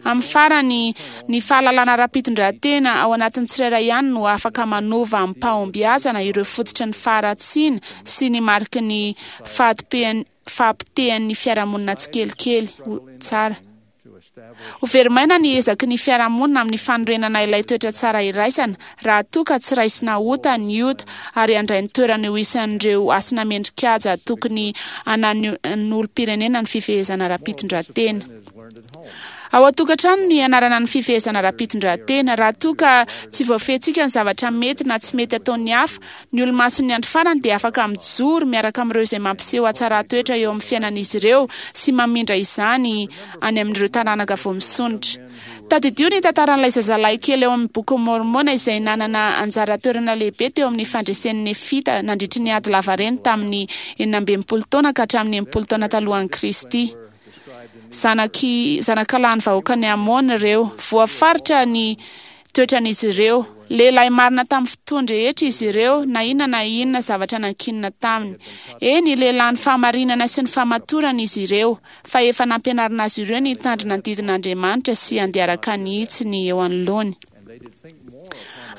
Amin'ny farany, ny fahalalana ara-pitondrantena ao anatin'ny tsirairay ihany no afaka manova amim-pahombiazana ireo fototry ny faharatsiana sy ny mariky ny fahapotehan'ny fiarahamonina tsikelikely ho tsara. Ho very maina ny ezaky ny fiarahamonina amin'ny fanorenana ilay toetra tsara iraisana raha toa ka tsy raisina ota ny ota ary handray ny toerany ho isan'ireo hasina mendri-kaja tokony hananan'olom-pirenena ny fifehezana ara-pitondrantena. Ao an-tokantrano no ianarana ny fifehezana ara-pitondrantena. Raha toa ka tsy voafehintsika ny zavatra mety na tsy mety ataon'ny hafa, Ny Olomasin'ny Andro Farany dia afaka mijoro miaraka amin'ireo izay mampiseho hatsaran-toetra eo amin'ny fiainan'izy ireo sy mamindra izany any amin'ireo taranaka vao misondrotra. Tadidio ny tantaran'ilay zazalahy kely ao amin'ny Bokin'i Môrmôna izay nanana anjara toerana lehibe teo amin'ny fandresen'ny Nefita nandritry ny ady lavareny tamin'ny 66 taona ka hatramin'ny 60 taona talohan'i Kristy. Zanaky, zanakalahin'ny vahoakan'i Amôna ireo. Voafaritra ny toetran'izy ireo. Lehilahy marina tamin'ny fotoan-drehetra izy ireo, na inona na inona zavatra nankinina taminy. Eny, lehilahin'ny fahamarinana sy ny fahamatorana izy ireo, fa efa nampianarina azy ireo ny hitandrina ny didin'Andriamanitra sy handeha araka ny hitsiny eo anoloany.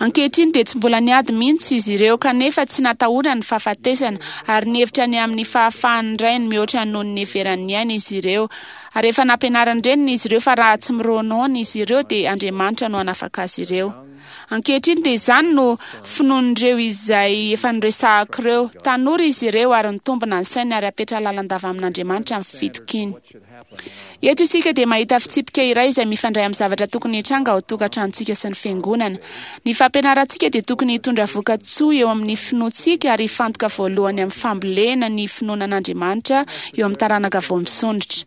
Ankehitriny dia tsy mbola niady mihitsy izy ireo, kanefa tsy natahorany ny fahafatesana, ary nihevitra ny amin'ny fahafahan'ny rainy mihoatra noho ny niheverany ny ainy izy ireo. Ary efa nampianarin'ny reniny izy ireo fa raha tsy mironono izy ireo dia Andriamanitra no hanafaka azy ireo. Ankehitriny dia izany no finoan'ireo izay efa noresahako ireo. Tanora izy ireo ary nitombina ny sainy ary hapetra lalandava amin'Andriamanitra ny fitokiany. Eto isika dia mahita fitsipika iray izay mifandray amin'ny zavatra tokony hitranga ao tokantranontsika sy ny fiangonana. Ny fampianarantsika dia tokony hitondra voka-tsoa eo amin'ny finoantsika ary hifantoka voalohany amin'ny fambolena ny finoana an'Andriamanitra eo amin'ny taranaka vao misondrotra.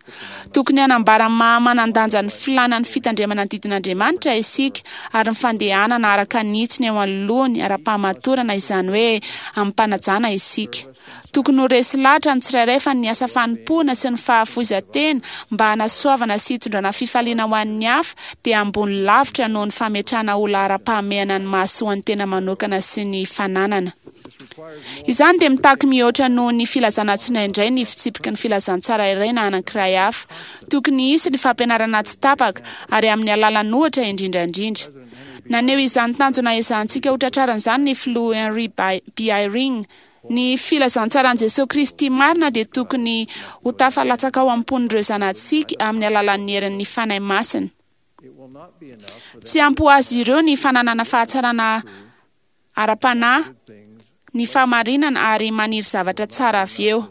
Tokony hanambara ny maha manan-danja ny filàna ny fitandremana ny didin'Andriamanitra isika ary ny fandehanana araka ny hitsiny eo anoloany ara-pahamatorana, izany hoe amim-panajana isika. Tokony ho resy lahatra ny tsirairay fa ny asa fanompoana sy ny fahafoizan-tena mba hanasoavana sy hitondrana fifaliana ho an'ny hafa dia ambony lavitra noho ny fametrahana ho laharam-pahamehana ny mahasoa ny tena manokana sy ny fananana. Izany dia mitaky mihoatra noho ny filazana tsindraindray ny fitsipiky ny filazantsara iray na anankiray hafa. Tokony hisy ny fampianarana tsy tapaka ary amin'ny alalan'ohatra indrindra indrindra. Naneho izany tanjona ezahantsika hotratrarina izany ny Filoha Henry B. Eyring, Ny filazantsaran'i Jesoa Kristy marina dia tokony ho tafalatsaka ao am-pon'ireo zanatsika amin'ny alalan'ny herin'ny Fanahy Masina. Tsy ampy ho azy ireo ny fananana fahatsarana ara-panahy, ny fahamarinana ary maniry zavatra tsara avy eo.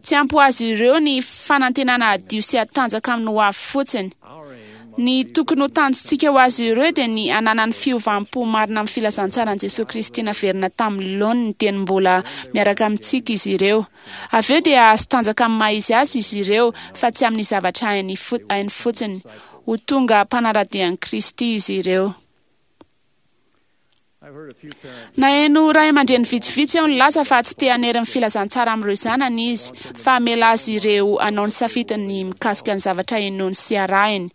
Tsy ampy ho azy ireo ny fanantenana hadio sy hatanjaka amin'ny hoavy fotsiny. Ny tokony ho tanjontsika ho azy ireo dia ny hananany fiovam-po marina amin'ny filazantsaran'i Jesoa Kristy naverina tamin'ny laoniny dieny mbola miaraka amintsika izy ireo. Avy eo dia hahazo tanjaka amin'ny maha-izy azy izy ireo fa tsy amin'ny zavatra hainy fotsiny. Ho tonga mpanara-dia an'i Kristy izy ireo. Naheno ray aman-dreny vitsivitsy aho nilaza fa tsy te hanery ny filazantsara amin'ireo zanany izy, fa hamela azy ireo hanao ny safidiny mikasika ny zavatra inoany sy arahiny.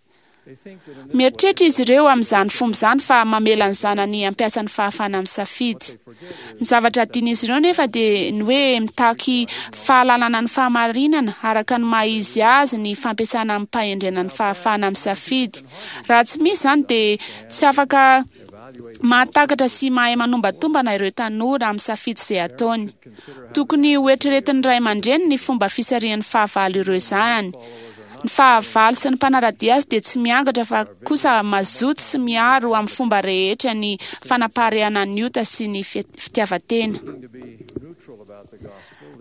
Mieritreritra izy ireo amin'izany fomba izany fa mamela ny zanany hampiasa ny fahafahana misafidy. Ny zavatra adin'izy ireo nefa dia ny hoe mitaky fahalalana ny fahamarinana araka ny maha izy azy ny fampiasana amim-pahendrena ny fahafahana misafidy. Raha tsy misy izany dia tsy afaka. Mahatakatra sy mahay manombatombana ireo tanora amin'ny safidy izay ataony. Tokony hoeritreretin'ny ray aman-dreny ny fomba fisarihan'ny fahavalo ireo zanany. Ny fahavalo sy ny mpanara-dia azy dia tsy miangatra fa kosa mazoto sy miaro amin'ny fomba rehetra ny fanaparehana ny ota sy ny fitiavan-tena.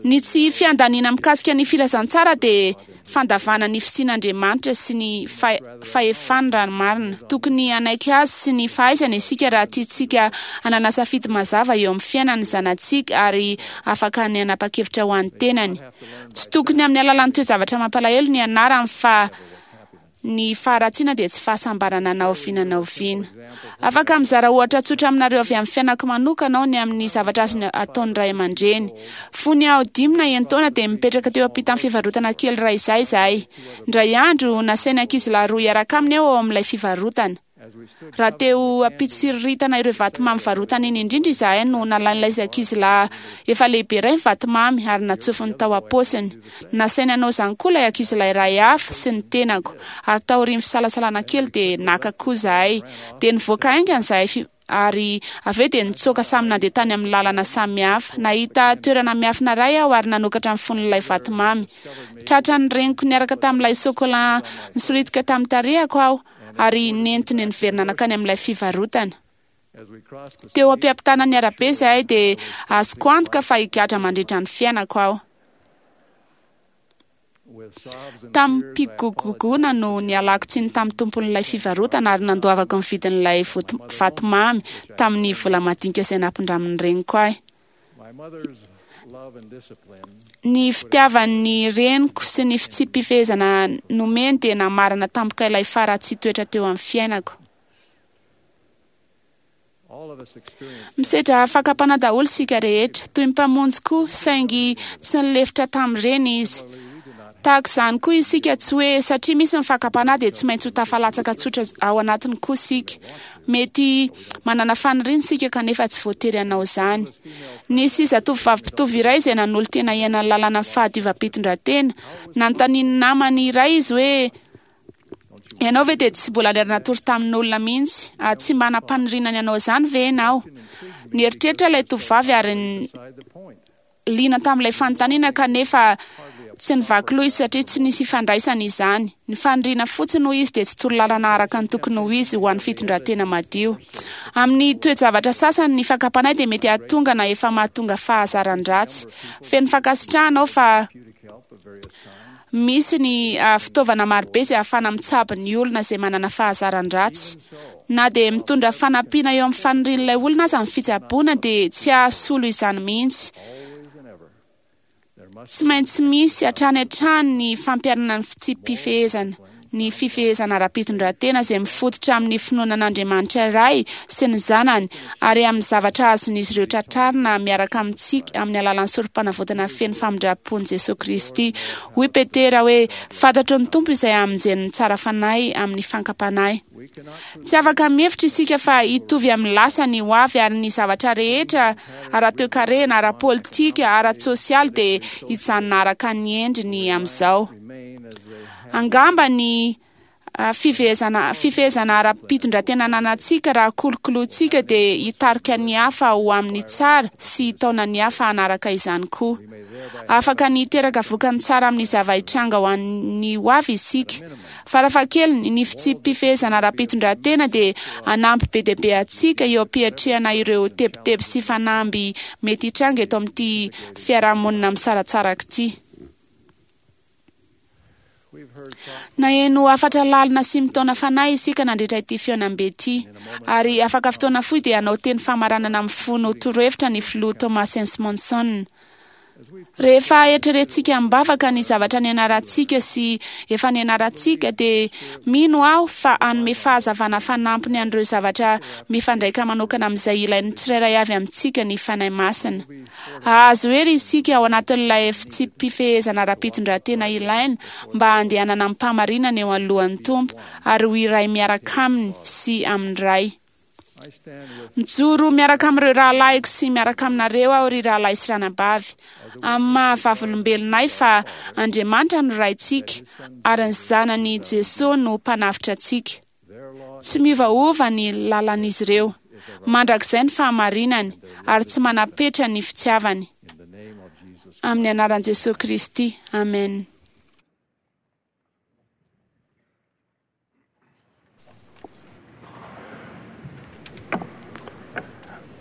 Ny tsy fiandaniana mikasika ny filazantsara dia fandavana ny fisian'Andriamanitra sy ny fahefany raha ny marina. Tokony hanaiky azy sy ny fahaizany isika raha tiantsika hanana safidy mazava eo amin'ny fiainan'ny zanatsika ary afaka ny hanapa-kevitra ho an'ny tenany. Tsy tokony amin'ny alalan'ny toe-javatra mampalahelo ny anarany fa ny faharatsiana dia tsy fahasambarana na oviana na oviana. Afaka mizara ohatra tsotra aminareo avy amin'ny fiainako manokana aho ny amin'ny zavatra azony ataon'ny ray aman-dreny. Fony aho dimy na enin-taona dia mipetraka teo ampitan'ny fivarotana kely iray izay izahay. Indray andro, nasain'ny ankizilahy roa hiaraka aminy aho ao amin'ilay fivarotana. Raha te ho ampitsiriritana ireo vatomamy varotana iny indrindra izahay no nalain'ilay ankizilahy efa lehibe iray ny vatomamy ary natsofony tao am-paosiny. Nasainy hanao izany koa ilay ankizilahy iray hafa sy ny tenako, ary taorian'ny fisalasalana kely dia naka koa izahay. Dia nivoaka haingana izahay ary avy eo dia nitsoaka samy nandeha tany amin'ny lalana samy hafa. Nahita toerana miafina iray aho ary nanokatra ny fonon'ilay vatomamy. Tratran'ny reniko niaraka tamin'ilay sôkôlà nisolitika tamin'ny tarehako aho ary nentiny niverina nankany amin'ilay fivarotana. Teo am-piampitana ny arabe izahay dia azoko antoka fa higadra mandritra ny fiainako aho. Tamim-pigogogoana no nialako tsiny tamin'ny tompon'ilay fivarotana ary nandoavako ny vidin'ilay vatomamy tamin'ny vola madinika izay nampindramin'ny reniko ahy. Ny fitiavan'ny reniko sy ny fitsipi-pifehezana nomeny dia namarana tampoka ilay faharatsian-toetra teo amin'ny fiainako. Misedra fakam-panahy daholo isika rehetra, toy ny Mpamonjy koa, saingy tsy nilefitra tamin'ireny izy. Tahaka izany koa isika, tsy hoe satria misy ny fakam-panahy dia tsy maintsy ho tafalatsaka tsotra ao anatiny koa isika. Mety manana faniriana isika kanefa tsy voatery hanao izany. Nisy zatovovavy mpitovo iray izay nanolo-tena hiaina ny lalànan'ny fahadiovam-pitondran-tena. Nanontanian'ny namany iray izy hoe, Ianao ve dia tsy mbola niara-natory tamin'olona mihitsy? Ah, tsy mba nampaniriana ny hanao izany ve ianao? Nieritreritra ilay tovovavy ary liana tamin'ilay fanontaniana kanefa tsy nivaky loha izy satria tsy nisy ifandraisany izany. Ny faniriana fotsiny hoy izy dia tsy torolalana araka ny tokony ho izy ho an'ny fitondran-tena madio. Amin'ny toe-javatra sasany ny fakam-panahy dia mety hahatonga na efa mahatonga fahazaran-dratsy. Feno fankasitrahana aho fa Misy ny fitaovana marobe izay ahafahana mitsabo ny olona izay manana fahazaran-dratsy. Na dia mitondra fanampiana eo amin'ny fanirian'ilay olona aza ny fitsaboana dia tsy hahasolo izany mihitsy. Tsy maintsy misy hatrany hatrany ny fampiharana ny fitsipi-pifehezana. Ny fifehezana ara-pitondran-tena izay mifototra amin'ny finoana an'Andriamanitra Ray sy ny Zanany ary amin'ny zavatra azon'izy ireo tratrarina miaraka amintsika amin'ny alalan'ny Sorompanavotana feno famindram-pon'i Jesoa Kristy. Hoy Petera hoe, Fantatry ny Tompo izay hamonjeny ny tsara fanahy amin'ny fankam-panahy. Tsy afaka mihevitra isika fa hitovy amin'ny lasa ny ho avy ary ny zavatra rehetra ara-toekarena, ara-politika, ara-tsosialy dia hijanona araka ny endriny amin'izao. Angamba ny fifehezana fifehezana ara-pitondran-tena ananantsika raha kolokolointsika dia hitarika ny hafa ho amin'ny tsara sy hitaona ny hafa hanaraka izany koa. Afaka ny hiteraka vokany tsara amin'ny zava-hitranga ho an'ny ho avy isika. Farafahakeliny, ny fitsipi-pifehezana ara-pitondran-tena dia hanampy be dia be antsika eo am-piatrehana ireo tebiteby sy fanamby mety hitranga eto amin'ity fiarahamonina misaratsaraka ity. Naheno hafatra lalina sy mitaona fanahy isika nandritra ity fihaonambe ity, ary afaka fotoana fohy dia hanao teny famaranana mifono torohevitra ny Filoha Thomas S. Monson. Rehefa eritreretintsika am-bavaka ny zavatra nianarantsika sy efa nianarantsika, dia mino aho fa hanome fahazavana fanampiny an'ireo zavatra mifandraika manokana amin'izay ilain'ny tsirairay avy amintsika ny Fanahy Masina. Hahazo hery isika ao anatin'ilay fitsipi-pifehezana ara-pitondran-tena ilaina mba handehanana amim-pahamarinana eo anoloan'ny Tompo ary ho iray miaraka Aminy sy amin'ny Ray. Mijoro miaraka amin'ireo rahalahiko sy miaraka aminareo aho, ry rahalahy sy ranabavy, amin'ny maha-vavolombelonay fa Andriamanitra no Raintsika ary ny Zanany Jesoa no Mpanavotra antsika. Tsy miovaova ny lalan'izy ireo. Mandrakizay ny fahamarinany, ary tsy manam-petra ny fitiavany. Amin'ny anaran'i Jesoa Kristy, amena.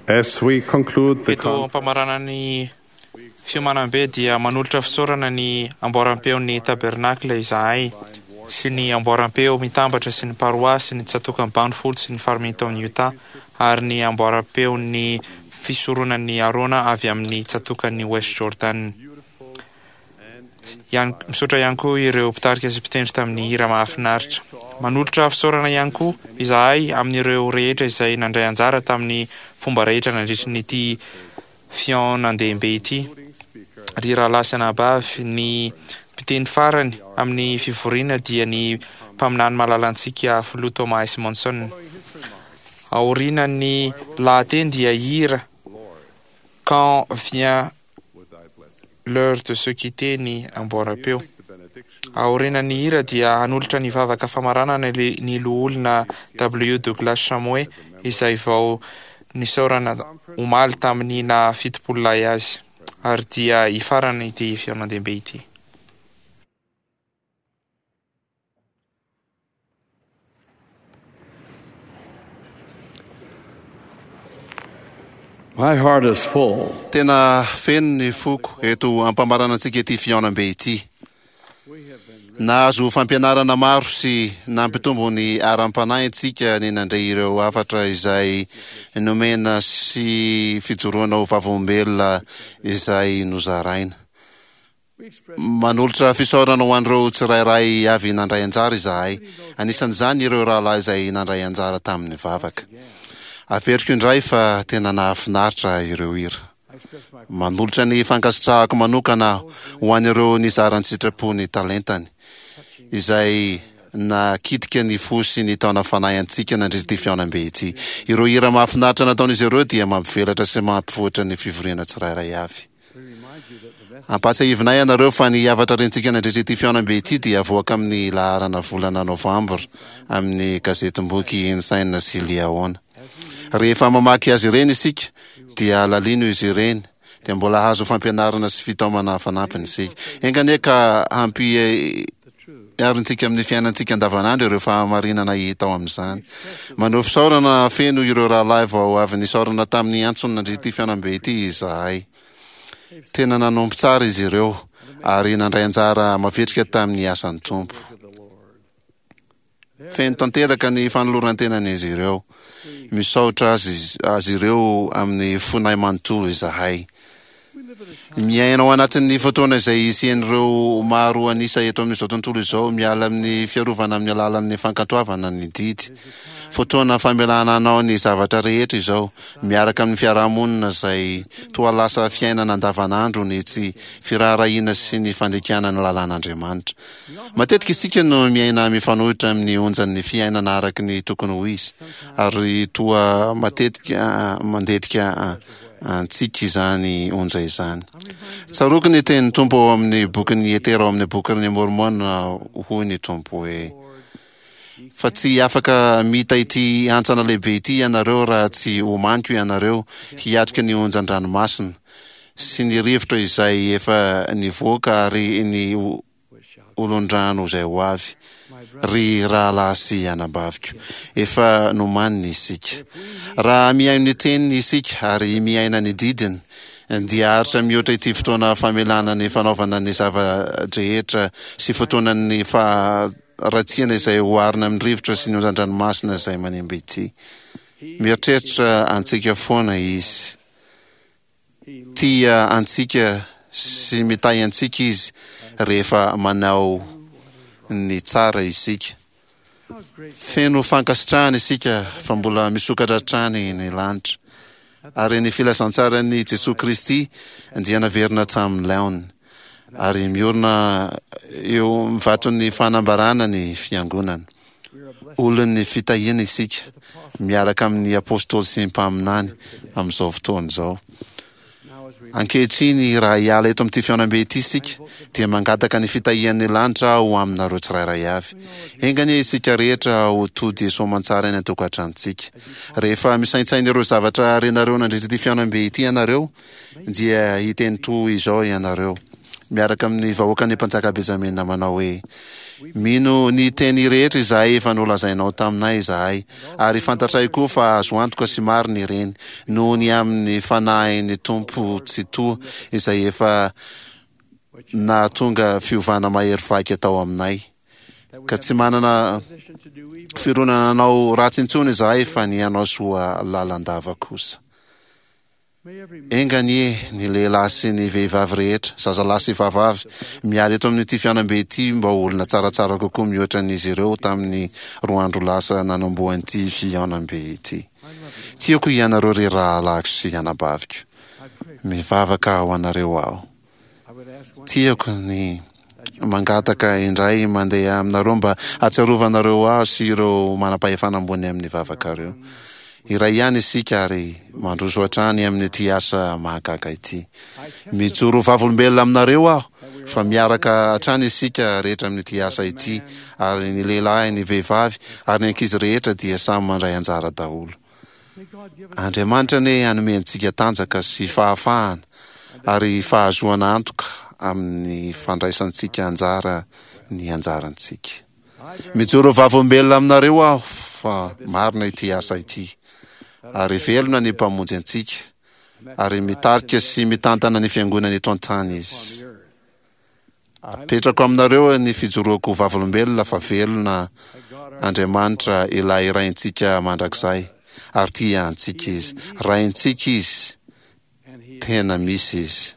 As we conclude the Eto ampamaranana ny fiomanam-be dia manolotra fisaorana ny amboaram-peon'ny Tabernacle izahay sy ny amboaram-peo mitambatra sy ny paroasy ny tsatòkan'i Banfield sy ny Farmington Utah ary ny amboaram-peon'ny fisoronan'i Arona avy amin'ny tsatòkan'i West Jordan. Ihany, misaotra ihany koa ireo mpitarika sy mpitendry tamin'ny hira mahafinaritra. Manolotra fisaorana ihany koa izahay amin'ireo rehetra izay nandray anjara tamin'ny fomba rehetra nandritry ny ity fihaonandehibe ity. Ry rahalahy sy anabavy, ny mpiteny farany amin'ny fivoriana dia ny mpaminany malalantsika Filoha Thomas S. Monson. Aorianan'ny lahateny dia hira Quand vient l'heure de se quitter ny amboaram-peo. Aorianan'ny hira dia hanolotra ny vavaka famaranana ny Loholona W. Douglas Shumway izay vao nisaorana omaly tamin'ny naha 70 lahy azy. Ary dia hifarana ity fihaonandehibe ity. My heart is full. Tena feno ny foko eto ampamaranantsika ity fihaonambe ity. Nahazo fampianarana maro sy nampitombo ny aram-panahintsika ny nandre ireo hafatra izay nomena sy fijoroana ho vavolombelona izay nozaraina. Manolotra fisaorana ho an'ireo tsirairay avy nandray anjara izahay, anisan'izany ireo rahalahy izay nandray anjara tamin'ny vavaka. Averiko indray fa tena nahafinaritra ireo hira. Manolotra ny fankasitrahako manokana aho ho an'ireo nizara an-tsitrapo ny talentany, izay nakitika ny fo sy nitaona fanahy antsika nandritra ity fihaonambe ity. Ireo hira mahafinaritra nataon'izy ireo dia mampivelatra sy mampivoatra ny fivoriana tsirairay avy. Ampahatsiahivinay anareo fa ny hafatra rentsika nandritra ity fihaonambe ity dia avoaka amin'ny laharana volana Novambra amin'ny gazetim-boky Ensign sy Liahona. Rehefa mamaky azy ireny isika dia alalino izy ireny dia mbola hahazo fampianarana sy fitaomana fanampiny isika. Enga anie ka hampi Arintsika amin'ny fiainantsika andavanandro ireo fahamarinana hita ao amin'izany. Maneho fisaorana feno ireo rahalahy vao avy nisaorana tamin'ny antsony nandritra ity fihaonambe ity izahay. Tena nanompo tsara izy ireo ary nandray anjara mavitrika tamin'ny asan'ny Tompo. Feno tanteraka ny fanoloran-tenan'izy ireo. Misaotra azy azy ireo amin'ny fonay manontolo izahay. Miaina ao anatin'ny fotoana izay hisian'ireo maro an'isa eto amin'izao tontolo izao miala amin'ny fiarovana amin'ny alalan'ny fankatoavana ny didy. Fotoana famelana anao ny zavatra rehetra izao, miaraka amin'ny fiarahamonina izay toa lasa fiainana andavanandro ny tsy firaharahiana sy ny fandikana ny lalàn'Andriamanitra. Matetika isika no miaina mifanohitra amin'ny onjan'ny fiainana araka ny tokony ho izy, ary toa matetika mandetika antsika izany onja izany. Tsaroako ny tenin'ny Tompo ao amin'ny bokin'ny Etera ao amin'ny bokin'ny Môrmôna, hoy ny Tompo hoe, Fa tsy afaka mita ity hantsana lehibe ity ianareo raha tsy omaniko ianareo hiatrika ny onjan-dranomasina sy ny rivotra izay efa nivoaka ary ny olon-drano izay ho avy, ry rahalahy sy anabaviko. Efa nomaniny isika. Raha mihaino ny Teniny isika ary miaina ny didiny, dia haharitra mihoatra ity fotoana famelana ny fanaovana ny zava-drehetra sy fotoanan'ny faharatsiana izay oharina amin'ny rivotra sy ny onjan-dranomasina izay manimba ity. Mieritreritra antsika foana Izy. Tia antsika sy mitahy antsika Izy rehefa manao ny tsara isika. Feno fankasitrahana isika fa mbola misokatra hatrany ny lanitra, ary ny filazantsaran'i Jesoa Kristy dia naverina tamin'ny laoniny, ary miorina eo amin'ny vaton'ny fanambarana ny Fiangonana. Olon'ny fitahiana isika, miaraka amin'ny Apôstôly sy mpaminany amin'izao fotoana izao. Ankehitriny, raha hiala eto amin'ity fihaonambe ity isika, dia mangataka ny fitahian'ny lanitra aho ho aminareo tsirairay avy. Enga anie isika rehetra ho tody soamantsara any an-tokantranontsika. Rehefa misaintsaina ireo zavatra renareo nandritra ity fihaonambe ity ianareo, dia hiteny toy izao ianareo, miaraka amin'ny vahoakan'ny mpanjaka Benjamina manao hoe, Mino ny teny rehetra izay efa nolazainao taminay izahay, ary fantatray koa fa azo antoka sy marina ireny, noho ny amin'ny Fanahin'ny Tompo Tsitoha izay efa nahatonga fiovana mahery vaika tao aminay, ka tsy manana fironana hanao ratsy intsony izahay fa ny hanao soa lalandava kosa. Enga anie ny lehilahy sy ny vehivavy rehetra, zazalahy sy vavavy, miala eto amin'ity fihaonambe ity mba ho olona tsaratsara kokoa mihoatra an'izy ireo tamin'ny roa andro lasa nanombohan'ity fihaonambe ity. Tiako ianareo ry rahalahiko sy anabaviko. Mivavaka ho anareo aho. Tiako ny mangataka indray mandeha aminareo mba hahatsiarovanareo ahy sy ireo manam-pahefana ambony amin'ny vavakareo. Iray ihany isika ary mandroso hatrany amin'ity asa mahagaga ity. Mijoro vavolombelona aminareo aho fa miaraka hatrany isika rehetra amin'ity asa ity ary ny lehilahy, ny vehivavy ary ny ankizy rehetra dia samy mandray anjara daholo. Andriamanitra anie hanome antsika tanjaka sy fahafahana ary fahazoana antoka amin'ny fandraisantsika anjara ny anjarantsika. Mijoro vavolombelona aminareo aho fa marina ity asa ity, ary velona ny Mpamonjy antsika, ary mitarika sy mitantana ny Fiangonany eto an-tany Izy. Apetrako aminareo ny fijoroako ho vavolombelona fa velona Andriamanitra ilay Raintsika mandrakizay ary tia antsika Izy. Raintsika Izy, tena misy Izy.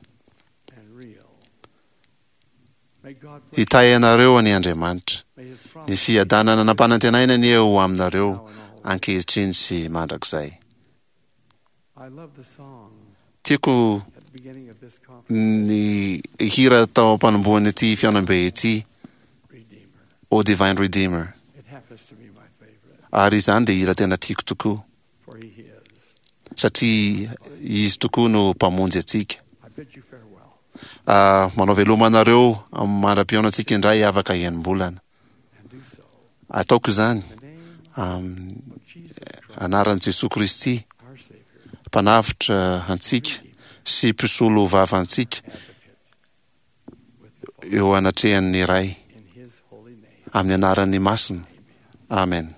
Hitahy anareo anie Andriamanitra. Ny fiadanana nampanantenaina anie ho aminareo ankehitriny sy mandrakizay. Tiako ny hira tao am-panombohan'ity fihaonambe ity, O Divine Redeemer. Ary izany dia hira tena tiako tokoa, satria Izy tokoa no Mpamonjy antsika. Manao veloma anareo mandra-pihaonantsika indray afaka enim-bolana. Ataoko izany amin'ny anaran'i Jesoa Kristy, Mpanavotra antsika sy Mpisolo vava antsika eo anatrehan'ny Ray. Amin'ny anarany masina. Amen.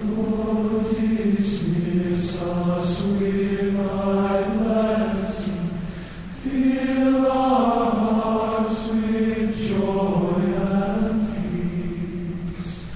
Lord, dismiss us with thy blessing, fill our hearts with joy and peace.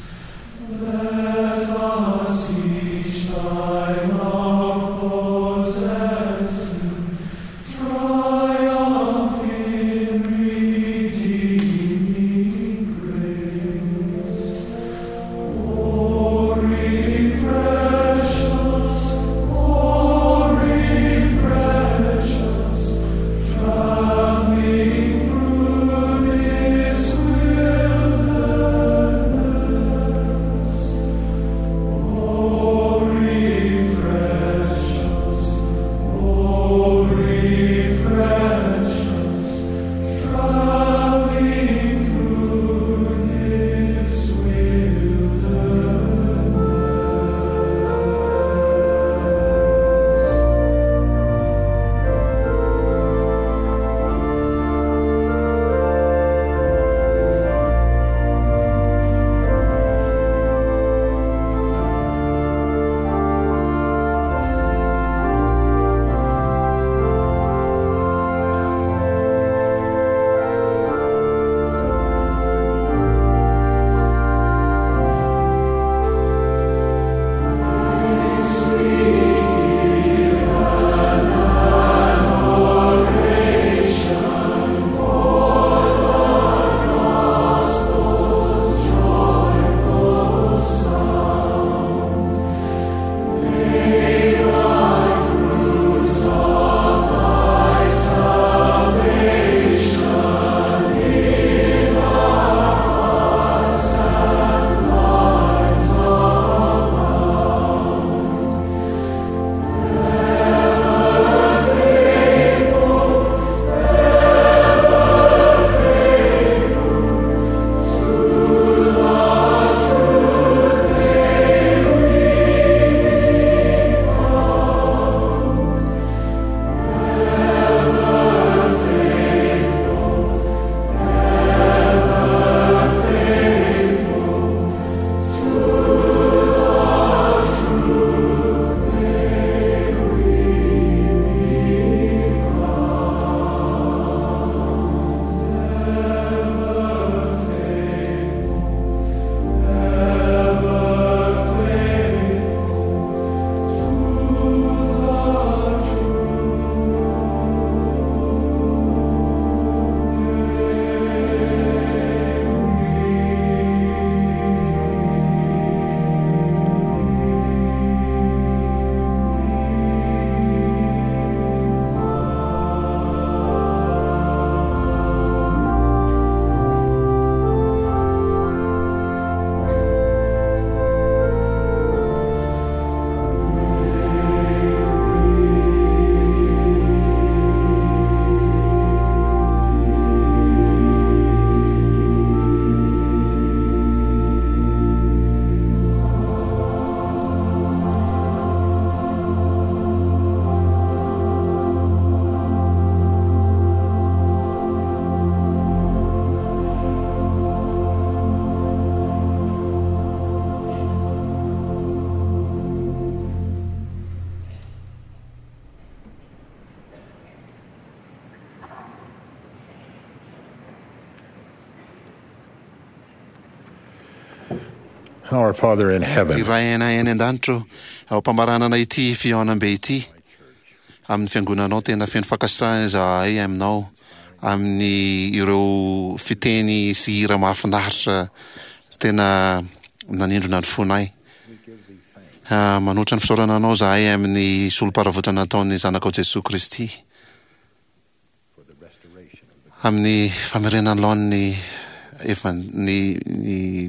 Our Father in heaven. Ry Rainay any an-danitra ô, ao am-pamaranana ity fihaonambe ity amin'ny fiangonanao, tena feno fankasitrahana izahay aminao amin'ny ireo fiteny sy hira mahafinaritra tena nanindrona ny fonay. Manoatra ny fisaorana anao izahay amin'ny solom-paravotana nataon'ny Zanakao Jesoa Kristy. Amin'ny famerenana laoniny efa ny ny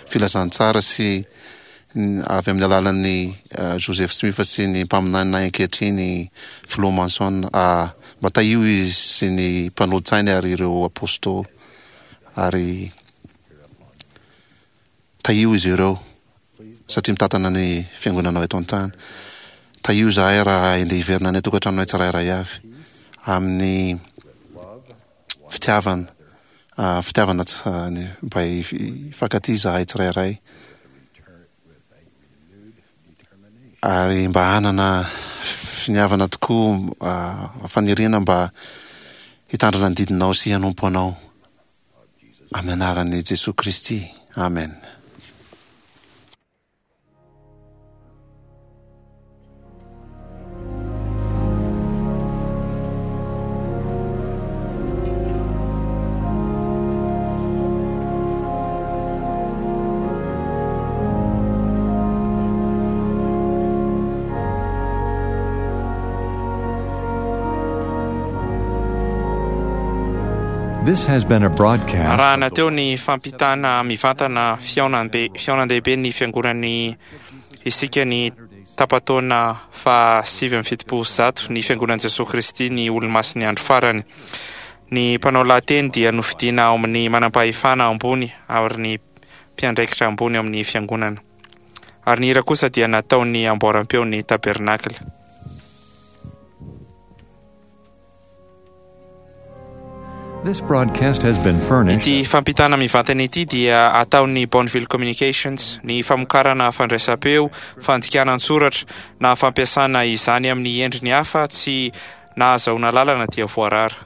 filazantsara sy avy amin'ny alalan'ny Joseph Smith sy ny mpaminaninay ankehitriny Filoha Monson mba tahio izy sy ny mpanolotsainy ary ireo apôstôly ary Tahio izy ireo satria mitantana ny fiangonanao eto an-tany. Tahio izahay raha handeha hiverina any an-tokantranonay tsirairay avy amin'ny fitiavana, fitiavana mba hifankatia izahay tsirairay ary mba hanana finiavana tokoa, faniriana mba hitandrina ny didinao sy hanompo anao. Amin'ny anaran'i Jesoa Kristy, amen. This has been a broadcast. Arahana teo ny fampitana mivantana fihaonambe fihaonan-dehiben'ny fiangonan'ny isika ny tapa-taona faha 179 ny fiangonan'i Jesoa Kristy ny Olomasin'ny Andro Farany. Ny mpanao lahateny dia nofidiana ao amin'ny manampahefana ambony ary ny mpiandraikitra ambony ao amin'ny fiangonana. Ary ny hira kosa dia nataon'ny amboaram-peon'ny tabernakla. This broadcast has been furnished. Ity fampitana mivantana ity dia ataon'ny Bonneville Communications. Ny famokarana fandraisam-peo, fandikana an-tsoratra, na fampiasana izany amin'ny endriny hafa tsy nahazahoana lalana dia voarara.